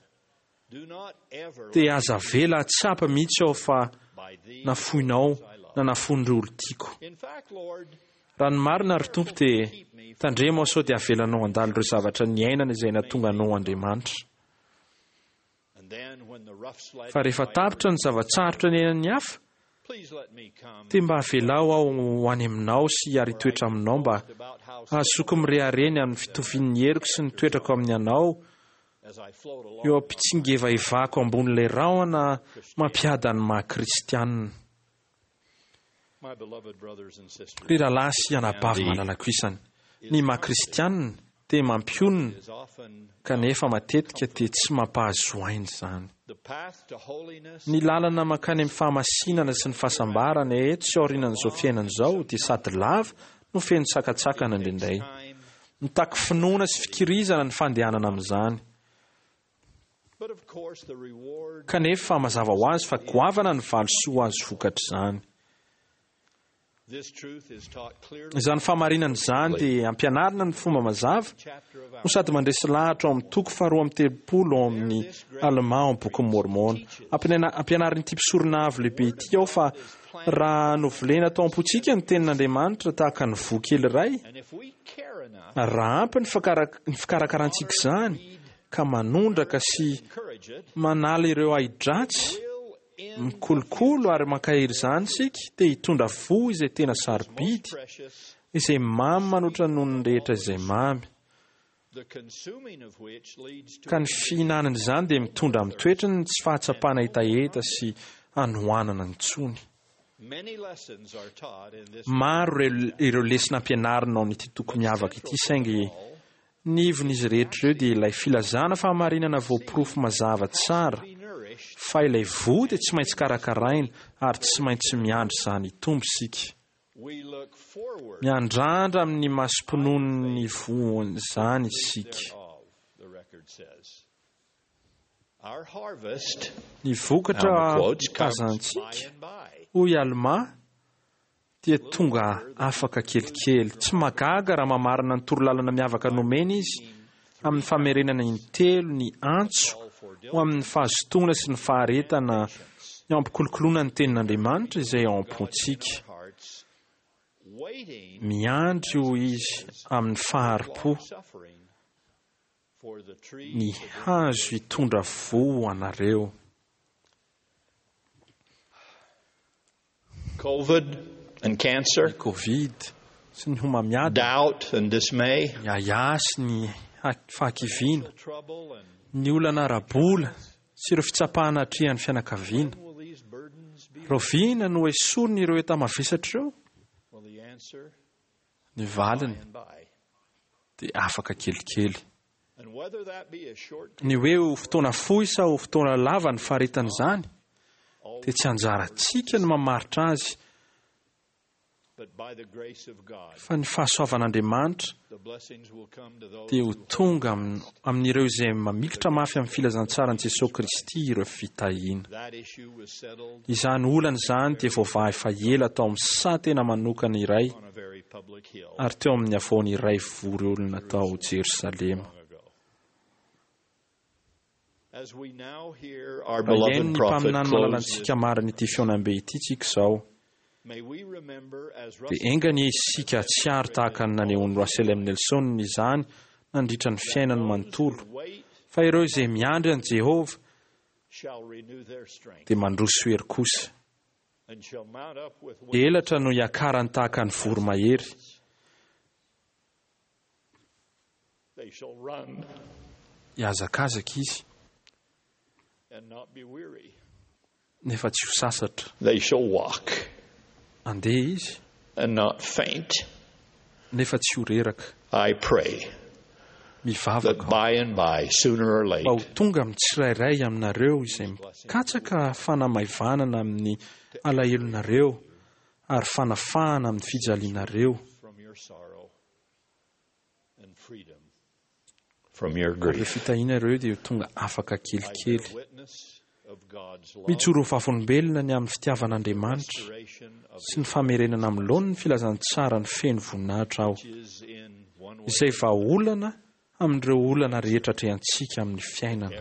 dia aza avela hahatsapa mihitsy aho fa nafoinao na nafoin'ireo olon-tiako. Raha ny marina, ry Tompo, dia tandremo aho sao dia avelanao handalo ireo zavatra niainana izay nahatonga anao ho Andriamanitra. Fa rehefa tapitra ny zava-tsarotra niainan'ny hafa, dia mba avelao aho ho any aminao sy hiara-hitoetra aminao mba hahazoako mirehareha ny amin'ny fitovian'ny heriko sy ny toetrako amin'ny anao eo am-pitsingevaevako ambonin'ilay rahona mampiada ny maha-kristianina. Ry rahalahy sy anabavy malalako isany, ny maha kristianina dia mampionona kanefa matetika dia tsy mampahazo aina izany. Ny lalana mankany amin'ny fahamasinana sy ny fahasambarana eto sy aorianan'izao fiainana izao dia sady lava no feno sakantsakana indraindray. Mitaky finoana sy fikirizana ny fandehanana amin'izany. Kanefa mazava ho azy fa goavana ny valisoa azo vokatr'izany. Izany fahamarinana izany dia ampianarina amin'ny fomba mazava no sady mandresy lahatra ao amin'ny toko faharoa amby 30 ao amin'ny Almà ao amin'ny Bokin'i Môrmôna. Ampianarin'ity mpisorona avo lehibe ity ao fa raha novolena tao am-pontsika ny tenin'Andriamanitra tahaka ny voa kely iray, raha ampy ny fikarakarantsika izany ka manondraka sy manala ireo ahi-dratsy, mikolokolo ary mankahery izany isika, dia hitondra voa izay tena sarobidy, izay mamy manoatra noho ny rehetra izay mamy. Ka ny fihinanana izany dia mitondra amin'ny toetrany ny tsy fahatsapana hetaheta sy hanoanana intsony. Maro ireo lesona ampianarina ao amin'ity toko miavaka ity, saingy ny ivon'izy rehetra ireo dia ilay filazana fahamarinana voaporofo mazava tsara fa ilay voa dia tsy maintsy karakaraina ary tsy maintsy miandry izany hitombo isika. Miandrandra amin'ny masom-pinoan'ny voan'izany isika. Ny vokatra tazantsika, hoy Almà, dia tonga afaka kelikely. Tsy mahagaga raha mamarana ny torolalana miavaka nomeny izy amin'ny famerenana intelo ny antso ho amin'ny fahazotoana sy ny faharetana eo am-pikolokoloana ny Tenin'Andriamanitra izay ao am-pontsika. Miandry, hoy izy, amin'ny fahari-po ny hazo hitondra voa ho anareo. Covid and cancer. Ny Covid sy ny homamiadana. Doubt and dismay. Ny ahiahy sy ny fahakiviana. Ny olana ara-bola sy ireo fitsapana atrehan'ny fianakaviana. Rahoviana no hesorina ireo enta-mavesatra ireo? Ny valiny dia afaka kelikely. Ny hoe ho fotoana fohy sa ho fotoana lava ny faharetan'izany dia tsy anjarantsika ny mamaritra azy fa ny fahasoavan'Andriamanitra dia ho tonga amin'ireo izay mamikitra mafy amin'ny filazantsaran'i Jesoa Kristy ireo fitahiana. Izany olana izany dia voavaha efa ela tao amin'ny saha tena manokana iray ary teo amin'ny havoana iray vory olona tao Jerosalema. Raha hihaino ny mpaminany malalantsika marina ity fihaonambe ity tsika izao, dia enga anie isika hahatsiaro tahaka ny nanehoan'i Russell M. Nelson izany nandritra ny fiainany manontolo, fa ireo izay miandry an'i Jehovah dia mandroso hery kosa. Elatra no hiakarany tahaka ny voromahery. Hihazakazaka izy, nefa tsy ho sasatra. Handeha izy, nefa tsy ho reraka. Mivavaka aho mba ho tonga amin'ny tsirairay aminareo izay mikatsaka fanamaivanana amin'ny alahelonareo ary fanafahana amin'ny fijalianareo. Ary ireo fitahiana ireo dia ho tonga afaka kelikely. Mijoro ho vavolombelona ny amin'ny fitiavan'Andriamanitra sy ny famerenana amin'ny laoniny ny filazantsarany feno voninahitra aho, izay vahaolana amin'ireo olana rehetra atrehantsika amin'ny fiainana.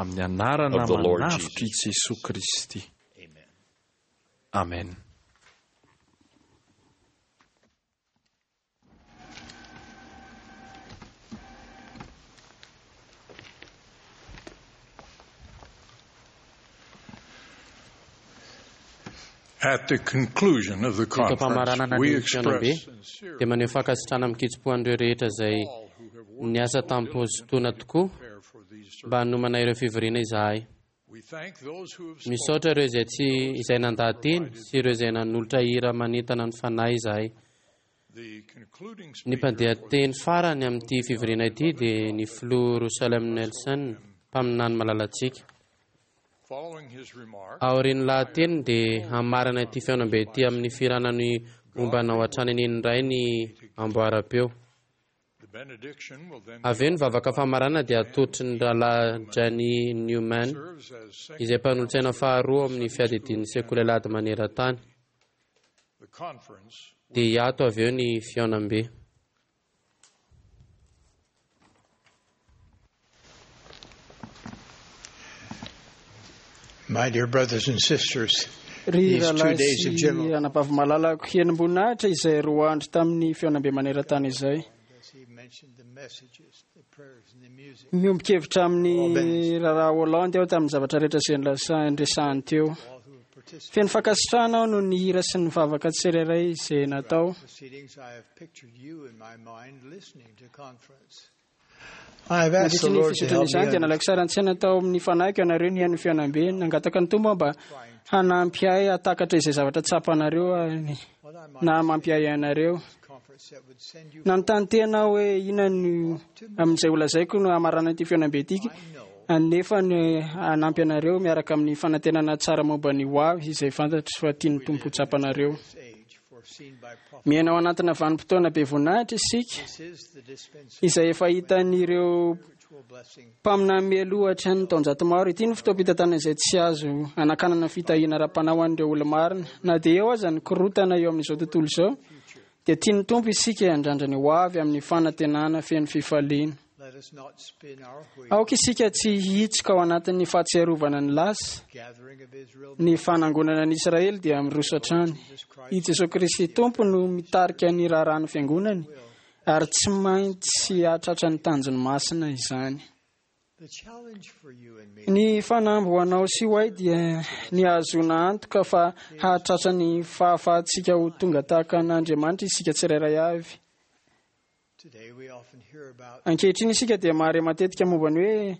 Amin'ny anarana manavotr'i Jesoa Kristy. Amen. At the conclusion of the Eto am-pamaranana conference, we ny fihaonambe express dia maneho fankasitrahana amin-kitsim-po an'ireo rehetra izay niasa tamim-pahazotoana tokoa mba hanomana ireo fivoriana izahay. Misaotra ireo izay tsy izay nandaha-teny sy ireo izay nanolotra hira manentana ny fanahy izahay. Ny mpandeha teny farany amin'ity fivoriana ity dia ny filoha Russell M. Nelson, mpaminany malalantsika. Aorian'ny lahateny dia hamarana ity fihaonambe ity amin'ny fihirana ny momba anao hatrany anie ny Ray ny amboaram-peo. Avy eo ny vavaka famarana dia atolotry ny rahalahy Jani Newman, izay mpanolotsaina faharoa ao amin'ny fiadidian'ny sekoly alahady maneran-tany. Dia hiato avy eo ny fihaonambe. My dear brothers and sisters, Ry these two rahalahy days of sy general anabavy malalako, henim-boninahitra izay roa andro tamin'ny fihaonambe maneran-tany izay. Miombon-kevitra amin'ny raharaha Hollande aho tamin'ny zavatra rehetra izay niresahany teo. Feno fankasitrahana aho noho ny hira sy ny vavaka tsirairay izay natao. proceedings, I have pictured you in my mind listening to conference. I have asked the Nandritra ny Lord to fizotrana help me izany dia nalaiko sary an-tsaina tao amin'ny fanahiko ianareo nihaino ny fihaonambe. Nangataka ny Tompo aho mba hanampy ahy hahatakatra izay zavatra tsapanareo ary na mampiahy anareo. Nanontany tena aho hoe inona no amin'izay holazaiko no hamarana ity fihaonambe ity, nefa ny hanampy anareo miaraka amin'ny fanantenana tsara momba ny hoavy izay fantatro fa tian'ny Tompo ho tsapanareo. Miaina ao anatina vanim-potoana be voninahitra isika, izay efa hitan'ireo mpaminany mialoha hatrany taonjato maro. Ity no fotoam-pitantanana izay tsy azo anakanana fitahiana ara-panahy ho an'ireo olo-marina. Na dia eo aza ny korontana eo amin'izao tontolo izao, dia tian'ny Tompo isika handrandra ny hoavy amin'ny fanantenana feno fifaliana. Let us not spin our wheels. Aoka isika tsy hihitsoka ao anatin'ny fahatsiarovana ny lasa. Gathering of Israel Ny fanangonana ny Israely dia miroso hatrany. I Jesoa Kristy Tompo no mitarika ny raharahan'ny fiangonany ary tsy maintsy hahatratra ny tanjony masina izany. The challenge for you and me Ny fanamby ho anao sy ho ahy dia ny hahazoana antoka fa hahatratra ny fahafahantsika ho tonga tahaka an'Andriamanitra isika tsirairay avy. today we often hear about Ankehitriny isika dia mahare matetika momba ny hoe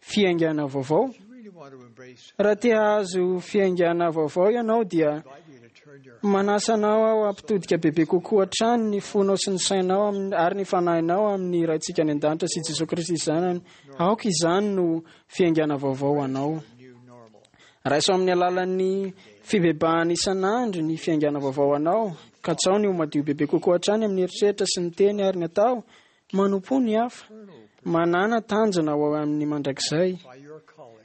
fiaingana vaovao. you really want to embrace Raha te hahazo fiaingana vaovao ianao dia manasa anao aho hampitodika bebe kokoa hatrany ny fonao sy ny sainao ary ny fanahinao amin'ny Raintsika any an-danitra sy Jesoa Kristy Zanany. Aoka izany no fiaingana vaovao ho anao. Raiso amin'ny alalan'ny fibebahana isan'andro ny fiaingana vaovao anao. Katsao ny ho madio bebe kokoa hatrany amin'ny eritreritra sy ny teny ary ny atao. Manompo ny hafa. Manàna tanjona ho amin'ny mandrakizay.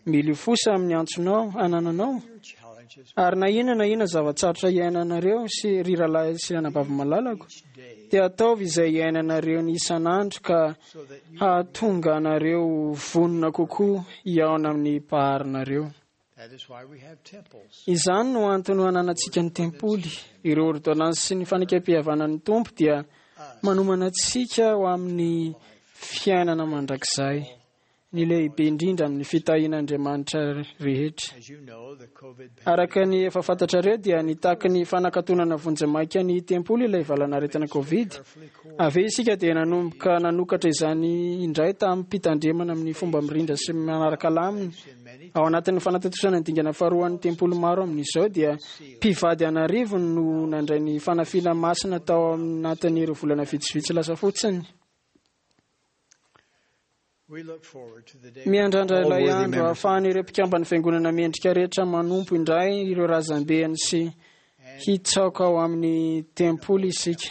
Miliofosa amin'ny antsonao anananao. Ary na inona na inona zava-tsarotra iainanareo sy ry rahalahy sy anabavy malalako, dia ataovy izay iainanareo ny isan'andro ka hahatonga anareo ho vonona kokoa hihaona amin'ny Mpaharinareo. Izany no antony hananantsika ny tempoly. Ireo ôrdônansy sy ny fanekem-pihavanan'ny Tompo dia manomana antsika ho amin'ny fiainana mandrakizay, ny lehibe indrindra amin'ny fitahian'Andriamanitra rehetra. Araka ny efa fantatrareo dia nitaky ny fanakatonana vonjimaika ny tempoly ilay valanaretina Covid. Avy eo isika dia nanomboka nanokatra izany indray tamim-pitandremana amin'ny fomba mirindra sy manaraka lamina. Ao anatin'ny fanatontosana ny dingana faharoan'ny tempoly maro amin'izao dia mpivady an'arivony no nandray ny fanafiana masina tao anatin'ireo volana vitsivitsy lasa fotsiny. Miandrandra ilay andro ahafahan'ireo mpikamban'ny fiangonana mendrika rehetra manompo indray ireo razambeny sy hitsaoka ao amin'ny tempoly isika.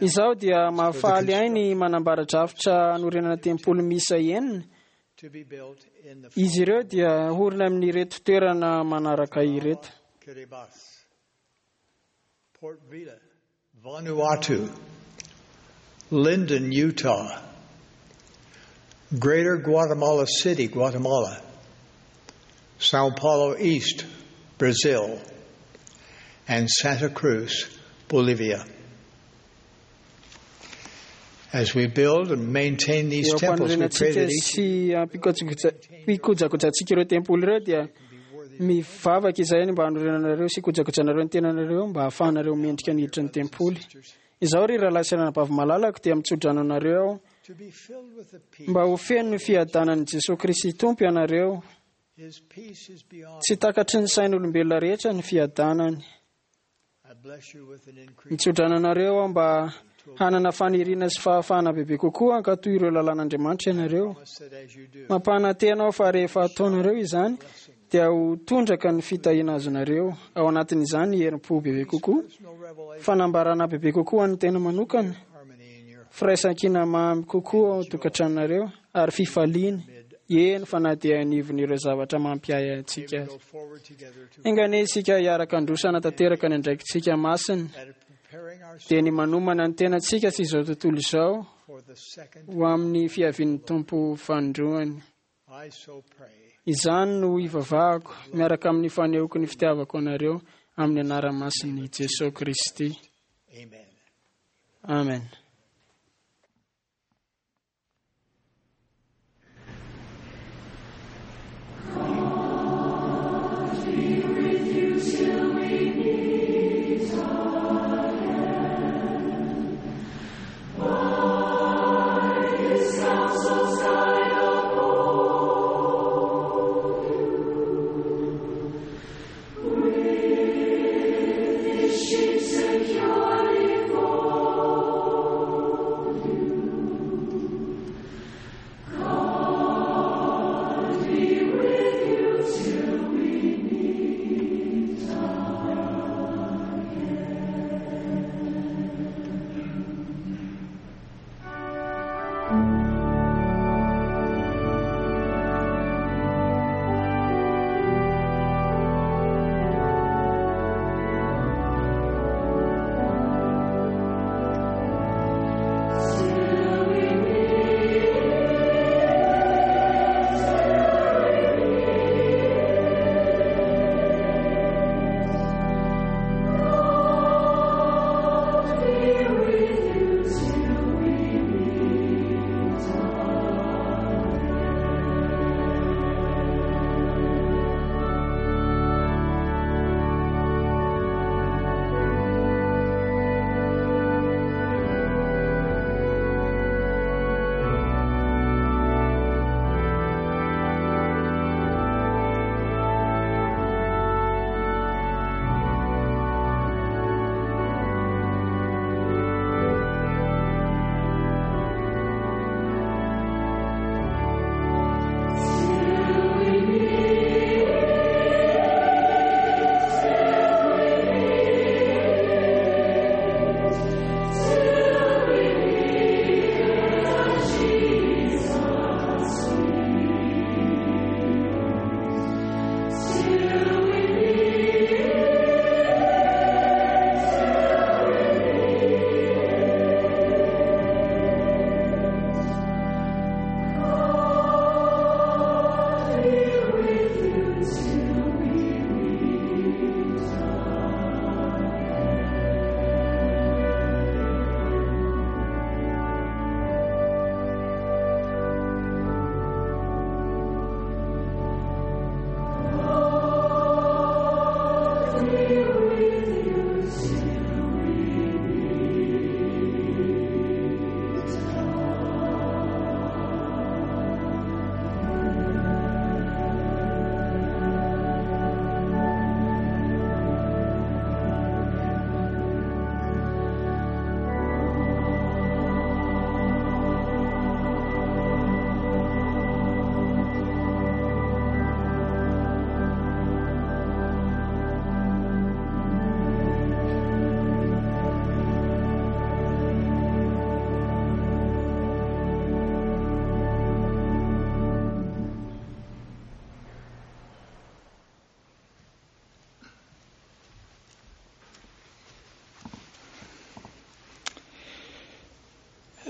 Izaho dia mahafaly ahy ny manambara drafitra hanorenana tempoly miisa enina. Izy ireo dia horina amin'ireto toerana manaraka ireto. Port Vila, Vanuatu, Linden, Utah, Greater Guatemala City, Guatemala, Sao Paulo East, Brazil, and Santa Cruz, Bolivia. As we build and maintain these Eo temples, we pray am-panorenantsika that each sy ampikojakojantsika ireo tempoly ireo dia mivavaka izahay ny mba hanorenanareo sy hikojakojanareo ny tenanareo mba hahafahanareo mendrika ny hiditra ny tempoly. Izaho ry rahalahy sy anabavy malalako dia mitsodrano anareo aho to be filled with the peace. mba ho feno ny fiadanan'i Jesosy Kristy Tompo ianareo. His peace is beyond. Tsy takatry ny sain'olombelona rehetra ny fiadanany. I bless you with an increase. Mitsodrano anareo aho mba hanana faniriana sy fahafahana bebe kokoa hankatò ireo lalàn'Andriamanitra ianareo. That as you do, Mampanantena aho fa rehefa ataonareo izany dia ho tondraka ny fitahiana azonareo. Ao anatin'izany ny herim-po bebe kokoa, fanambarana bebe kokoa an'ny tena manokana, firaisankina mamy kokoa ao an-tokantranonareo ary fifaliana eny fa na dia anivon'ireo zavatra mampiahy antsika aza. go forward together to Enga anie isika hiaraka handroso hanatanteraka ny andraikitsika masina, preparing ourselves dia ny manomana ny tenantsika sy izao tontolo izao for the second. ho amin'ny fiavian'ny Tompo fanindroany. I so pray. Izany no ivavahako miaraka amin'ny fanehoako ny fitiavako anareo amin'ny anara-masin'i Jesosy Kristy. Amen. Amen. Securely go.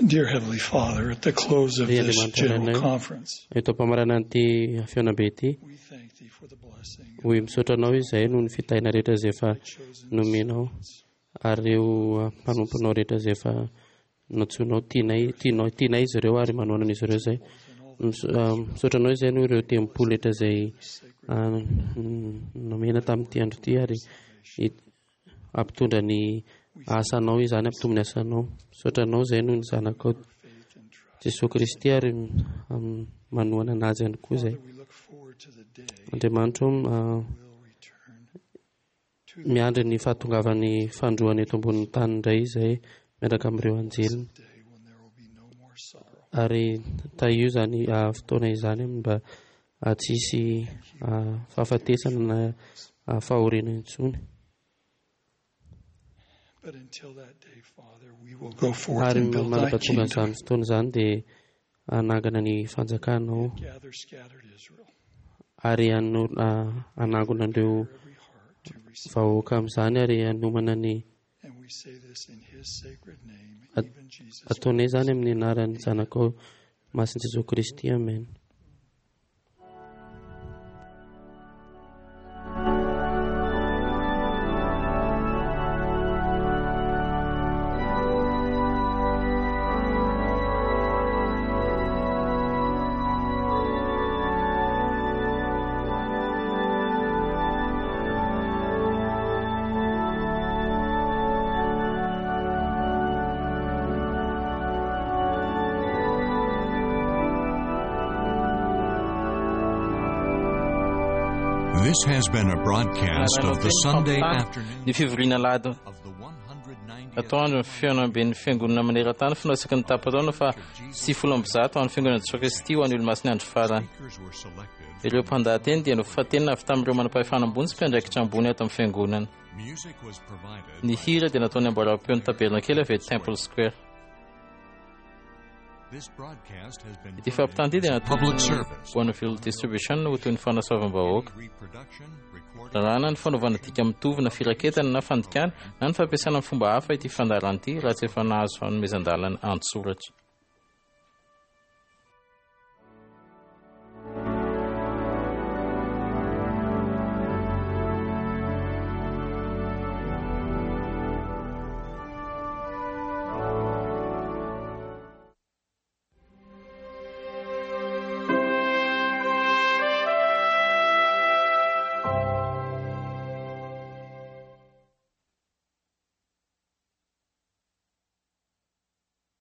Dear Heavenly Father, at the close of Ry this Andriamanitra general Rainay, conference, eto am-pamaranana ity fihaonambe ity, hoy misaotra anao izahay noho ny fitahiana rehetra izay efa nomenao ary ireo mpanomponao rehetra izay efa nantsoinao tianay tianao tianay izy ireo ary manohanana izy ireo izay. Misaotra anao izahay noho ireo tempoly rehetra izay nomena tamin'ity andro ity ary hampitondra ny asanao izany, hampitombo ny asanao. Misaotra anao izahay noho ny zanakao Jesoa Kristy ary manohana anazy ihany koa izay. Andriamanitra ô, miandry ny fahatongavan'ny fandroana eto ambonin'ny tany indray izay miaraka amin'ireo anjeliny. Ary tahio izany fotoana izany mba tsy hisy fahafatesana na fahoriana intsony. But until that day, Father, we will go forth Ary and build thy mandra-pahatonga kingdom, izany fotoana izany dia hanangana ny fanjakanao gather scattered Israel, ary hanangona an'ireo vahoaka amin'izany ary hanomana ny and we say this in his sacred name, even Jesus. ataonay izany amin'ny anaran'ny zanakao masin'i Jesoa Kristy. Amen. This has been a broadcast of the Sunday afternoon Ny fivoriana alahady atoandro ny fihaonamben'ny fiangonana maneran-tany fanao isaky ny tapa-taona fa 190 ho an'ny fiangonana Jesoa Kristy ho an'ny Olomasin'ny andro farany. Ireo mpandahateny dia nofantenina avy tamin'ireo manam-pahefana ambony sy mpiandraikitra ambony ato amin'ny fiangonana. Music was provided Ny hira dia nataon'ny amboaram-peon'ny Tabernakely avy eto Temple Square. This broadcast has been Ity fampitana ity dia public nataon'ny service. Bonneville Distribution ho toy ny fanasoavam-bahoaka. Lalàna ny fanaovana dika mitovy na firaketana na fandikana na ny fampiasana amin'ny fomba hafa ity fandaharana ity raha tsy efa nahazo fanomezan-dalana an-tsoratra.